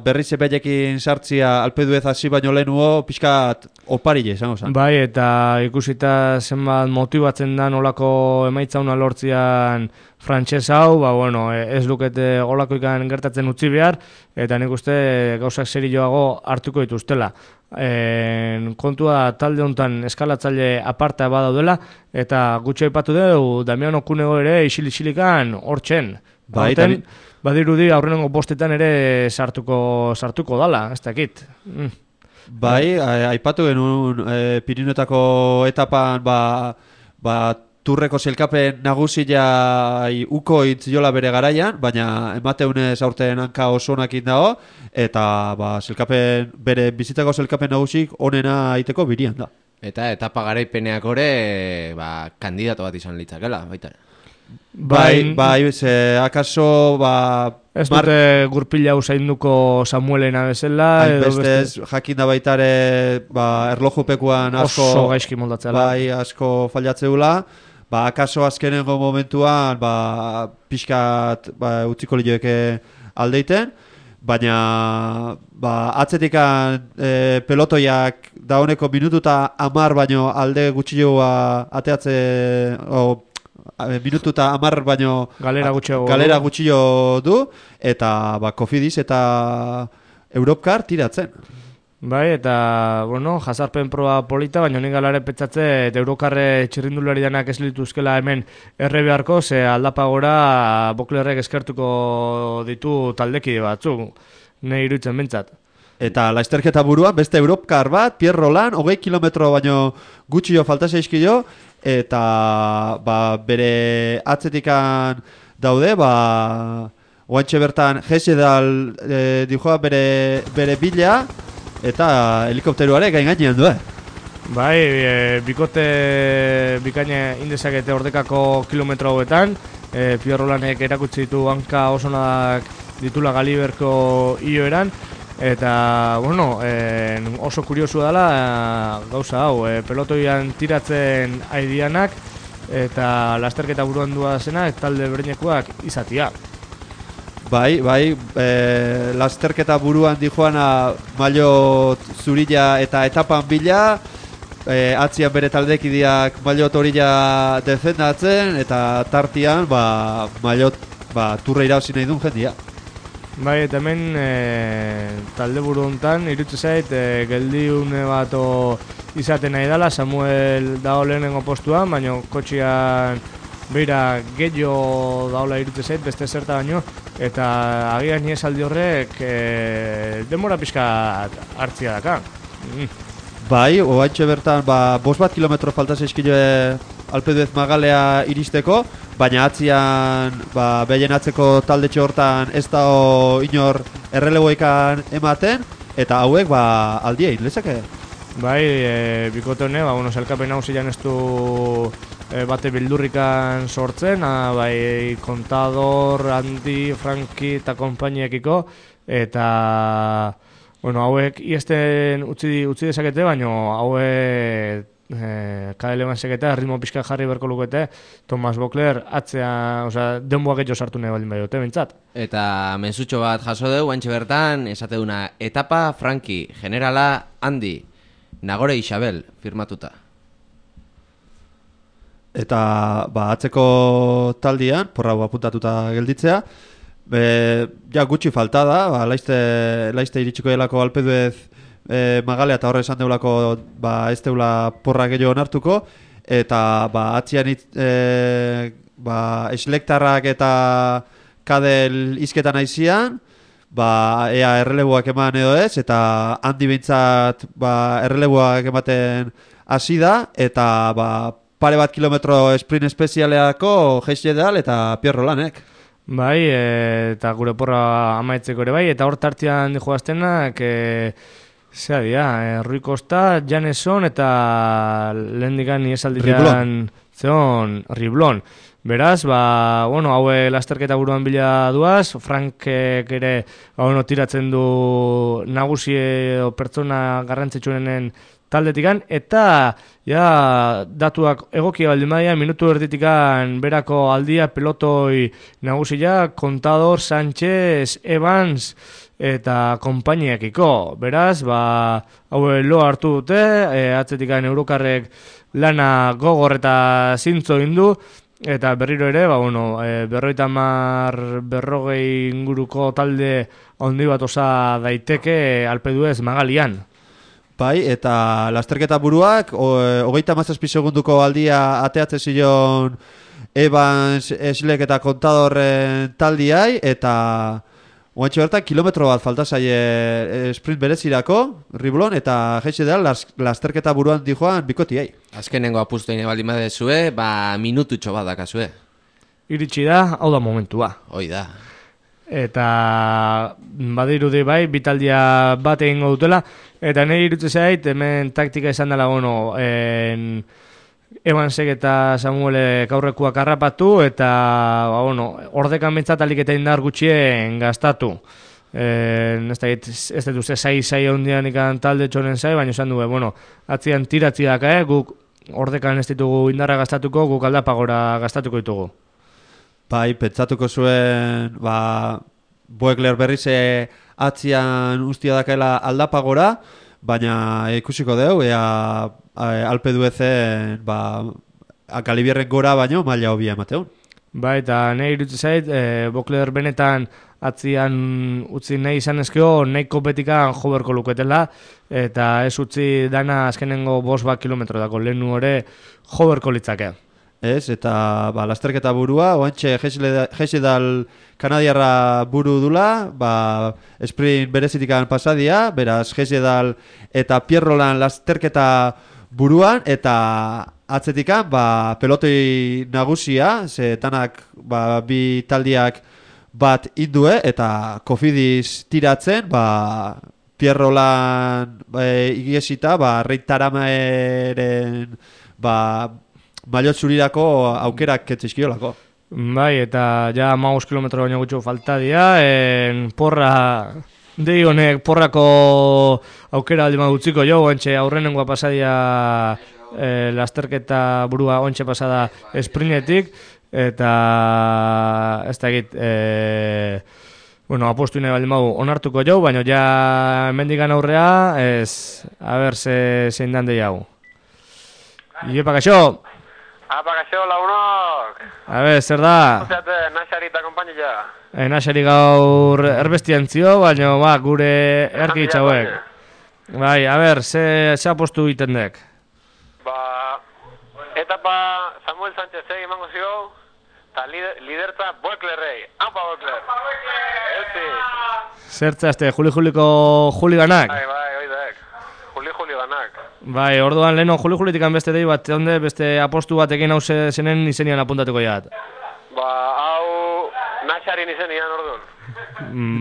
berriz epeiekin sartzia alpeduez hasi baino lehenuo pixkat oparile, esango zen.
Bai, eta ikusita zenbat motibatzen da nolako emaitza una lortzian frantses hau, ez lukete olako ikan gertatzen utzi behar, eta nik uste gauzak serioago hartuko dituztela. Kontua talde honetan eskalatzaile aparta badaudela, eta gutxo aipatu dugu Damian Okunego ere isil-isilikan hortzen.
Bai,
badirudi aurrenengo bostetan ere sartuko dala, ez dakit.
Bai, aipatu genuen Pirinotako etapan turreko zelkapen nagusia uko itziola bere garaian, baina emateunez aurten hanka oso onakin dago, eta zelkapen, bere bizitako zelkapen nagusik onena aiteko birian da.
Eta etapa garaipeneak ore, kandidato bat izan litzakela, baita.
Bai, ze akaso,
ez dute gurpila usainduko Samuelena bezala, edo
beste jakin da baitare, erlojupekuan asko
oso gaizki moldatzela.
Bai, asko fallatzeula. Akaso azkenengo momentuan, pixkat utziko lioeke aldeiten, baina atzetikan pelotoiak dauneko minututa 10 baino alde gutxioa ateatze, minututa 10 baino galera gutxio du, eta Cofidis eta Europcar tiratzen.
Bai, eta, jazarpen proba polita, baina nik galare petxatze, eta Eurokarre txirrindulari danak ez lituzkela hemen erre beharko, ze aldapa gora Boklerrek eskertuko ditu taldekide batzuk, nahi iruditzen bentsat.
Eta lasterketa buruan, beste Europcar bat, Pierre Roland, 20 kilometro baino gutxio falta zeizkio, eta bere atzetikan daude, oantxe bertan Gesedal dijoa bere bila, eta helikopteruare gainean du,
Bai, bikote bikaina indezakete ordekako kilometro hauetan, Pierre Rolandek erakutsi ditu hanka osonak ditula Galiberko ioeran, eta, oso kuriosua dela gauza hau, pelotoian tiratzen aidianak, eta lasterketa buruan duazenak talde berdinekoak izatia.
Bai, lasterketa buruan dijoana maillot zurila eta etapan bila, atzian bere taldekideak maillot horila defendatzen, eta tartian maillot turra irabazi nahi duen jendia.
Bai, eta hemen talde buru hontan irutze zait geldiune bat izaten nahi dela, Samuel dao lehenengo postuan, baina kotxian beira gehiago daola irutze zait, beste zerta baino, eta agian niez aldi horrek denbora pixka hartzia daka.
Bai, oaintxe bertan, 5 kilometro falta zeizkile Alpeduez Magalea iristeko, baina atzian, behien atzeko taldetxe hortan ez da inor erreleboekan ematen, eta hauek aldia inlezake.
Bai, bikote hone, zelkapen hausian ez du bate bildurrikan sortzen, bai Contador, Andi, Franki eta konpainiekiko, eta hauek iesten utzi dezakete, baina hauek KDL banseketa ritmo pixka jarri berko lukete, Thomas Bokler atzea, denboa gehiago sartu nahi baldin badiote, bintzat.
Eta mensutxo bat jaso dugu, guantxe bertan, esate duna, etapa Franki, generala Andi, Nagore Isabel, firmatuta.
Eta atzeko taldian, porra apuntatuta gelditzea, gutxi falta da, laizte iritsiko delako Alpeduez Magalea eta horre esan deulako ez deula porra gehiago onartuko, eta atzian eslektarrak eta kadel izketan aizian, ea erreleboak eman edo ez, eta handi bintzat erreleboak ematen hasi da, eta pare bat kilometro sprint espezialeako Gesedal eta Pierre Rolandek.
Bai, eta gure porra amaitzeko ere bai, eta hor tartian joaztenak, zea dira, Rui Costa, Janeson eta lehendikan niesaldian zeon Riblon. Beraz, haue lasterketa buruan bila duaz, Frankek ere tiratzen du nagusi edo pertsona garrantzitsuenen taldetikan, eta datuak egokia baldin badia, minutu erditikan berako aldia pelotoi nagusia, Contador, Sánchez, Evans eta konpainiekiko. Beraz, haue lo hartu dute, atzetikan Eurokarrek lana gogor eta zintzo indu, eta berriro ere, 50-40 inguruko talde handi bat osa daiteke Alpeduez Magalian.
Bai, eta lasterketa buruak, 37 segunduko aldia ateatzen zion Evans, Eslek eta Contadorren taldiai, eta oantxe bertan kilometro bat falta zaie sprint berezirako, Riblon, eta Gesedal lasterketa buruan dijoan bikotiai.
Azkenengo apustoine baldin badezue, minututxo bat dakazue.
Iritsi da, hau da momentua.
Hoi da.
Eta badirudi bai, bitaldia bat egingo dutela, eta nahi irutze zait, hemen taktika izan dela, Evansek eta Samuelek aurrekuak harrapatu eta ordekan bentsat alik eta indar gutxien gastatu. Ez dut uste sai hondian ikan talde txonen zai, baina esan du, atzian tiratzi daka, guk ordekan ez ditugu indarra gastatuko, guk aldapagora gastatuko ditugu.
Bai, pentsatuko zuen, Boekler berriz atzian ustia dakaela aldapagora, baina ikusiko deu, ea Alpe d'Huezen Galibierren gora baino maila hobia emateun.
Bai, eta nahi irutze zait, Boekler benetan atzian utzi nahi izan ezkeo, nahiko betikan joberko luketela, eta ez utzi dana azkenengo 5 kilometro dako, lehenu hori joberko litzake.
Ez, eta lasterketa burua, oantxe Hexedal kanadiarra buru dula, sprint berezitikan pasadia, beraz Hexedal eta Pierrolan lasterketa buruan, eta atzetikan pelotoi nagusia, ze tanak bi taldiak bat indue, eta Kofidis tiratzen, Pierrolan igiesita, Reitarameren maiot zurirako aukerak ketzizkiolako.
Bai, eta ja 15 kilometro baino gutxo falta dira, dei honek porrako aukera aldi magutziko jo, ontxe aurrenengoa pasadia lasterketa burua ontxe pasada esprinetik, eta ez da egit, apostu nahi baldin magu onartuko jo, baina ja mendikan aurrea, a ber, zein dan dei hau. Iepa, kaixo!
Apa, kaixo, lagunok!
A ber, zer da?
Ozeate, Naxari eta kompainila.
Naxari gaur erbestian zio, baina gure erkitza hauek. Bai, a ber, ze apostu egiten dek?
Etapa Samuel Sánchez emango zio, eta lidertza Boeklerrei. Apa, Boekler! Euzi!
Zertza, Juli-Juliko Juliganak?
Bai, oidek. Juli-Juliganak.
Bai, orduan leheno Juli-Julitikan beste dei bat, beste apostu batekin hau zenen izenian apuntatuko jat.
Hau Naxarin izenian orduan.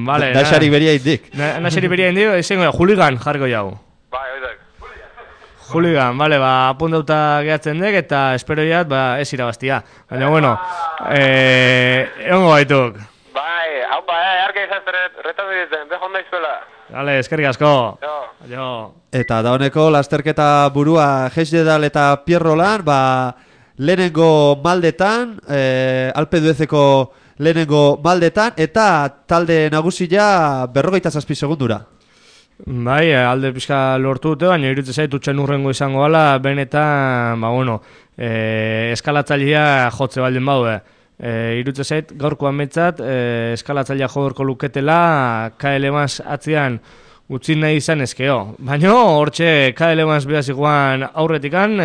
Vale.
Naxari beria indik.
Naxari beria indik, izango Juligan jarriko jau.
Bai, oidek.
Juligan, vale, apuntauta gehatzen dek eta espero jat, ez irabaztia. Baina, egongo baituk.
Bai, hau arka izazteret, retatu ditzen, behon daizuela.
Vale, eskerrik asko.
Jo.
Eta dauneko lasterketa burua Hexedal eta Pierrolan, lehenengo maldetan, Alpe d'Huezeko lehenengo maldetan, eta talde nagusia 57 segundura.
Bai, alde pixka lortu dute, baina irutze zait utxen urrengo izango gala, benetan, eskalatzailea jotze baldin baude. Irutze zait, gaurkoan betzat, eskalatzailea joberko luketela, KL Evans atzian utzi nahi izan ezkeo. Baina, hortxe, KL Evans behaz iguan aurretikan,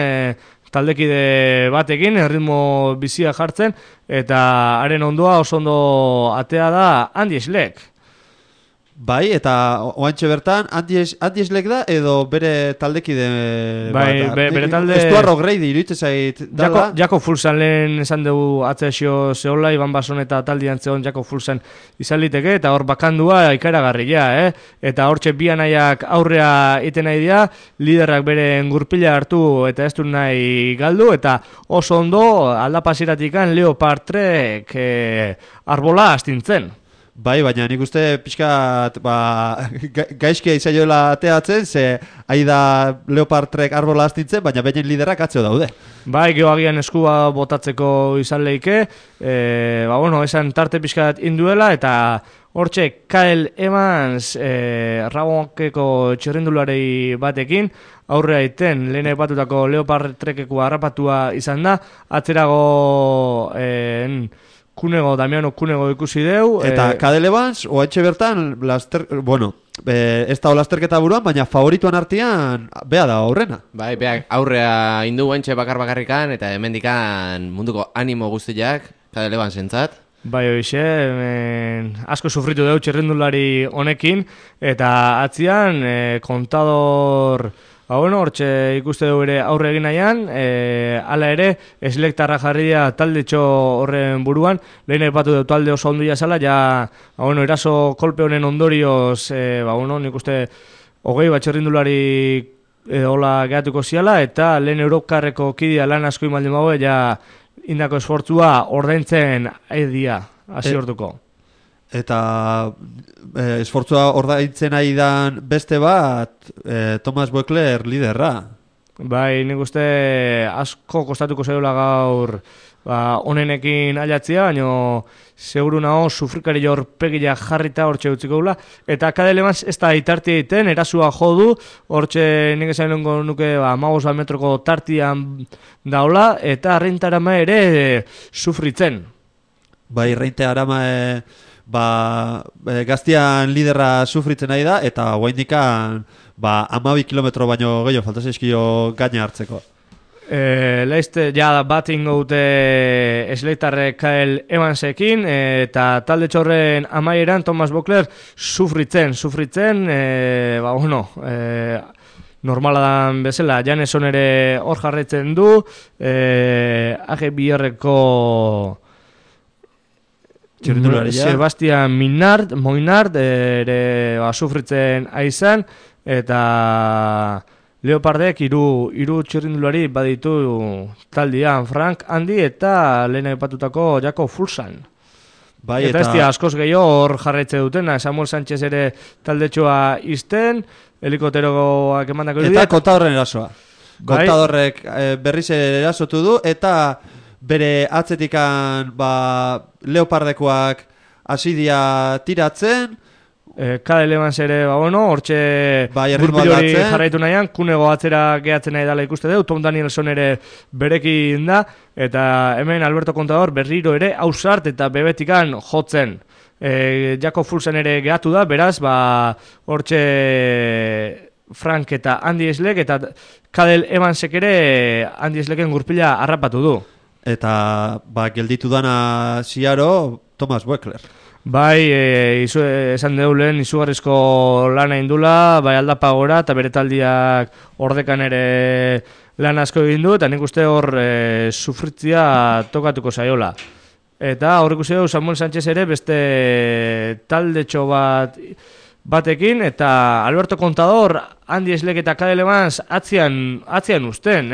taldekide batekin, ritmo bizia jartzen, eta haren ondoa oso ondo atea da Andy Schleck.
Bai, eta oantxe bertan, Andy Schleck da, edo bere taldekide...
Bai, bere talde...
Estuarro Grady, iruditzen zait...
Jako Fulsan lehen esan dugu atzeazio zehola, Iban Bason eta taldian zehon Jako Fulsan izan liteke, eta hor bakandua ikaragarria, Eta hortxe bi anaiak aurrea iten nahi dira, liderrak bere gurpila hartu eta ez du nahi galdu, eta oso ondo aldapaziratikan Leopard Trek arbola astintzen.
Bai, baina nik uste pixkat gaizkia izaioela ateatzen, ze aida Leopard Trek arbola astintzen, baina behin liderak atzeo daude.
Bai, geoagian eskua botatzeko izan leike, esan tarte pixkat induela, eta hortxe KL Evans Rabonkeko txerrendulari batekin, aurrea iten lehen batutako Leopard Trekeko harrapatua izan da, atzerago... Damiano Kunego ikusi deu.
Eta KL Evans, oaitxe bertan, ez da lasterketa buruan, baina favorituan artean, bea da aurrena.
Bai, beak aurrea indu guantxe bakarrikan, eta hemendikan munduko animo guztiak, KL Evans entzat.
Bai, hoxe, asko sufritu deu txerrendulari honekin, eta atzian, kontador... hortxe ikuste dugu ere aurre egin nahian, ala ere, eslektarra jarri dira taldetxo horren buruan, lehen epatu dut talde oso ondu jazala, eraso kolpe honen ondorioz, nik uste, 20 bat txerrindulari hola gehatuko ziala, eta lehen Eurokarreko kidea lan asko imaldin bago, ja indako esfortzua ordaintzen aidia, hasi orduko.
Eta esfortzua ordaintzen aidan beste bat, Thomas Voeckler liderra.
Bai, nik uste asko kostatuko zaiola gaur onenekin ailatzia, baina seguru nago sufrikari jorpegia jarrita hortxe utziko gula. Eta Cadel Evans ez da itartia egiten, erasua jo du, hortxe nik esan nuke 15 metroko tartian daula, eta Reinte Arama ere sufritzen.
Bai, Reinte Arama gaztian liderra sufritzen nahi da, eta guaindikan 12 kilometro baino gehiago falta zaizkio gaina hartzeko.
Leizte, ja bat ingo dute esleitarrek Cadel Evansekin, eta talde txorren amaieran Thomas Voeckler sufritzen, normala dan bezala, Janeson ere hor jarraitzen du, AG Biarreko Sebastian Moinard ere sufritzen aizan, eta Leopardek hiru txirrindulari baditu taldean, Frank Andy eta lehen aipatutako Jakob Fuglsang.
Bai,
eta ez askoz gehiago hor jarraitze dutena, Samuel Sánchez ere taldetxoa izten, helikopteroak emandako irudiak.
Eta Kontadorren erasoa. Kontadorrek berriz erasotu du, eta bere atzetikan Leopardekoak hasidia tiratzen,
Cadel Evans ere, hortxe gurpil hori jarraitu nahian, kunego atzera gehatzen nahi dela ikuste du, Tom Danielson ere berekin da, eta hemen Alberto Contador berriro ere hausart eta bebetikan jotzen. Jakob Fuglsang ere gehatu da, beraz, hortxe Frank eta Andy Schleck, eta Cadel Evansek ere Andy Schlecken gurpila harrapatu du.
Eta gelditu dana ziaro Thomas Voeckler.
Bai, esan dugu lehen izugarrizko lana indula, bai aldapa gora, eta bere taldiak ordekan ere lan asko egin du, eta nik uste hor sufritzia tokatuko zaiola. Eta hor ikusi dugu Samuel Sánchez ere beste taldetxo batekin, eta Alberto Contador, Andy Schleck eta Cadel Evans atzian uzten,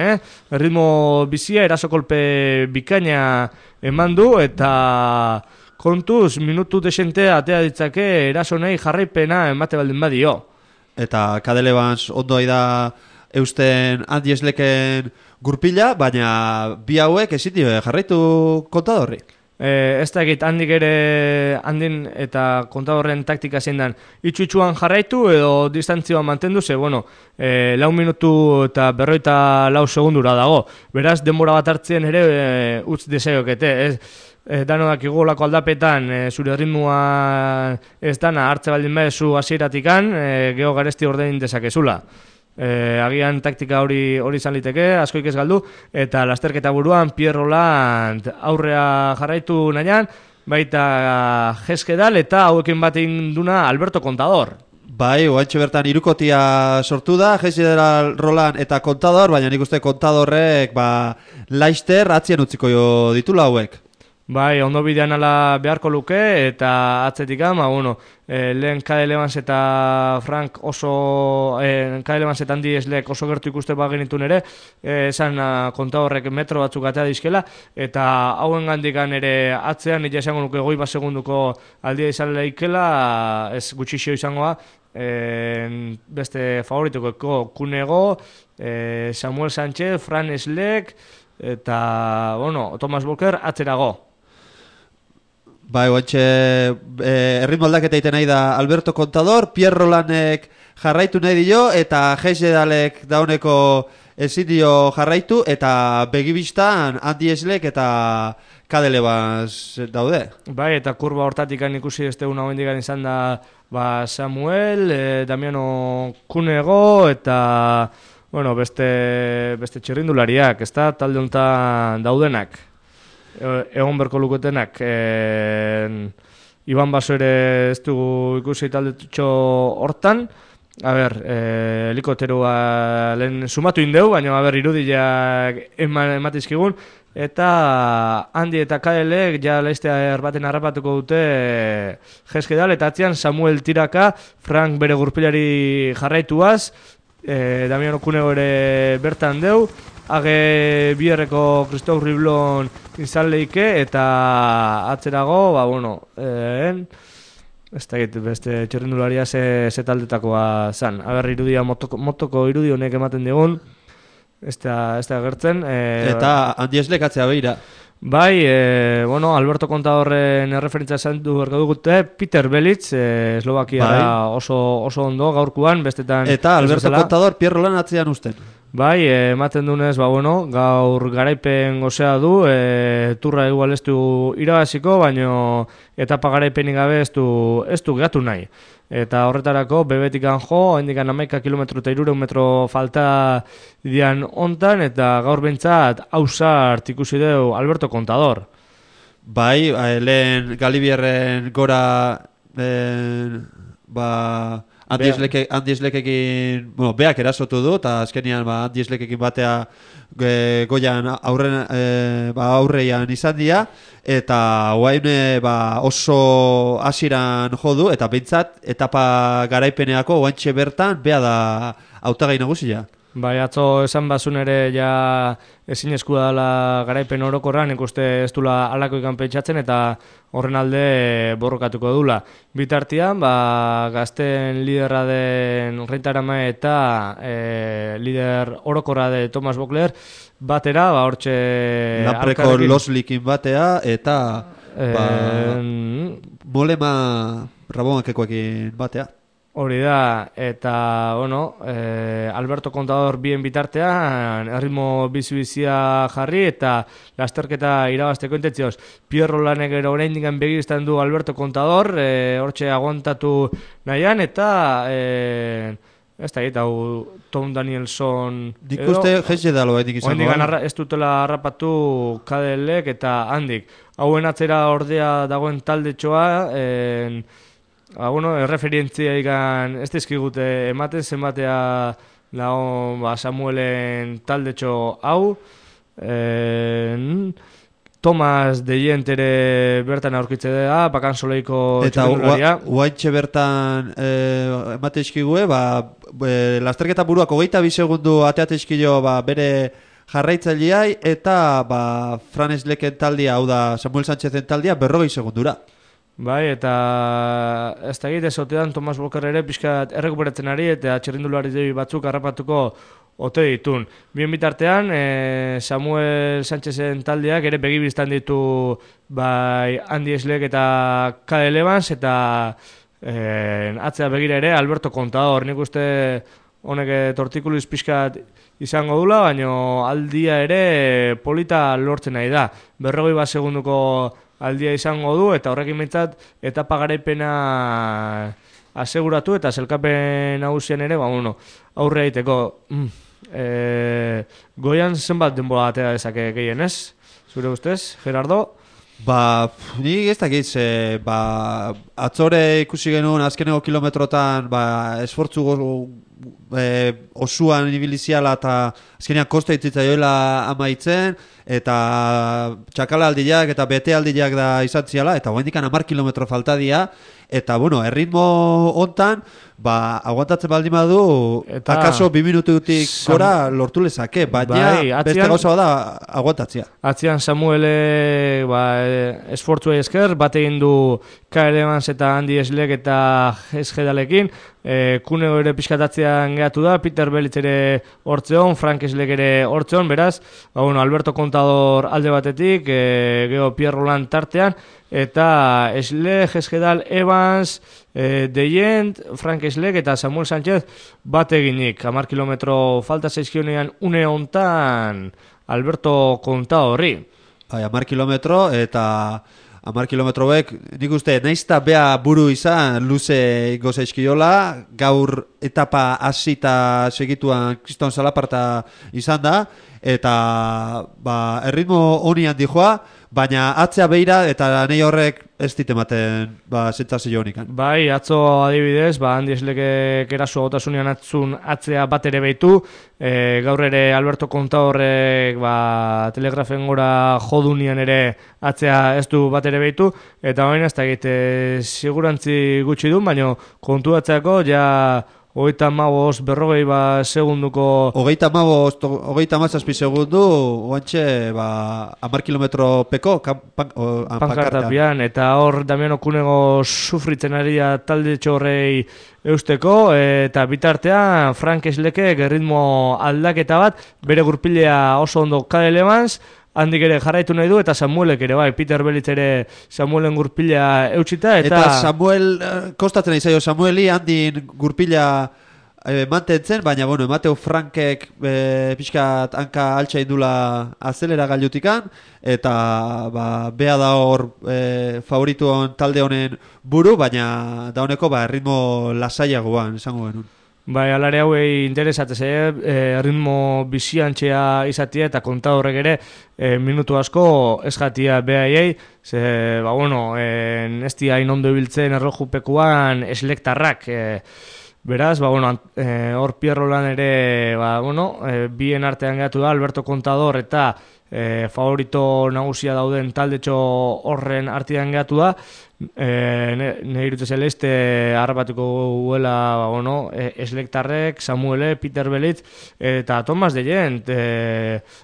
ritmo bizia, erasokolpe bikaina eman du, eta kontuz, minutu desente atea ditzake erasonei jarraipena emate baldin badio.
Eta Cadel Evans ondo da eusten Andy Schlecken gurpila, baina bi hauek ezin dio jarraitu Contadorri.
Ez da egit, handin eta Contadorren taktika zein dan itxuan jarraitu edo distantzioa mantendu, ze, 4 minutu eta 44 segundura dago. Beraz, denbora bat hartzen ere utz desaiokete, danoak igolako aldapetan zure ritmoa ez dana hartze baldin bezu hasieratikan, geho garesti ordein dezakezula. Agian taktika hori izan liteke, askoik ez galdu, eta lasterketa buruan Pierre Roland aurrea jarraitu nahian, baita Geskedal eta hauekin bat induna Alberto Contador.
Bai, oantxe bertan irukotia sortu da, Geskedal, Roland eta Contador, baina nik uste Contadorrek Leicester atzien utziko ditula hauek.
Bai, ondo bidean ala beharko luke, eta atzetikan, lehen Cadel Evans eta Frank Cadel Evans eta Andy Schleck oso gertu ikuste genitun ere, esan Contadorrek metro batzuk atea dizkela, eta hauen gandikan ere atzean, nire esango nuke 20 segunduko aldia izan leikela, ez gutxixio izangoa, beste favorituko Kunego, Samuel Sánchez, Frank Schleck, eta, Thomas Voeckler atzerago.
Bai, oantxe erritmo aldaketa egiten nahi da Alberto Contador, Pierre Rolandek jarraitu nahi dio, eta Geskedalek dauneko ezin dio jarraitu, eta begibistan Andy Schleck eta Cadel Evans daude.
Bai, eta kurba hortatik ikusi ez teguna hoendikan izan da Samuel, Damiano Kunego, eta beste txirrindulariak, ez da, talde honetan daudenak. Egon berko luketenak, Iban Baso ere ez dugu ikusi taldetxo hortan, helikopteroa lehen sumatu indeu, baina irudiak ematizkigun, eta Andy eta Cadelek ja Leicester baten harrapatuko dute Geskedal, eta atzian Samuel tiraka, Frank bere gurpilari jarraituaz, Damiano Cunego ere bertan deu, age bierreko Christophe Riblon izan leike, eta atzerago, ez da beste txerrindularia ze taldetakoa zan. Aber irudia motoko irudi honek ematen digun, ez da gertzen.
Eta Andi Eslek atzea behira.
Bai, Alberto Contadorren erreferentzia esan du ergadu gute, Peter Belitz, Eslovakiara oso ondo gaurkuan, bestetan...
Eta Alberto Contador Pierro Lan atzean usten.
Bai, ematen dunez, gaur garaipen gozea du, turra igual ez du irabaziko, baino etapa garaipenik gabe ez du gatu nahi. Eta horretarako, bebetikan jo, hendikan 11 kilometro eta 300 metro falta dian ontan, eta gaur bentsat hausart ikusi deu Alberto Contador.
Bai, lehen Galibierren gora, Andi Eslekekin, beak erasotu du, eta azkenian Andi Eslekekin batea goian aurreian izan dira, eta guain oso hasiran jodu, eta behintzat etapa garaipeneako guaintxe bertan bea da hautagai nagusia.
Bai, atzo esan bazun ere ja ezin eskua dela garaipen orokorran, ikuste ez dula alako ikan pentsatzen eta horren alde borrokatuko dula. Bitartian, gazten liderra den Reintarama eta lider orokorra de Thomas Bokler batera, hortxe...
Lapreko Loslikin batea eta Molema Rabonakekoekin batea.
Hori da, eta, Alberto Contador bien bitartean, erritmo bizibizia jarri, eta lasterketa irabazteko intentzioz. Pierro Lanek ero oraindik begiztan du Alberto Contador, hortxe aguantatu nahian, eta, ez da, hau Tom Danielson...
Dik uste jeze dalo edik izango.
Ez dutela harrapatu Kadelek eta handik. Hauen atzera ordea dagoen taldetxoa, erreferientzia ikan ez dizkigute ematen zenbatea Samuelen taldetxo hau. Thomas Dejent ere bertan aurkitze da, bakansoleiko txirrindularia.
Eta guaintxe bertan emate izkigue, lasterketa buruak 22 segundu ateate izkio bere jarraitzaileai, eta Fran Esleken taldia, hau da Samuel Sánchezen taldia, 40 segundura.
Bai, eta ez da egite zotean Thomas Boker ere pixkat errekuperatzen ari eta txirrindulari batzuk harrapatuko ote ditun. Bien bitartean, Samuel Sánchezen taldeak ere begibiztan ditu Andi Eslek eta Cadel Evans eta atzea begira ere Alberto Contador. Nik uste honek tortikuliz pixkat izango dula, baina aldia ere polita lortzen nahi da. 40 segunduko aldia izango du, eta horrekin behintzat etapa garaipena aseguratu, eta zelkapen nagusian ere, aurre egiteko. Goian zenbat denbora atera dezake gehien, ez? Zure ustez, Gerardo?
Ni ez dakit, atzore ikusi genuen azkeneko kilometrotan esfortzu osuan ibiliziala eta azkenean kosta itzitza joela amaitzen, eta txakala aldiak eta bete aldiak da izan ziala, eta guaindikan 10 kilometro falta dia, eta erritmo hontan, aguantatzen baldin badu, akaso 2 minututik gora lortu lezake, baina beste gauza bada aguantatzea.
Atzian Samuele esfortzuei esker, bat egin du Cadel Evans eta Andi Eslek eta Esgedalekin, Cunego ere pixkatatzean gehatu da, Peter Belitz ere hortzeon, Frank Eslek ere hortzeon, beraz, Alberto Contador alde batetik, geho Pierre Roland tartean, eta Eslek, Esgedal, Evans, Dejent, Frank Eslek eta Samuel Sánchez bat eginik. 10 kilometro falta zaizkionean une hontan Alberto Contadorri.
10 kilometro eta 10 kilometroek, nik uste, naizta bea buru izan luze goza izkiola, gaur etapa hasita segituan Kriston Salaparta izan da, eta erritmo honi handi joa, baina atzea beira eta nahi horrek ez ditematen sentsazio honikan.
Bai, atzo adibidez, Andi Eslekek eraso gotasunean atzea bat ere behitu, gaur ere Alberto Contadorrek telegrafen gora jodunian ere atzea ez du bat ere behitu, eta baina ez da egite sigurantzi gutxi duen, baina kontuatzeako ja berrogei segunduko...
Hogeita mazazpi segundu, oantxe, 10 kilometro peko,
pankartapian, eta hor Damiano Cunego sufritzen ari da talde txorrei eusteko, eta bitartean Frank Slekek erritmo aldaketa bat, bere gurpilea oso ondo Kyle Evans, handik ere jarraitu nahi du, eta Samuelek ere, bai, Peter Belitz ere Samuelen gurpila eutxita,
eta Samuel, kostatzen nahi zaio Samueli, handin gurpila mantentzen, baina, bueno, Mateo Frankek pixkat hanka altxa indula azelera gailutikan, eta bea da hor favorituon talde honen buru, baina da honeko erritmo lasaiagoan, esango genuen.
Bai, alare hauei interesatez, ritmo biziantxea izatia eta kontadorrek ere minutu asko ez jatia behaiei, ze, ez di hain ondo ibiltzen erlojupekuan eslektarrak, beraz, hor Pierrolan ere, bien artean gehatu da, Alberto Contador eta favorito nagusia dauden taldetxo horren artean gehatu da, nire irute zeleste harrapatuko guela Eslektarrek, Samuele, Peter Belitz eta Thomas de Gent,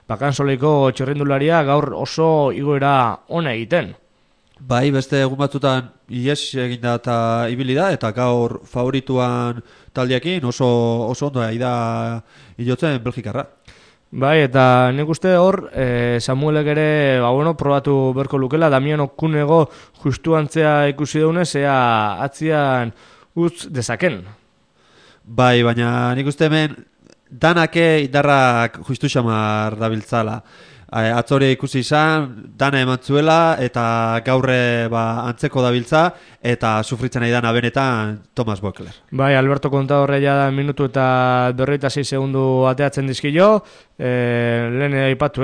bakansoleiko txerrendularia gaur oso igoera ona egiten.
Bai, beste egun batzutan ies eginda eta ibili da, eta gaur favorituan taldeakin oso ondo da hilotzen Belgikarra.
Bai, eta nik uste hor, Samuelek ere, probatu berko lukela, Damiano Cunego justu antzea ikusi daunez, ea atzian utz dezaken.
Bai, baina nik uste hemen danake indarrak justu xamar dabiltzala. Atzore ikusi izan, dana eman zuela, eta gaurre antzeko dabiltza, eta sufritzen nahi dana benetan Thomas Voeckler.
Bai, Alberto Contadorre ja minutu eta 46 segundu ateatzen dizkio, lehen aipatu,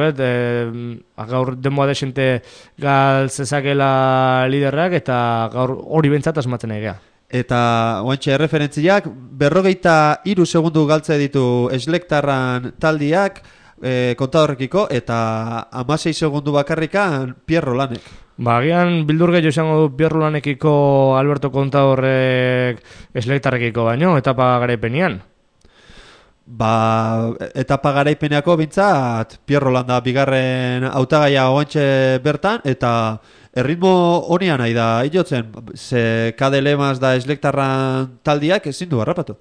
gaur denboa desente galtzezakela liderrak, eta gaur hori bentsat asmatzen nahi geha.
Eta oantxe referentziak, 43 segundu galtze ditu Eslektarran taldiak, Kontadorrekiko, eta 16 segundu bakarrikan Pierro Lanek.
Agian bildur gehiago izango du Pierro Lanekiko Alberto Contadorrek Eslektarrekiko baino, etapa garaipenean.
Etapa garaipeneako bintzat Pierro Landa bigarren hautagaia oantxe bertan, eta erritmo honean nahi da hilotzen, ze Kade Lemaz da Eslektarran taldiak ezin du harrapatu.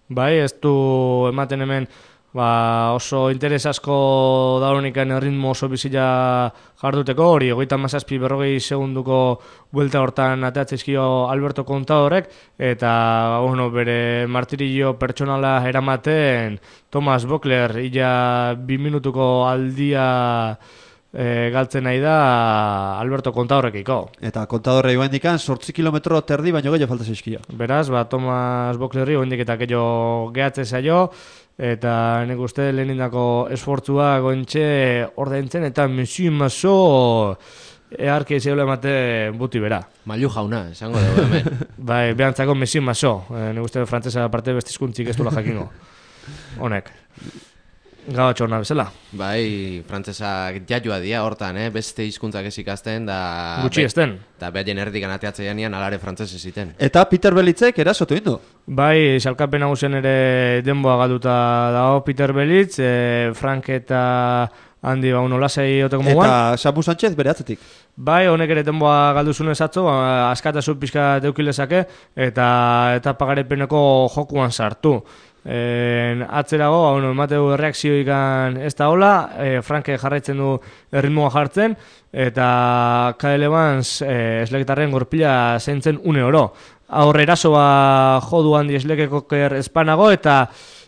Bai, ez du ematen hemen oso interes asko dauronikan erritmo oso bizila jarduteko, hori 37-40 segunduko buelta hortan ateatzizkio Alberto Contadorrek, eta bere martirillo pertsonala eramaten Thomas Voeckler illa 2 minutuko aldia galtzen nahi da Alberto Contadorrekiko.
Eta Contadorre joan dikan 8 kilometro terdi baino gehiago falta zaizkio.
Beraz, Thomas Voecklerri joan dik eta gehiago gehatze zaio, eta nik uste lehenindako esfortzua gointxe ordaintzen, eta Monsieur Masso earki zeula emate buti bera.
Mailu jauna, esango dugu hemen.
Bai, behantzako Monsieur Masso, nik uste frantzesa aparte bestizkuntzik ez dula jakingo. Honek. Gabatxo hona bezala.
Bai, frantzesak jaiua dia hortan, beste hizkuntzak ez ikasten, da...
Gutxi ezten.
Eta behaien erdikan ateatzea nian alare frantzese ziten.
Eta Peter Belitzek erasotu indu.
Bai, salkapen nagusen ere denboa galduta dago Peter Belitz, Frank eta handi lasai oteko moguan.
Eta Samu Sánchez bere atzetik.
Bai, honek ere denboa galduzunez atzo, askatasun pixka deukilezake, eta pagarepeneko jokuan sartu. Atzerago, emateu erreakzioikan ez da hola, Franke jarraitzen du erritmoa jartzen, eta Kyle Evans Eslektarren gorpila zentzen une oro. Aurre erasoa jodu handi Eslekekoker espanago, eta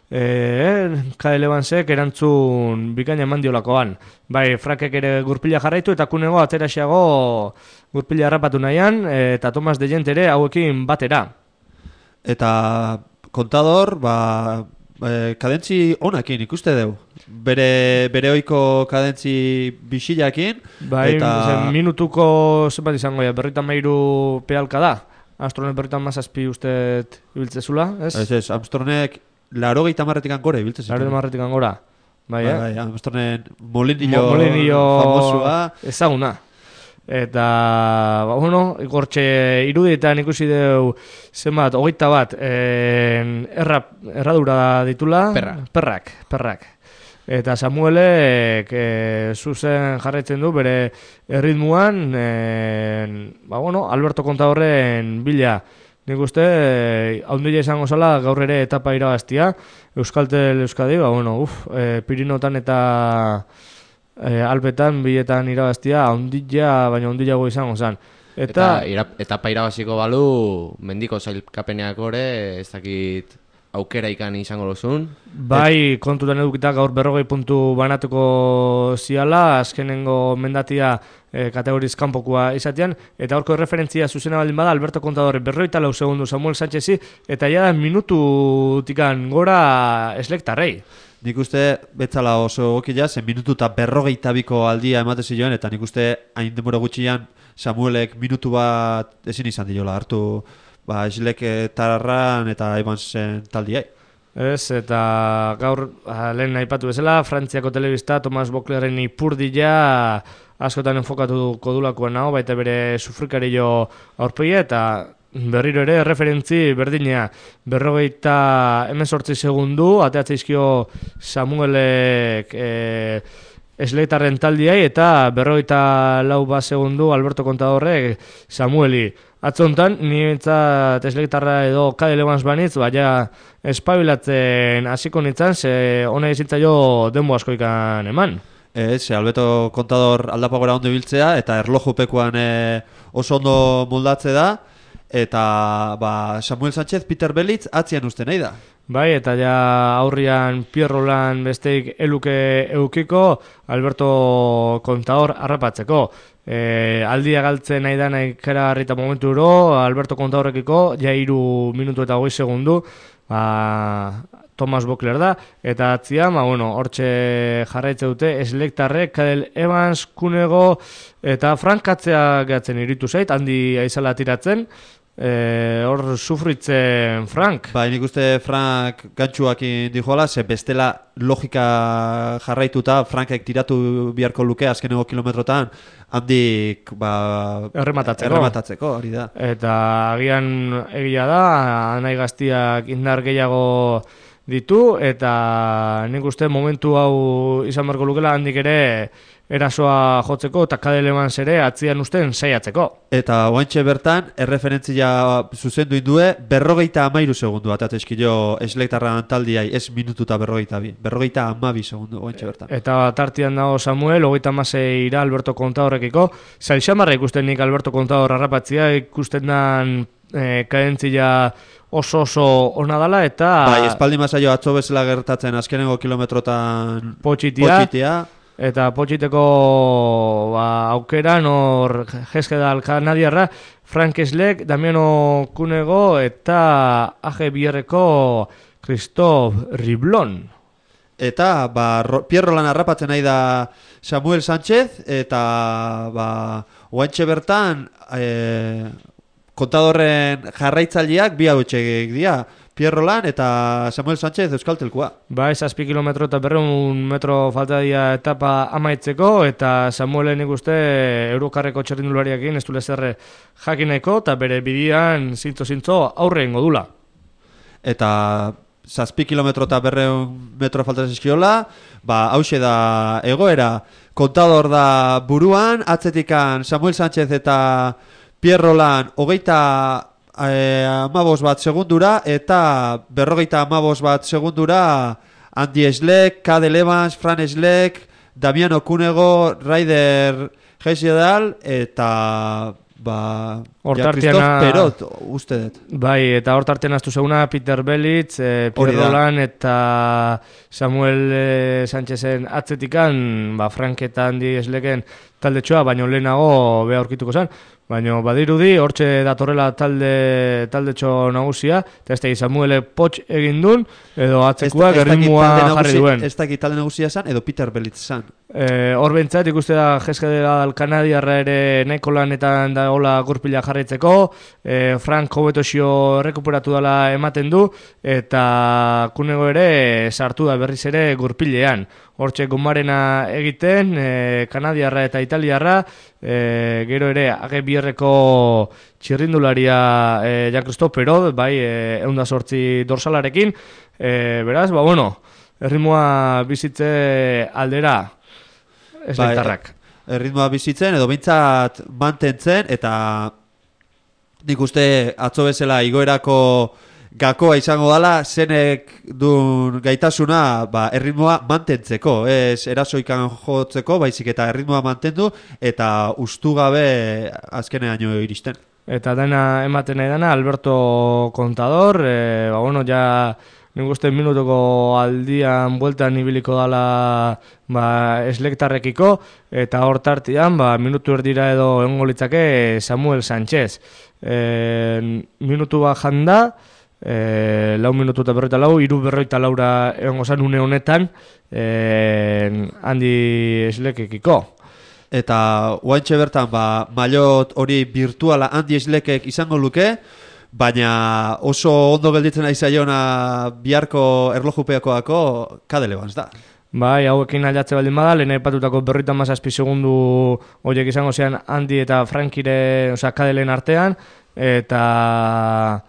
Kyle Evansek erantzun bikaina eman diolakoan. Bai, Frankek ere gurpila jarraitu, eta Cunego atzeraxeago gurpila harrapatu nahian, eta Thomas de Gent ere hauekin batera.
Eta Contador, kadentzi onakin ikuste deu. Bere oiko kadentzi bisilakin.
Bai, minutuko zenbat izango ya, 53 pealka da. Armstrongek 57 usteet ibiltzezula, ez?
Ez, Armstrongek 80 gora ibiltzezula.
80 gora. Bai,
Armstrongek Molinillo famosua.
Ezaguna. Eta, igortxe irudietan ikusi deu zenbat, 21 erradura ditula. Perrak. Eta Samuelek zuzen jarraitzen du bere erritmuan, Alberto Contadorren bila. Nik uste, haundila izango zala gaur ere etapa irabaztia, Euskaltel Euskadi, Pirinotan eta Alpetan biletan irabaztia, baina haundilago izango zen.
Eta etapa irabaziko balu, mendiko zailkapeneak ore, ez dakit aukera ikan izango lozun.
Bai, kontutan edukita gaur 40 puntu banatuko ziala, azkenengo mendatia kategoriz kanpokoa izatean, eta horko referentzia zuzena baldin bada, Alberto Contador 44 segundu Samuel Sánchezi, eta ja da minututikan gora eslektarrei.
Nik uste betzala oso gokila, zen minutu eta 42ko aldia emate ziloen, eta nik uste hain denbora gutxian Samuelek minutu bat ezin izan diola hartu eslek tararran eta Evansen taldiai.
Ez, eta gaur lehen aipatu bezala, Frantziako telebista Thomas Boclerren ipurdia askotan enfokatuko dulakoan nago, baita bere sufrikario aurpegia, eta berriro ere referentzi berdinea 48 segundu ateatzeizkio Samuelek esleitarren taldiai, eta 44 segundu Alberto Contadorrek Samueli. Atzontan, niretzat esleitarra edo Cadel Evans banitz, baina espabilatzen hasiko nintzen, ze hona izintzaio denbo askoikan eman.
Alberto Contador aldapagora ondo biltzea, eta erlojupekuan oso ondo moldatze da, eta Samuel Sánchez, Peter Belitz atzian uste nahi da.
Bai, eta ja aurrian Pierrolan besteik eluke eukiko Alberto Contador harrapatzeko. Aldia galtzen nahi da nahi kera harrita momentu ero, Alberto Contadorrekiko, ja 3 minutu eta 20 segundu, Thomas Bocler da, eta atzian, hortxe jarraitze dute, eslektarrek, Cadel Evans, Kunego, eta Frank Katzea gehatzen iritu zait, handi aizala tiratzen, hor sufritzen Frank.
Nik uste Frank gantxuakin dijoala, ze bestela logika jarraituta Frankek tiratu biharko luke azkeneko kilometrotan handik errematatzeko, hori da.
Eta agian egia da, nahi gaztiak indar gehiago ditu, eta nik uste momentu hau izan beharko lukela handik ere erasoa jotzeko, eta Cadel Evans ere atzian usten saiatzeko.
Eta oantxe bertan, erreferentzia zuzendu indue, 53 segundu atatezkilo eslektarran taldiai, ez minutu eta 52 segundu oantxe bertan.
Eta tartian dago Samuel, 36 ira Alberto Contadorrekiko, zailxamarra ikusten nik Alberto Contador harrapatzia, ikusten dan kadentzia oso ona dala, eta
espaldi masaio atzo bezala gertatzen azkenengo kilometrotan
potxitia. Eta potxiteko aukeran hor Jeskedal kanadiarra, Frank Eslek, Damiano Kunego eta AG-Bierreko Christophe Riblon.
Eta Pierrolan harrapatzen nahi da Samuel Sánchez, eta oantxe bertan Contadorren jarraitzaileak bi hauetxek dira, Pierrolan eta Samuel Sánchez Euskaltelkoa. 7
kilometro eta 200 metro falta dira etapa amaitzeko, eta Samuelen ikuste Eurokarreko txerrindulariakin ez du lezerre jakineko, eta bere bidian zintzo aurre ingo dula.
Eta 7 kilometro eta 200 metro falta zizkiola, hause da egoera, Contador da buruan, atzetikan Samuel Sánchez eta Pierrolan 25 bat segundura, eta 55 bat segundura Andy Eslek, Cadel Evans, Fran Eslek, Damiano Kunego, Ryder Jessedal, eta Christophe Perot, uste dut.
Bai, eta hor tartean aztu zeuna Peter Belitz, Pierrolan eta Samuel Sánchezen atzetikan, Frank eta Andy Esleken taldetxoa, baino lehenago beha aurkituko zen. Baina badirudi, hortxe datorrela taldetxo nagusia, eta ez da Samuele potx egin duen, edo atzekuak erritmua jarri duen.
Ez dakit talde nagusia zan, edo Peter Belitz zan.
Hor bentsat ikuste da Jeskedal kanadiarra ere nahiko lanetan da hola gurpila jarraitzeko, Frank hobetosio rekuperatu dela ematen du, eta Kunego ere sartu da berriz ere gurpilean. hortxe gomarena egiten, kanadiarra eta italiarra, gero ere Agebierreko txirrindularia Jean-Christophe Perrault, bai, 108 dorsalarekin, beraz, erritmoa bizitze aldera eslektarrak.
Erritmoa bizitzen, edo bintzat mantentzen, eta nik uste atzo bezala igoerako gakoa izango dala, zenek duen gaitasuna erritmoa mantentzeko, ez erasoikan jotzeko, baizik eta erritmoa mantendu, eta ustu gabe azkenean iristen.
Eta dena ematen nahi dana, Alberto Contador, ja nik uste minutuko aldian bueltan ibiliko dala eslektarrekiko, eta hor tartian minutu erdira edo egongo litzake Samuel Sánchez. Minutu bat janda, 4 minutu eta 44, 3:44 egongo zan une honetan handi eslekekiko.
Eta oaintxe bertan, maillot hori virtuala handi eslekek izango luke, baina oso ondo gelditzen ari zaiona biharko erlojupeakoako Cadel Evans da.
Bai, hauekin aldatze baldin bada, lehen aipatutako 57 segundu horiek izango zean Andy eta Frankire, Cadelen artean, eta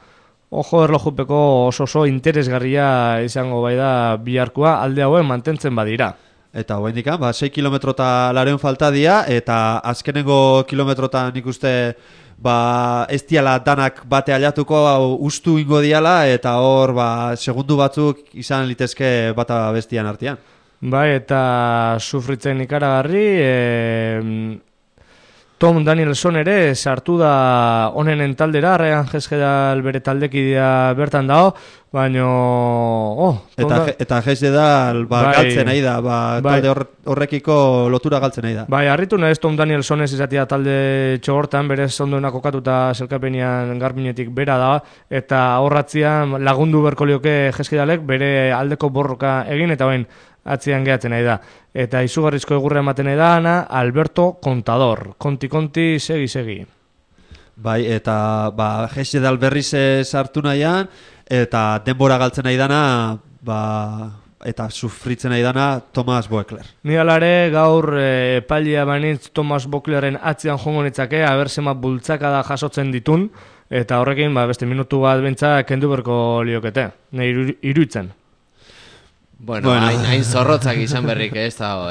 ojo erlojupeko oso interesgarria izango bai da biharkoa alde hauen mantentzen badira.
Eta hoen dikan, 6 kilometrota lareun falta dia, eta azkenengo kilometrotan ikuste ez diala danak bate aliatuko, ustu ingo diala, eta hor segundu batzuk izan litezke bata bestian artean.
Bai, eta sufritzen ikaragarri, Tom Danielson ere sartu da onenen taldera, Ryan Hesjedal bere taldekidea bertan dago, baino...
Eta Hesjedal galtzen nahi da, talde horrekiko lotura galtzen nahi da.
Bai, harritu nahez Tom Danielson ez izatea talde txogortan, berez ondoena kokatuta selkapenian garbinetik bera da, eta horratzian lagundu berko lioke Hesjedalek bere aldeko borroka egin, eta bain atzian gehatzen nahi da. Eta izugarrizko egurra ematen nahi da, Alberto Contador. Konti, segi.
Bai, eta Hesjedal berriz sartu nahian, eta denbora galtzen nahi dana, eta sufritzen nahi dana Thomas Voeckler.
Ni alare gaur epailia banitz Thomas Voecklerren atzian jongo nitzake, abersema bultzaka da jasotzen ditun, eta horrekin beste minutu bat bentsa kendu berko liokete. Nahi iruitzen.
Bueno, hain zorrotzak izan berrik ez dago,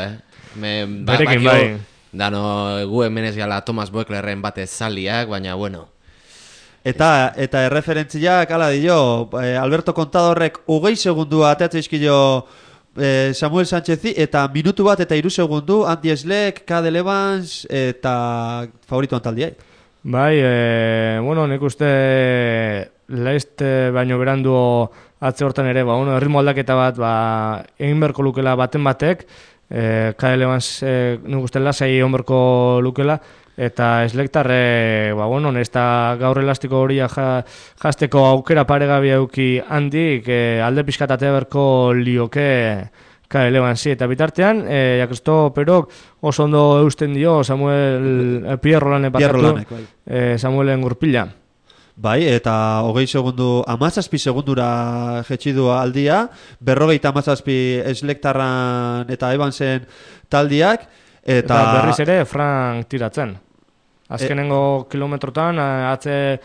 Berekin bai.
Dano, gu hemen ez gala Thomas Voecklerren batez zaliak, baina bueno.
Eta erreferentziak, ala dio, Alberto Contadorrek 20 segundu ateatzen izkilo Samuel Sánchezi, eta minutu bat eta 3 segundu Andy Schleck, Cadel Evans, eta favoritoan taldiai.
Bai, nik uste Leist baino berandu atze hortan ere, erritmo aldaketa bat egin berko lukela baten batek, Cadel Evans nik uste lasai egon berko lukela, eta eslektarre, ez da gaur elastiko hori jazteko aukera paregabia euki handik, alde pixkatatea berko lioke Cadel Evansi, eta bitartean, Jean-Christophe Perrault oso ondo eusten dio Pierrolanek Samuelen gurpila.
Bai, eta 20 segundu, 17 segundura jetxidu aldia, 57 eslektarran eta Evansen taldiak,
eta berriz ere Frank tiratzen. Azkenengo kilometrotan, atze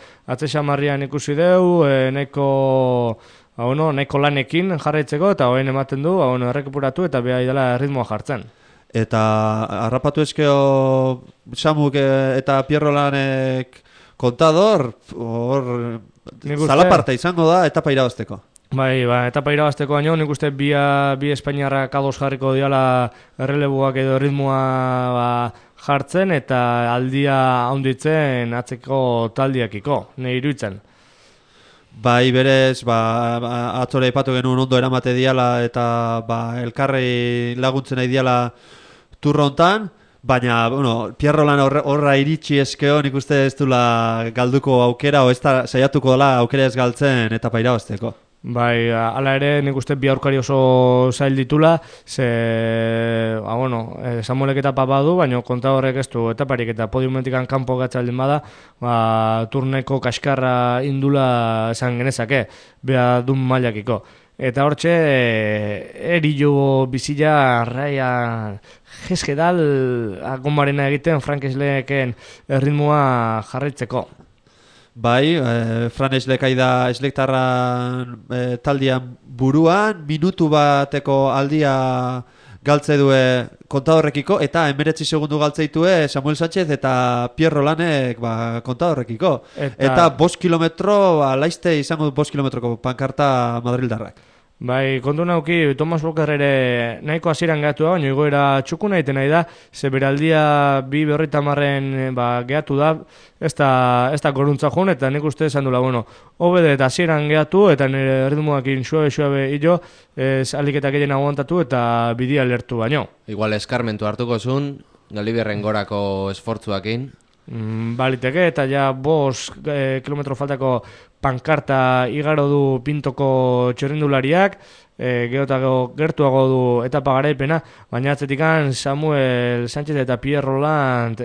xamarrian ikusi deu, nahiko lanekin jarraitzeko, eta hoen ematen du, errekupuratu eta beha idala ritmoa jartzen.
Eta harrapatu ezkeo Samuk eta Pierrolanek Contador, zalaparta izango da etapa irabazteko.
Bai, etapa irabazteko baino, nik uste bi Espainiarrak ados jarriko diala errelebuak edo ritmoa jartzen, eta aldia haunditzen atzeko taldiakiko, nahi iruditzen.
Bai, berez, atzore ipatu genuen ondo eramate diala, eta elkarrei laguntzen nahi diala turrontan, baina, Pierrolan horra iritsi eskeo, nik uste ez dula galduko aukera, o ez da saiatuko dela aukera ez galtzen etapa irabazteko.
Bai, ala ere, nik uste bi aurkari oso zail ditula, Samuelek etapa badu, baina Contadorrek ez du etaparik, eta podiumentikan kanpo gatzaldin bada, turneko kaskarra indula esan genezake, beha dun mailakiko. eta hortxe erillo bizila raia jeskedal agonbarena egiten Frank Sleken erritmoa jarraitzeko.
Bai, Fran Eslekai da eslektarran taldian buruan, minutu bateko aldia galtze due kontadorrekiko, eta 19 segundu galtzeitue Samuel Sánchez eta Pierre Rolanek kontadorrekiko. Eta 5 kilometro, laizte izango du 5 kilometroko pankarta Madrildarrak.
Bai, kontu nauki, Thomas Walker ere nahiko hasieran gehatu da, baina igoera txukuna egiten nahi da, ze beraldia 2:50 gehatu da, ez da goruntza joan, eta nik uste esan dula, hobede eta hasieran gehatu, eta nire erritmoakin suabe hillo, aliketak egin aguantatu eta bidia lertu baino.
Igual eskarmentu hartuko zuen, Galiberren gorako esfortzuakin.
Baliteke, eta ja 5 kilometro faltako pankarta igaro du Pintoko txerrindulariak, gertuago du etapa garaipena, baina atzetikan Samuel Sánchez eta Pierre Roland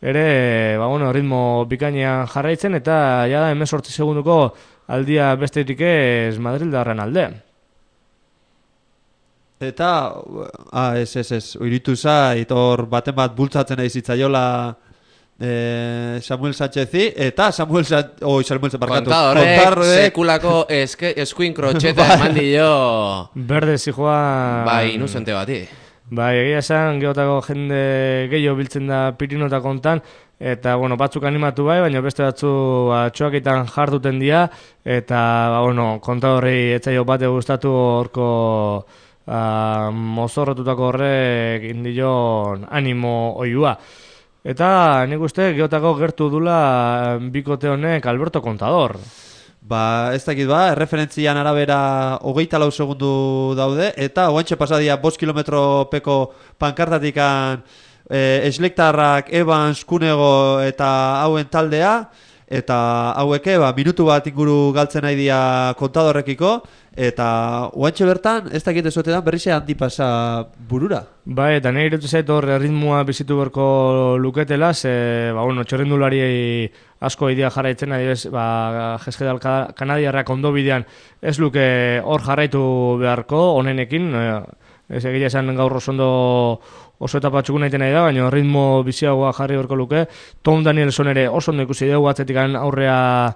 ere, ritmo bikainean jarraitzen, eta ja da 18 segunduko aldia bestetik ez Madrildarren alde.
Eta, ez, oiritu zait, hor baten bat bultzatzen nahi zitzaiola Samuel Sánchezi, eta Samuel Sánchez
Kontadorek sekulako eskuin krotxeta eman dio
berde zijoa
bai, inusente bati.
Bai, egia esan, geotako jende gehiago biltzen da Pirinota kontan, eta, batzuk animatu bai, baina beste batzu txoakitan jarduten dira, eta, kontadorri etzaio bate gustatu horko mozorrotutako horrek indion animo oiua. Eta nik uste geotako gertu dula bikote honek Alberto Contador.
Ez dakit erreferentzian arabera 24 segundu daude, eta oantxe pasadia 5 kilometropeko pankartatikan eslektarrak Evans, Kunego eta hauen taldea, eta haueke minutu bat inguru galtzen nahi dia Contadorrekiko, eta oantxe bertan, ez dakit ezotetan berrize handi pasa burura.
Bai, eta nahi irutu zait hor ritmoa bizitu berko luketela, ze, txerrindulari asko idea jarraitzen, adibes, Jeskedal kanadiarrak ondo bidean ez luke hor jarraitu beharko, honenekin, ez egia esan gaur oso etapa txukuna egiten nahi da, baina ritmo biziagoa jarri berko luke. Tom Danielson ere oso ondo ikusi dugu atzetikan aurrea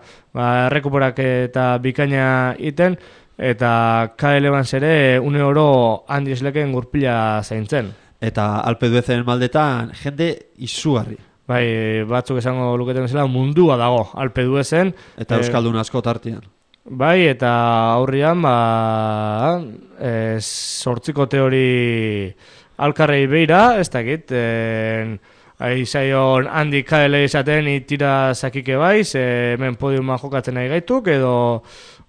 errekuperak eta bikaina iten, eta Kyle Evans ere une oro Andy Sleken gurpila zaintzen.
Eta Alpe d'Huezen maldetan jende izugarri.
Bai, batzuk esango luketen bezala mundua dago Alpe d'Huezen.
Eta euskaldun asko tartian.
Bai, eta aurrian, sortziko teori alkarrei beira, ez dakit, aizaion Andy Kyle izaten itira zakike baiz, hemen podiuma jokatzen nahi gaituk, edo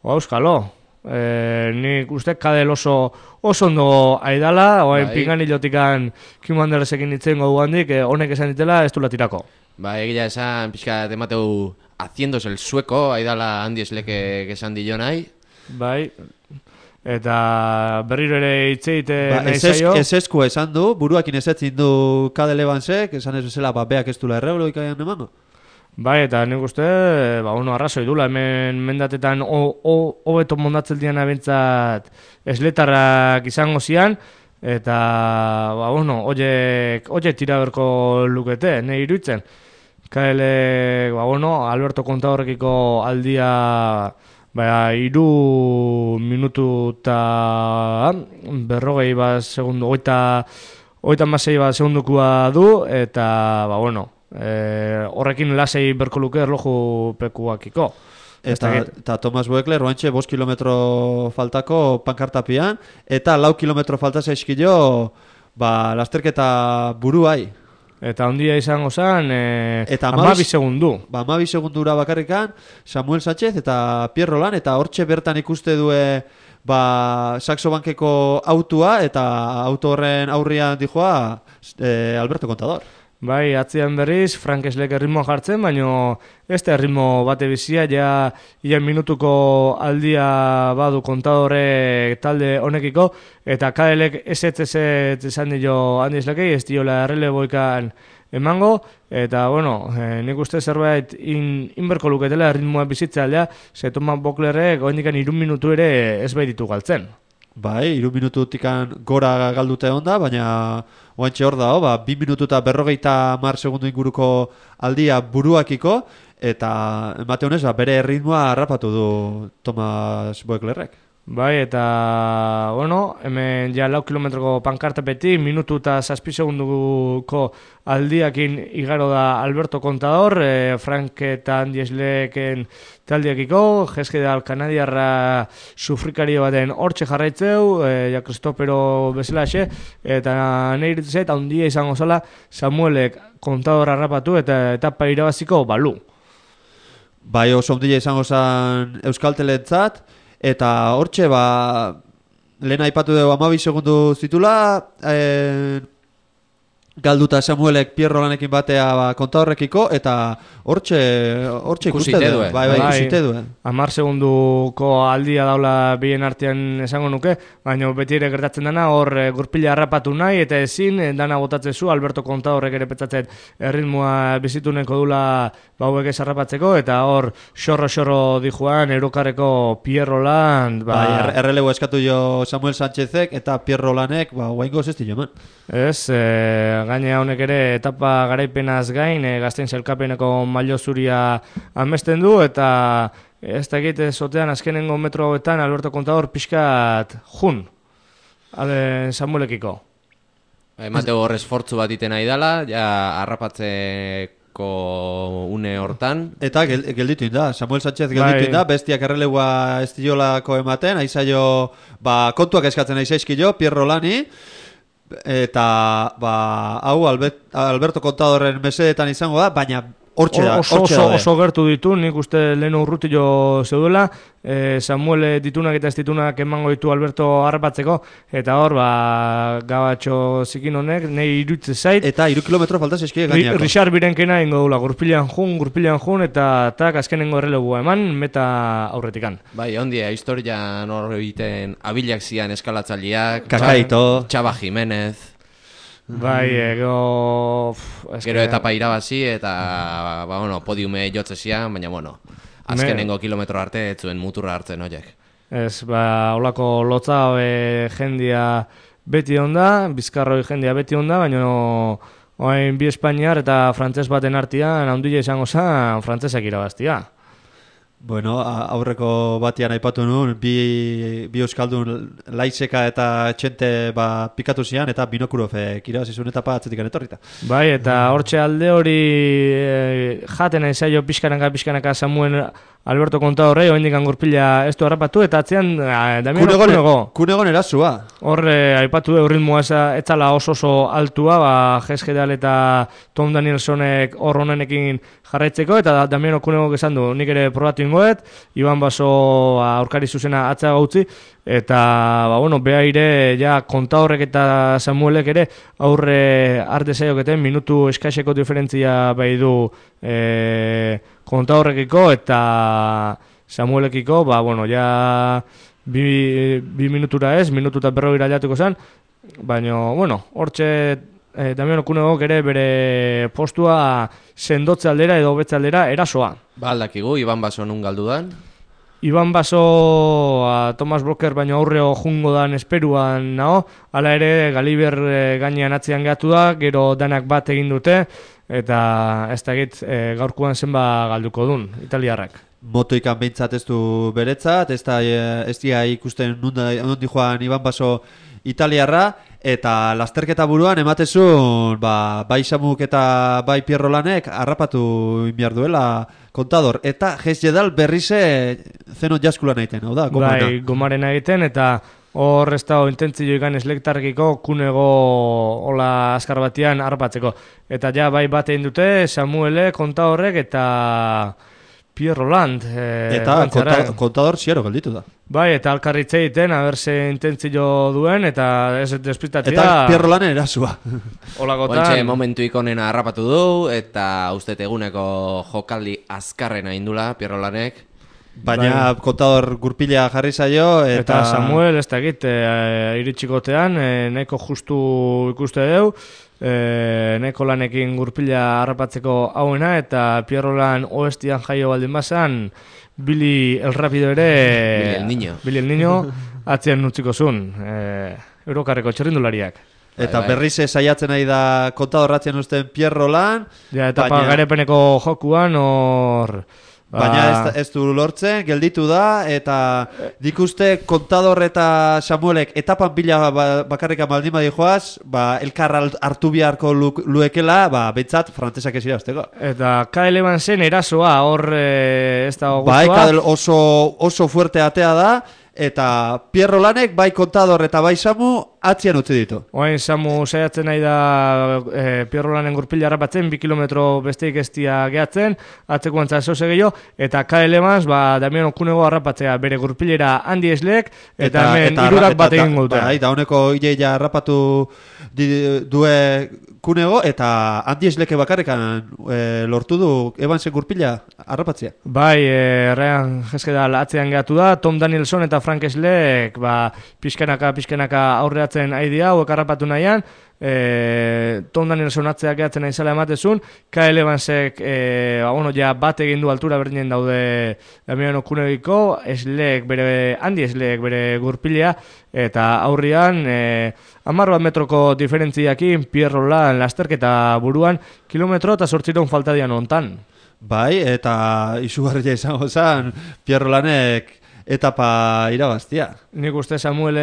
euskalo. Nik uste kadel oso ondo aidala, oain pinganilotikan Kim Andersekin itzen godu handik, honek esan ditela ez du latirako.
Egia esan, pixka temateu haciéndose el sueco, aidala Andy Sleke esan dio nahi.
Bai, eta berriro ere itzeite nahi zaio.
Ez esku esan du, buruakin ezetzin du Kadel Evansek, esan ez bezala beak ez dula erreoloikaian emango.
Bai, eta nik uste, arrazoi dula, hemen mendatetan hobeto mondatzeldian abentzat esletarrak izango zian, eta, oiek tira berko lukete, nahi iruditzen. Kaele, Alberto Contadorrekiko aldia, 3 minutu eta berrogei segundu, 36 segundukua du, eta, horrekin lasei berko luke erloju pekuakiko.
Eta Thomas Weckler oantxe 5 kilometro faltako pankartapian, eta 4 kilometro falta zaizkio lasterketa buruai.
Eta ondia izango zen, 12 segundu.
12 segundura bakarrikan, Samuel Sánchez eta Pierre Roland, eta hortxe bertan ikuste due Saxo Bankeko autua, eta auto horren aurrian dijoa Alberto Contador.
Bai, atzean berriz, Frank Slek erritmoa jartzen, baino ez da erritmo bate bizia, ja ia minutuko aldia badu kontadore talde honekiko, eta KL-ek ez esan dio Andy Slekei, ez diola erreleboikan emango, eta, bueno, nik uste zerbait inberko luketela erritmoa bizitza aldea, ze Thomas Boklerrek oendikan 3 minutu ere ez baititu galtzen.
Bai, 3 minututikan gora galdute onda, baina oantxe hor dago, 2 minutu eta 50 segundu inguruko aldia buruakiko, eta emate honez, bere erritmoa harrapatu du Thomas Boklerrek.
Bai, eta, bueno, hemen ja 4 kilometroko pankartapetik, minutu eta 7 segunduko aldiakin igaro da Alberto Contador, Frank eta Andy Sleken taldiakiko, Jeskedal kanadiarra sufrikario baten hortxe jarraitzeu, ja Kristopero bezalaxe, eta nahi iritzet, handia izango zala, Samuelek Contador harrapatu eta etapa irabaziko balu.
Bai, oso handia izango zen Euskaltelentzat, eta hortxe, lehen aipatu dugu 12 segundu zitula, galduta Samuelek Pierro lanekin batea Contadorrekiko, eta hortxe ikuste du. Bai, ikusite du.
10 segunduko aldia daula bien artean esango nuke, baina beti ere gertatzen dana, hor gurpila harrapatu nahi, eta ezin, dana botatzen zu, Alberto Contadorrek ere petzatzen erritmoa bizituneko dula bauek ez harrapatzeko, eta hor xorro dijuan Eurokarreko Pierro lan...
Bai, errelebo eskatu jo Samuel Sánchezek, eta Pierro lanek, guaingo zesti joman.
Ez, gainea honek ere etapa garaipenaz gain, gazten zelkapeneko mailo zuria amesten du, eta ez da egite zotean azkenengo metro hauetan Alberto Contador pixkat jun, Samuelekiko.
Emateo hor esfortzu bat iten nahi dela, ja harrapatzeko une hortan.
Eta gelditu inda, Samuel Sánchez gelditu inda, bestiak errelegua estiolako ematen, aizaio, kontuak eskatzen aizaizkio, Pierro lani, eta hau Alberto Contadorren mesedetan izango da, baina hortxe da.
Oso gertu ditu, nik uste lehen urrutillo zeudela, Samuel ditunak eta ez ditunak emango ditu Alberto harrapatzeko, eta hor, gabatxo zikin honek, nahi irutze zait.
Eta 3 kilometro falta zeskie gainako.
Richard Birenkena ingo dula, gurpilean jun, eta azkenengo errelegua eman, meta aurretikan.
Bai, ondia, historia nor egiten abilak zian eskalatzaliak,
Kakaito,
Chava Jimenez.
Bai, gero
etapa irabazi eta podiume jotze zian, baina azkenengo kilometro arte etzuen muturra hartzen horiek.
Ez, holako lotza jendia beti onda, bizkarroi jendia beti onda, baina oain bi Espainiar eta frantses baten artean handia izango zen frantsesak irabaztia.
Bueno, aurreko batian aipatu nuen, bi euskaldun Laizeka eta Txente pikatu zian, eta Binokurofek irabazizun etapa atzetikan etorrita.
Bai, eta hortxe alde hori jaten aizaio pixkanaka Samuel Alberto Contadorrei, oindikan gurpila ez du harrapatu, eta atzean Damiano
Kunegon erazua.
Horre, aipatu ritmoa etzala oso altua, Jeskedal eta Tom Danielsonek hor honenekin jarraitzeko, eta Damiano Kunegok esan du, nik ere probatu ingoet, Iban Baso aurkari zuzena atzea gautzi, eta, behaire, ja, Contadorrek eta Samuelek ere, aurre arte zaioketen, minutu eskaseko diferentzia bai du Contadorrekiko eta Samuelekiko, ja, bi minutura ez, minututa 40 jatuko zen, baina, hortxe Damiano Kunegok ere bere postua sendotze aldera edo hobetze aldera erasoa.
Aldakigu, Iban Baso nun galdudan?
Iban Baso Thomas Broker baino aurreo jungo dan esperuan nao, hala ere Galiber gainean atzean gehatu da, gero danak bat egin dute, eta ez da egit gaurkuan zenba galduko dun, italiarrak.
Motoikan behintzat ez du beretzat, ez da ikusten nondi joan Iban Baso italiarra, eta lasterketa buruan ematezun bai Samuk eta bai Pierro lanek harrapatu inbiar duela Contador, eta Jeskedal berrize zenon jaskulan egiten, hau da, gomaren.
Bai, gomaren egiten, eta hor ez da intentzio ikan eslektarkiko Kunego hola azkar batian harrapatzeko. Eta ja bai bat egin dute Samuele, Contadorrek eta Pierro Land.
Eta Contador ziero gelditu da.
Bai, eta alkarritze egiten, aberse intentzio duen, eta ez despristatzea.
Eta Pierro Lanen erasua.
Olakotan.
Ointxe momentu ikonena harrapatu du, eta uste eguneko jokaldi azkarrena indula, Pierro Lanek.
Baina kontador gurpila jarri zaio,
Eta Samuel, ez da egit, iritsikotean, nahiko justu ikuste deu, nahiko Lanekin gurpila harrapatzeko hauena, eta Pierro Lan oestian jaio baldin bazan, Billy el Rapido ere... Billy el Niño atzean utziko zuen, Eurokarreko txerrindulariak.
Eta berriz saiatzen nahi da kontadorratzen usten Pierro Lan.
Ja, etapa garepeneko jokuan hor...
Baina ez du lortzen, gelditu da, eta dikuste kontador eta Samuelek etapan bila bakarrika baldin badi joaz, elkar hartu biharko luekela, bentsat frantzesak ez irabazteko.
Eta Kyle Evansen erasoa hor ez da guztua.
Bai, Kyle oso fuerte atea da, eta Pierro Lanek bai kontador eta bai Samu atzian utzi ditu.
Oain Samu saiatzen nahi da Pierro Lanen gurpila harrapatzen, 2 kilometro besteik estia gehatzen, atzeko antza zoze gehiago, eta Kyle Evans, Damian Okunego harrapatzea bere gurpilera Andy Eslek, eta hemen irurak bat egin gauta.
Eta honeko ideia harrapatu due Kunego, eta Andy Esleke bakarrekan lortu du Evansen gurpila harrapatzea.
Bai, Ryan Heskedal atzean gehatu da, Tom Danielson eta Frank Eslek pixkanaka aurreatzen aidea, hauek harrapatu nahian, Tom Danielson atzeak gehatzen aizala ematezun, Kyle Evansek bat egin du altura berdinen daude Damian Okunegiko, Andy Eslek bere gurpilea, eta aurrian 10 metroko diferentziakin Pierro Lan lasterketa buruan, kilometro eta 800 faltadian ontan.
Bai, eta izugarria izango zen Pierro Lanek etapa irabaztia.
Nik uste Samuel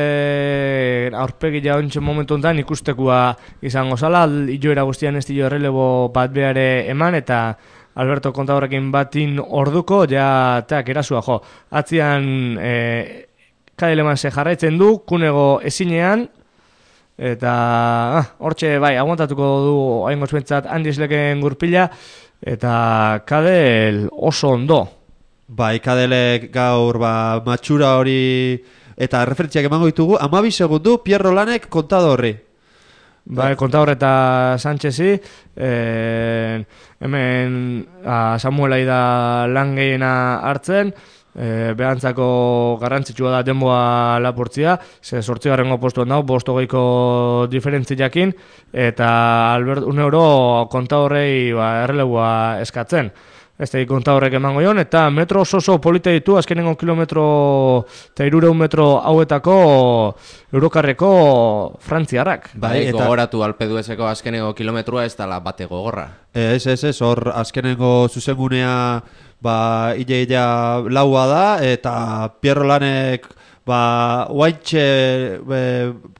aurpegi jauntxen momentu ontan ikustekua izango zala, joera guztian ez dio errelebo bat behare eman, eta Alberto Kontadorrekin batin orduko, teak erasua jo. Atzian Kyle Evanse jarraitzen du, Kunego ezinean, eta hortxe bai, aguantatuko du haingoz bentsat Andy Esleken gurpila, eta Kadel oso ondo.
Bai, Kadelek gaur matxura hori eta referentziak emango ditugu, 12 segundu Pierro Lanek kontadorri.
Bai, Kontador eta Sánchezi, hemen Samuelai da lan gehiena hartzen, behantzako garrantzitsua da denboa lapurtzia, 8. postuan dago, 5 diferentziakin, eta Albert Uneuro Kontadorrei erreleboa eskatzen. Ez da Kontadorrek emango joan, eta metro oso polita ditu, azkenengo kilometro eta 300 metro hauetako Eurokarreko frantziarrak.
Bai, gogoratu alpeduezeko azkenengo kilometroa ez dala bate gogorra.
Ez, hor azkenengo zuzengunea ia laua da, eta Pierro Lanek oaintxe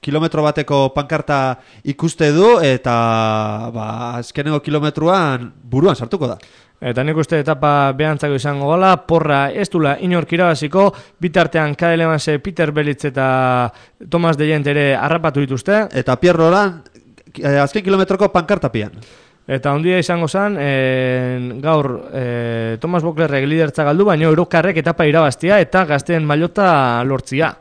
kilometro bateko pankarta ikuste du, eta azkenengo kilometroan buruan sartuko da.
Eta nik uste etapa behantzako izango gala, porra ez dula inork irabaziko, bitartean Kyle Evanse, Peter Belitz eta Thomas de Gent ere harrapatu dituzte.
Eta Pierro Lan azken kilometroko pankartapian.
Eta ondia izango zen, gaur Thomas Boklerrek lidertza galdu, baina Eurokarrek etapa irabaztia eta gazteen mailota lortzia.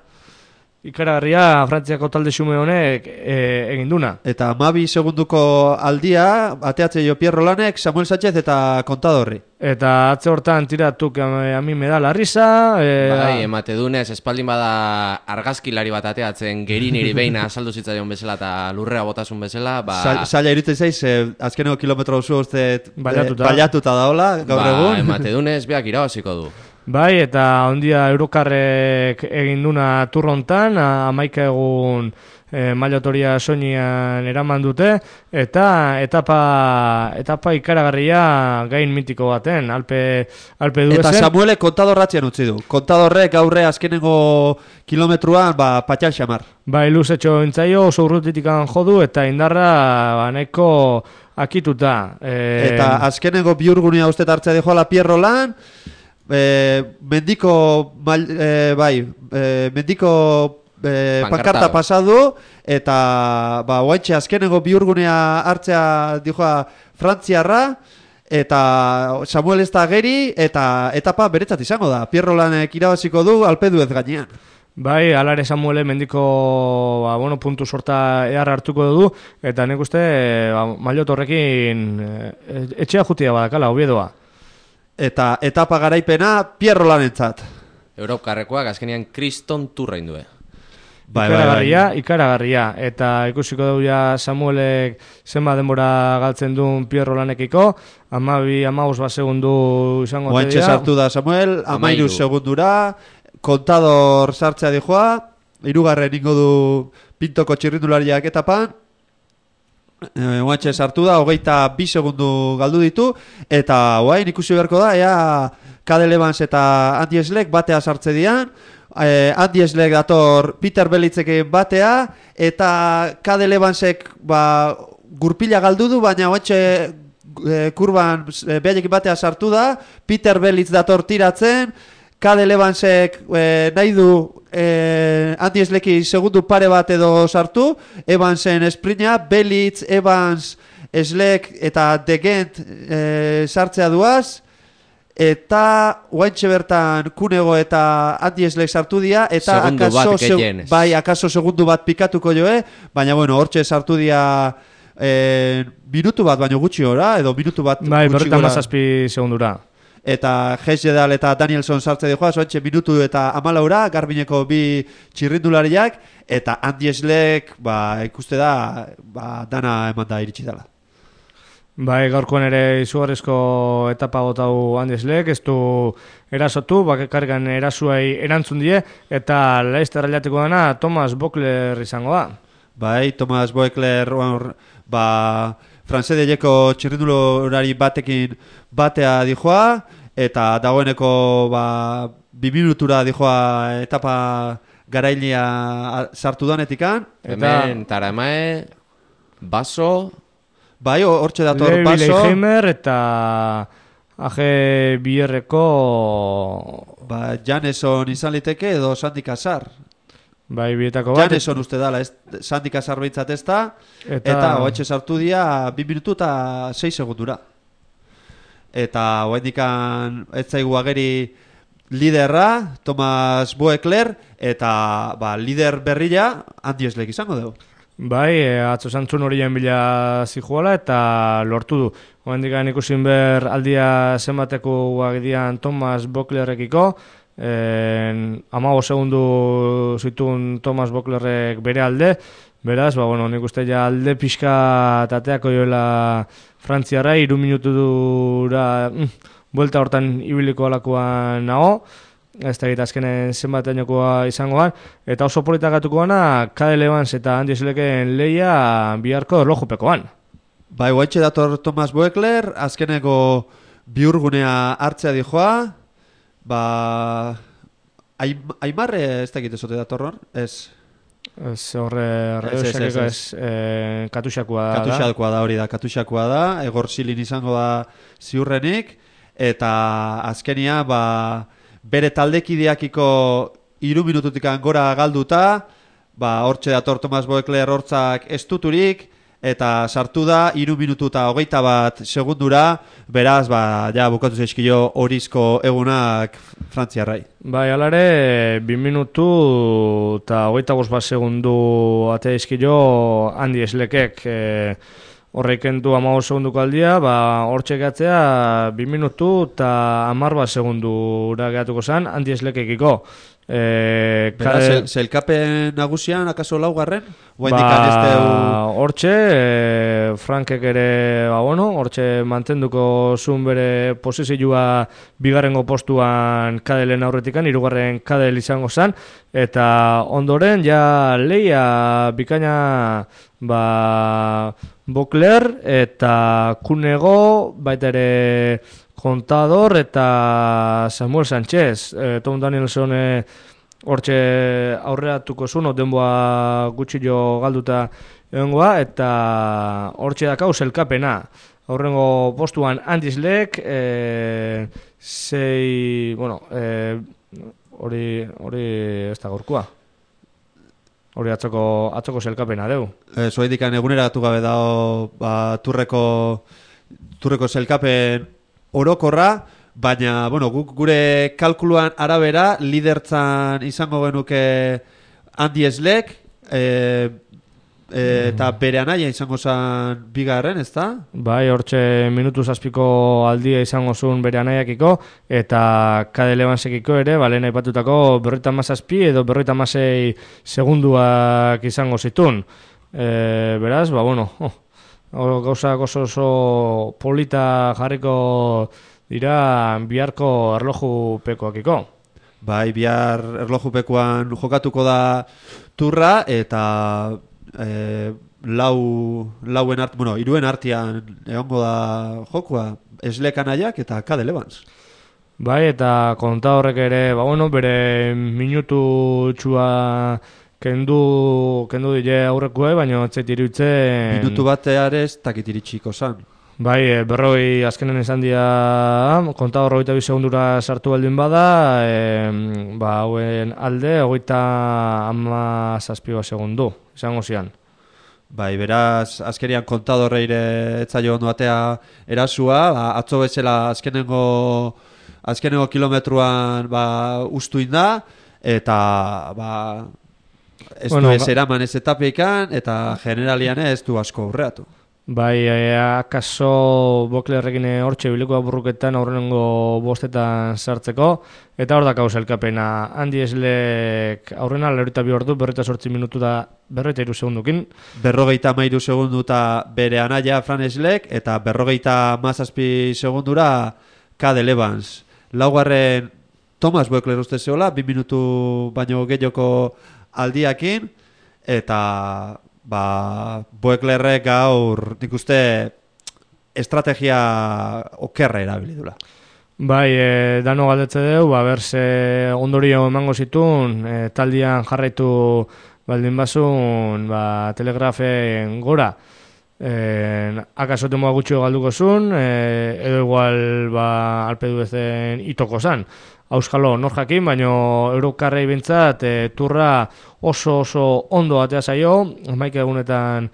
Ikaragarria Frantziako talde xume honek eginduna.
Eta 12 segunduko aldia, ateatze jo Pierro Lanek, Samuel Sánchez eta Kontadorri.
Eta atze hortan tiratuk a mi me da la risa.
Bai, emate dunez, espaldin bada argazkilari bat ateatzen geriniri behin azaldu zitzaion bezala eta lurrea botasun bezala.
Zaila irutzen zaiz, azkeneko kilometro oso uste baliatuta daola, gaur egun.
Emate dunez, beak irabaziko du.
Bai, eta ondia Eurokarrek eginduna turrontan, 11 egun mailotoria soinian eraman dute, eta etapa ikaragarria gain mitiko baten, Alpe duezen.
Eta Samuelek kontadorratzean utzi du. Kontadorrek gaurre azkenengo kilometruan patxal xamar.
Bai, luzetxo entzaio, oso urrutitikan jodu, eta indarra nahiko akituta.
Eta azkenengo biurgunea uste hartzea dijoala Pierro Lan, mendiko pankarta pasadu, eta oaintxe azkenengo biurgunea hartzea dijoa Frantziarra, eta Samuel ez da geri, eta etapa beretzat izango da. Pierro Lanek irabaziko du Alpedu ez gainean.
Bai, alare Samuele mendiko puntu sorta ehar hartuko du, eta nik uste Maillot horrekin etxea jutia badakala, Oviedoa.
Eta etapa garaipena Pierro Lanentzat.
Europkarrekoak azkenean kriston turra indue.
Ikaragarria, eta ikusiko dugu ja Samuelek zenba denbora galtzen duen Pierro Lanekiko, 12-15 segundu izango te dira.
Oantxe sartu da Samuel, 13 segundura, kontador sartzea dijoa, 3. ingo du Pintoko txirrindulariak etapan, oantxe sartu da, 22 segundu galdu ditu, eta oain ikusi beharko da, ea Cadel Evans eta Andy Schleck batea sartze dian, Andy Schleck dator Peter Belitzekin batea, eta Cadel Evansek gurpila galdu du, baina oantxe kurban behaiekin batea sartu da, Peter Belitz dator tiratzen, Cadel Evansek nahi du Andy Schlecki segundu pare bat edo sartu, Evansen esprina, Belitz, Evans, Schleck eta De Gent sartzea duaz, eta oaintxe bertan Kunego eta Andy Schleck sartu dira, eta akaso segundu bat pikatuko joe, baina hortxe sartu dira minutu bat baino gutxi ora, edo minutu bat gutxi gora.
Berretan mazazpi segundura.
Eta Hesjedal eta Danielson sartze dijoa, soantxe minutu eta 14, Garbineko 2 txirrindulariak, eta Andy Schleck, ikuste da, dana eman da iritsi dela.
Bai, gaurkoan ere izugarrizko etapa gotau Andy Schleck, ez du erasotu, bakarrikan erasuai erantzun die, eta Leicester aliateko dana Thomas Voeckler izango da.
Bai, Thomas Voeckler, Fransedeieko txirrindulari batekin batea dijoa, eta dagoeneko 2 minutura dijoa etapa garailia sartu danetikan.
Hemen Taramae, Baso...
Bai, hortxe dator Baso.
Levi Leigheimer eta AG Bierreko...
Janeson izan liteke edo Sandy Casar.
Bai, bietako bat.
Janeson uste dala, Sandy Casar behintzat ez da, eta oaitxe sartu dia 2 minutu eta 6 segundura. Eta oaindikan ez zaigu ageri liderra, Thomas Voeckler, eta lider berria Andy Schleck izango dugu.
Bai, atzo zantzun horien bila zijuala eta lortu du. Oaindikan ikusin ber aldia zenbateko guagidian Thomas Voecklerekiko, 15 segundu zituen Thomas Voecklerrek bere alde, beraz, nik uste ja alde pixka tateako joela Frantziarra, 3 minutu dura buelta hortan ibiliko alakoan nago, ez da azkenen zenbateainokoa izangoan, eta oso politak gatuko gana, Cadel Evans eta Andy Schlecken lehia biharko erlojupekoan.
Bai, guaitxe dator Thomas Voeckler, azkeneko biurgunea hartzea dijoa, Aimarre ez dakit ezote datorron, ez...
Ez horre Katuxakoa da.
Katuxakoa da hori da, Katuxakoa da, Egor Silin izango da ziurrenik, eta azkenia bere taldekideakiko 3 minututik gora galduta, hortxe dator Thomas Voeckler hortzak estuturik, eta sartu da 3 minutu eta 21 segundura, beraz, ja bukatu zaizkio horizko egunak Frantziarrai.
Bai, alare, 2 minutu eta 25 segundu atea izkio Andy Schleckek horreiken du 15 segunduko aldia, hortxe gehatzea 2 minutu eta 10 segundura gehatuko zen Andy Schleckekiko.
Beraz, zelkapen nagusian, akaso laugarren?
Hortxe, Frankek ere, hortxe mantenduko zuen bere posizioa 2. postuan Cadelen aurretikan, 3. Cadel izango zen, eta ondoren, ja lehia bikaina Voeckler eta Kunego, baita ere Contador eta Samuel Sánchez. Tom Danielson hortxe aurreatuko zuen, denboa gutxi jo galduta egongoa, eta hortxe dakau zelkapena. Aurrengo postuan Andy Schleck, hori ez da gorkua. Hori atzoko zelkapena deu.
Zuaidikan eguneratu gabe dago turreko Turreko sailkapen orokorra, baina, bueno, guk gure kalkuluan arabera, lidertzan izango genuke Andy Schleck, eta bere anaia izango zen bigarren, ezta?
Bai, hortxe minutu zazpiko aldia izango zuen bere anaiakiko, eta Kade Levansekiko ere, lehen aipatutako 57 edo 56 segunduak izango zitun. Beraz, bueno, gauzak oso polita jarriko dira biharko erlojupekoakiko.
Bai, bihar erlojupekoan jokatuko da turra, eta iruen artean egongo da jokua, Schleck anaiak eta Kade Levans.
Bai, eta konta horrek ere, bere minutu txua kendu dile aurrekuai, baina etzait iruditzen...
Minutu bateare ez takit iritsiko zan.
Bai, berroi azkenen esan dira, konta horreita 2 segundura sartu baldin bada, hauen alde, 37 segundu, izango zian.
Bai, beraz, azkerian kontadorreire etzaio ondo batea erasua, atzo bezala azkenengo kilometruan ustu inda, eta ez du ez eraman ez etapeikan, eta generalian ez du asko aurreatu.
Bai, akaso Boklerrekin hortxe biliko burruketan aurrenengo bostetan sartzeko, eta hor dakau sailkapena. Andy Schleck aurrena 42 ordu, 48 minutu da 43 segundukin.
53 segundu eta bere anaia Fran Schleck, eta 57 segundura Kade Levans. Laugarren Thomas Bokler uste zeola, 2 minutu baino gehioko aldiakin, eta... Boeklerrek gaur nik uste estrategia okerra erabili dula.
Bai, dano galdetze deu, berze ondorio emango zitun, taldian jarraitu baldin bazun, telegrafen gora. Akaso temoa gutxio galduko zun, edo igual alpedu ezen itoko zan. Auskalo nor jakin, baino eurokarrei bintzat turra oso ondo batea zaio, 11 egunetan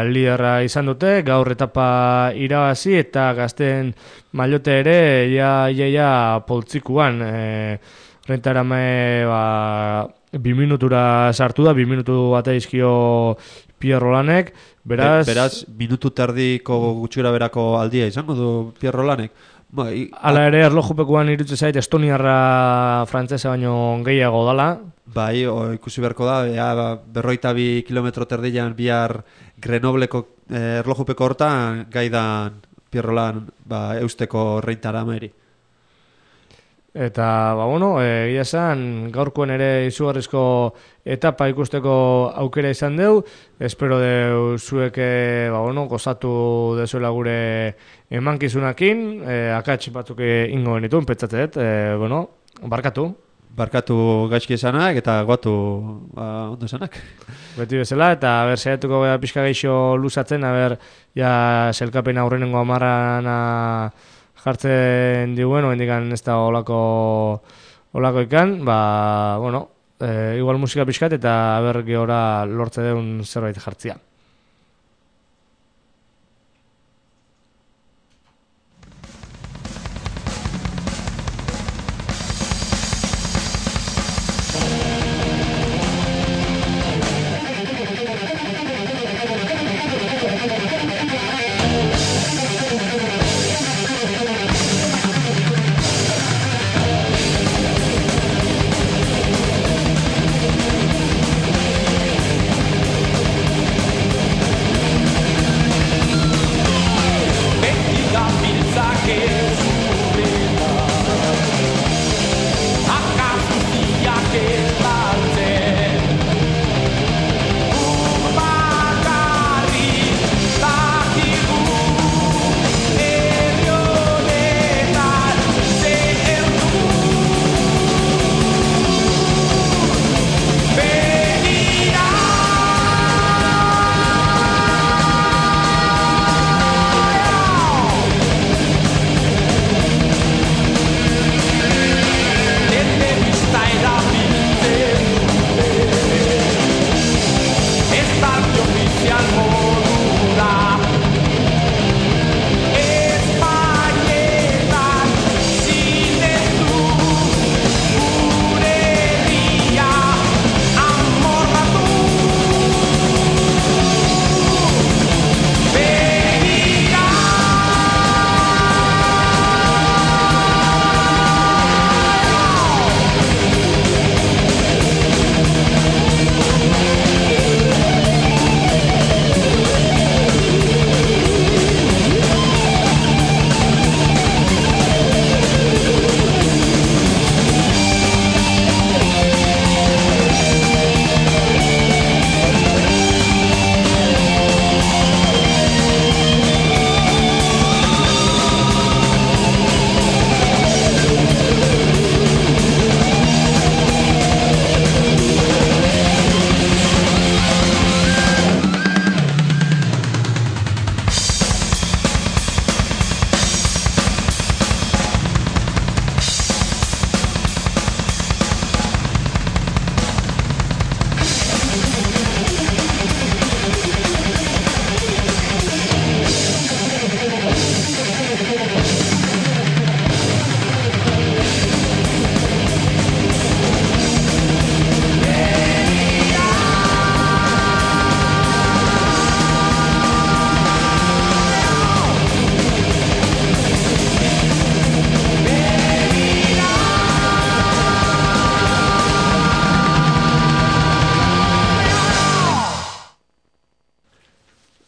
liderra izan dute, gaur etapa irabazi eta gazten mailote ere ja poltsikuan. Rentarame 2 minutura sartu da, 2 minutu batea izkio Pierre Rolanek,
beraz minutu terdiko gutxura berako aldia izango du Pierre Rolanek.
Hala ere, erlojupekuan irutze zait Estoniarra frantzesa baino gehiago dala.
Bai, ikusi beharko da, 42 kilometro terdian bihar Grenobleko erlojupeko hortan gaidan Pierre Roland eusteko reintarameri.
Eta, egia esan, gaurkoen ere izugarrizko etapa ikusteko aukera izan deu. Espero deu zueke, gozatu dezuela gure emankizunakin. Akatsi batzuk ingo genituen, petzatet, barkatu.
Barkatu gaizki esanak eta goatu ondo esanak.
Beti bezala, eta saiatuko pixka geixo luzatzen, selkapen aurrenengo amarrana jartzen diguen, oendikan ez da olako ikan, igual musika pixkat eta gehora lortze deun zerbait jartzia.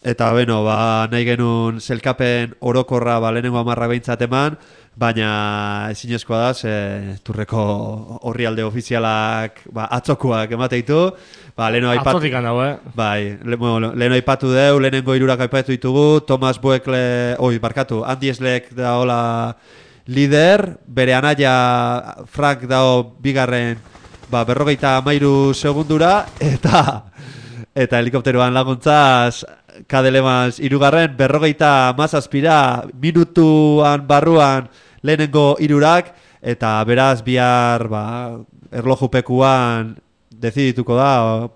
Eta beno, nahi genuen zelkapen orokorra lehenengo 10 behintzat eman, baina ezinezkoa da, Turreko orrialde ofizialak atzokuak emate ditu.
Atzotik handau,
Bai, leheno aipatu deu, lehenengo 3 aipatu ditugu, Thomas Boekle, Andy Schleck da hola lider, bere anaia Frank dao bigarren 53 segundura, eta helikopteroan laguntzaz Kadelemans 3. 57 minutuan barruan lehenengo 3, eta beraz bihar erlojupekuan dezidituko da,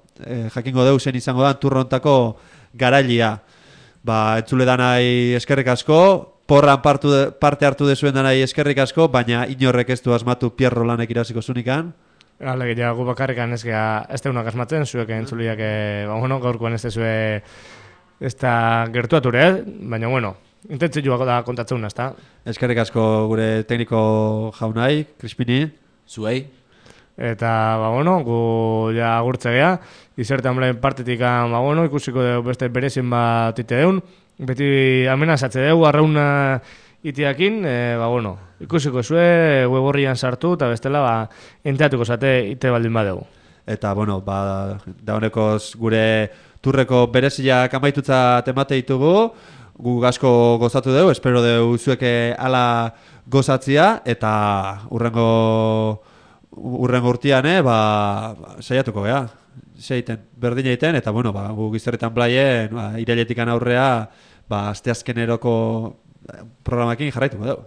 jakingo deu zen izango da turrontako garailia. Entzule danai eskerrik asko, porran parte hartu dezuen danai eskerrik asko, baina inorrek ez du asmatu Pierro lanek irasiko zunikan.
Alegia, gu bakarrikan ez deunak asmatzen, zuek entzuliak, gaurkoan ez dezue ez da gertuature, baina intentzioak da kontatzen, ez da?
Eskerrik asko gure tekniko jaunai, Crispini.
Zuei.
Eta, gu ja agurtze gea, izertan blaen partetik, ikusiko dugu beste berezin bat ite deun, beti amenazatze dugu, arrauna itiakin, ikusiko zue, web horrian sartu, eta bestela, enteatuko zate ite baldin badegu.
Eta, da honekoz gure Turreko bereziak amaitutza temate ditugu, gu asko gozatu dugu, espero dugu zueke ala gozatzia, eta urrengo urtean, saiatuko gea. Berdin egiten, eta gu Gizerritan Blaien, irailetik aurrea, asteazkeneroko programakin jarraituko dugu.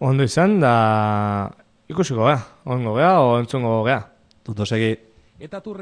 Ondo izan, da ikusiko gea, ongo gea, o entzungo gea.
Ondo segi.
Eta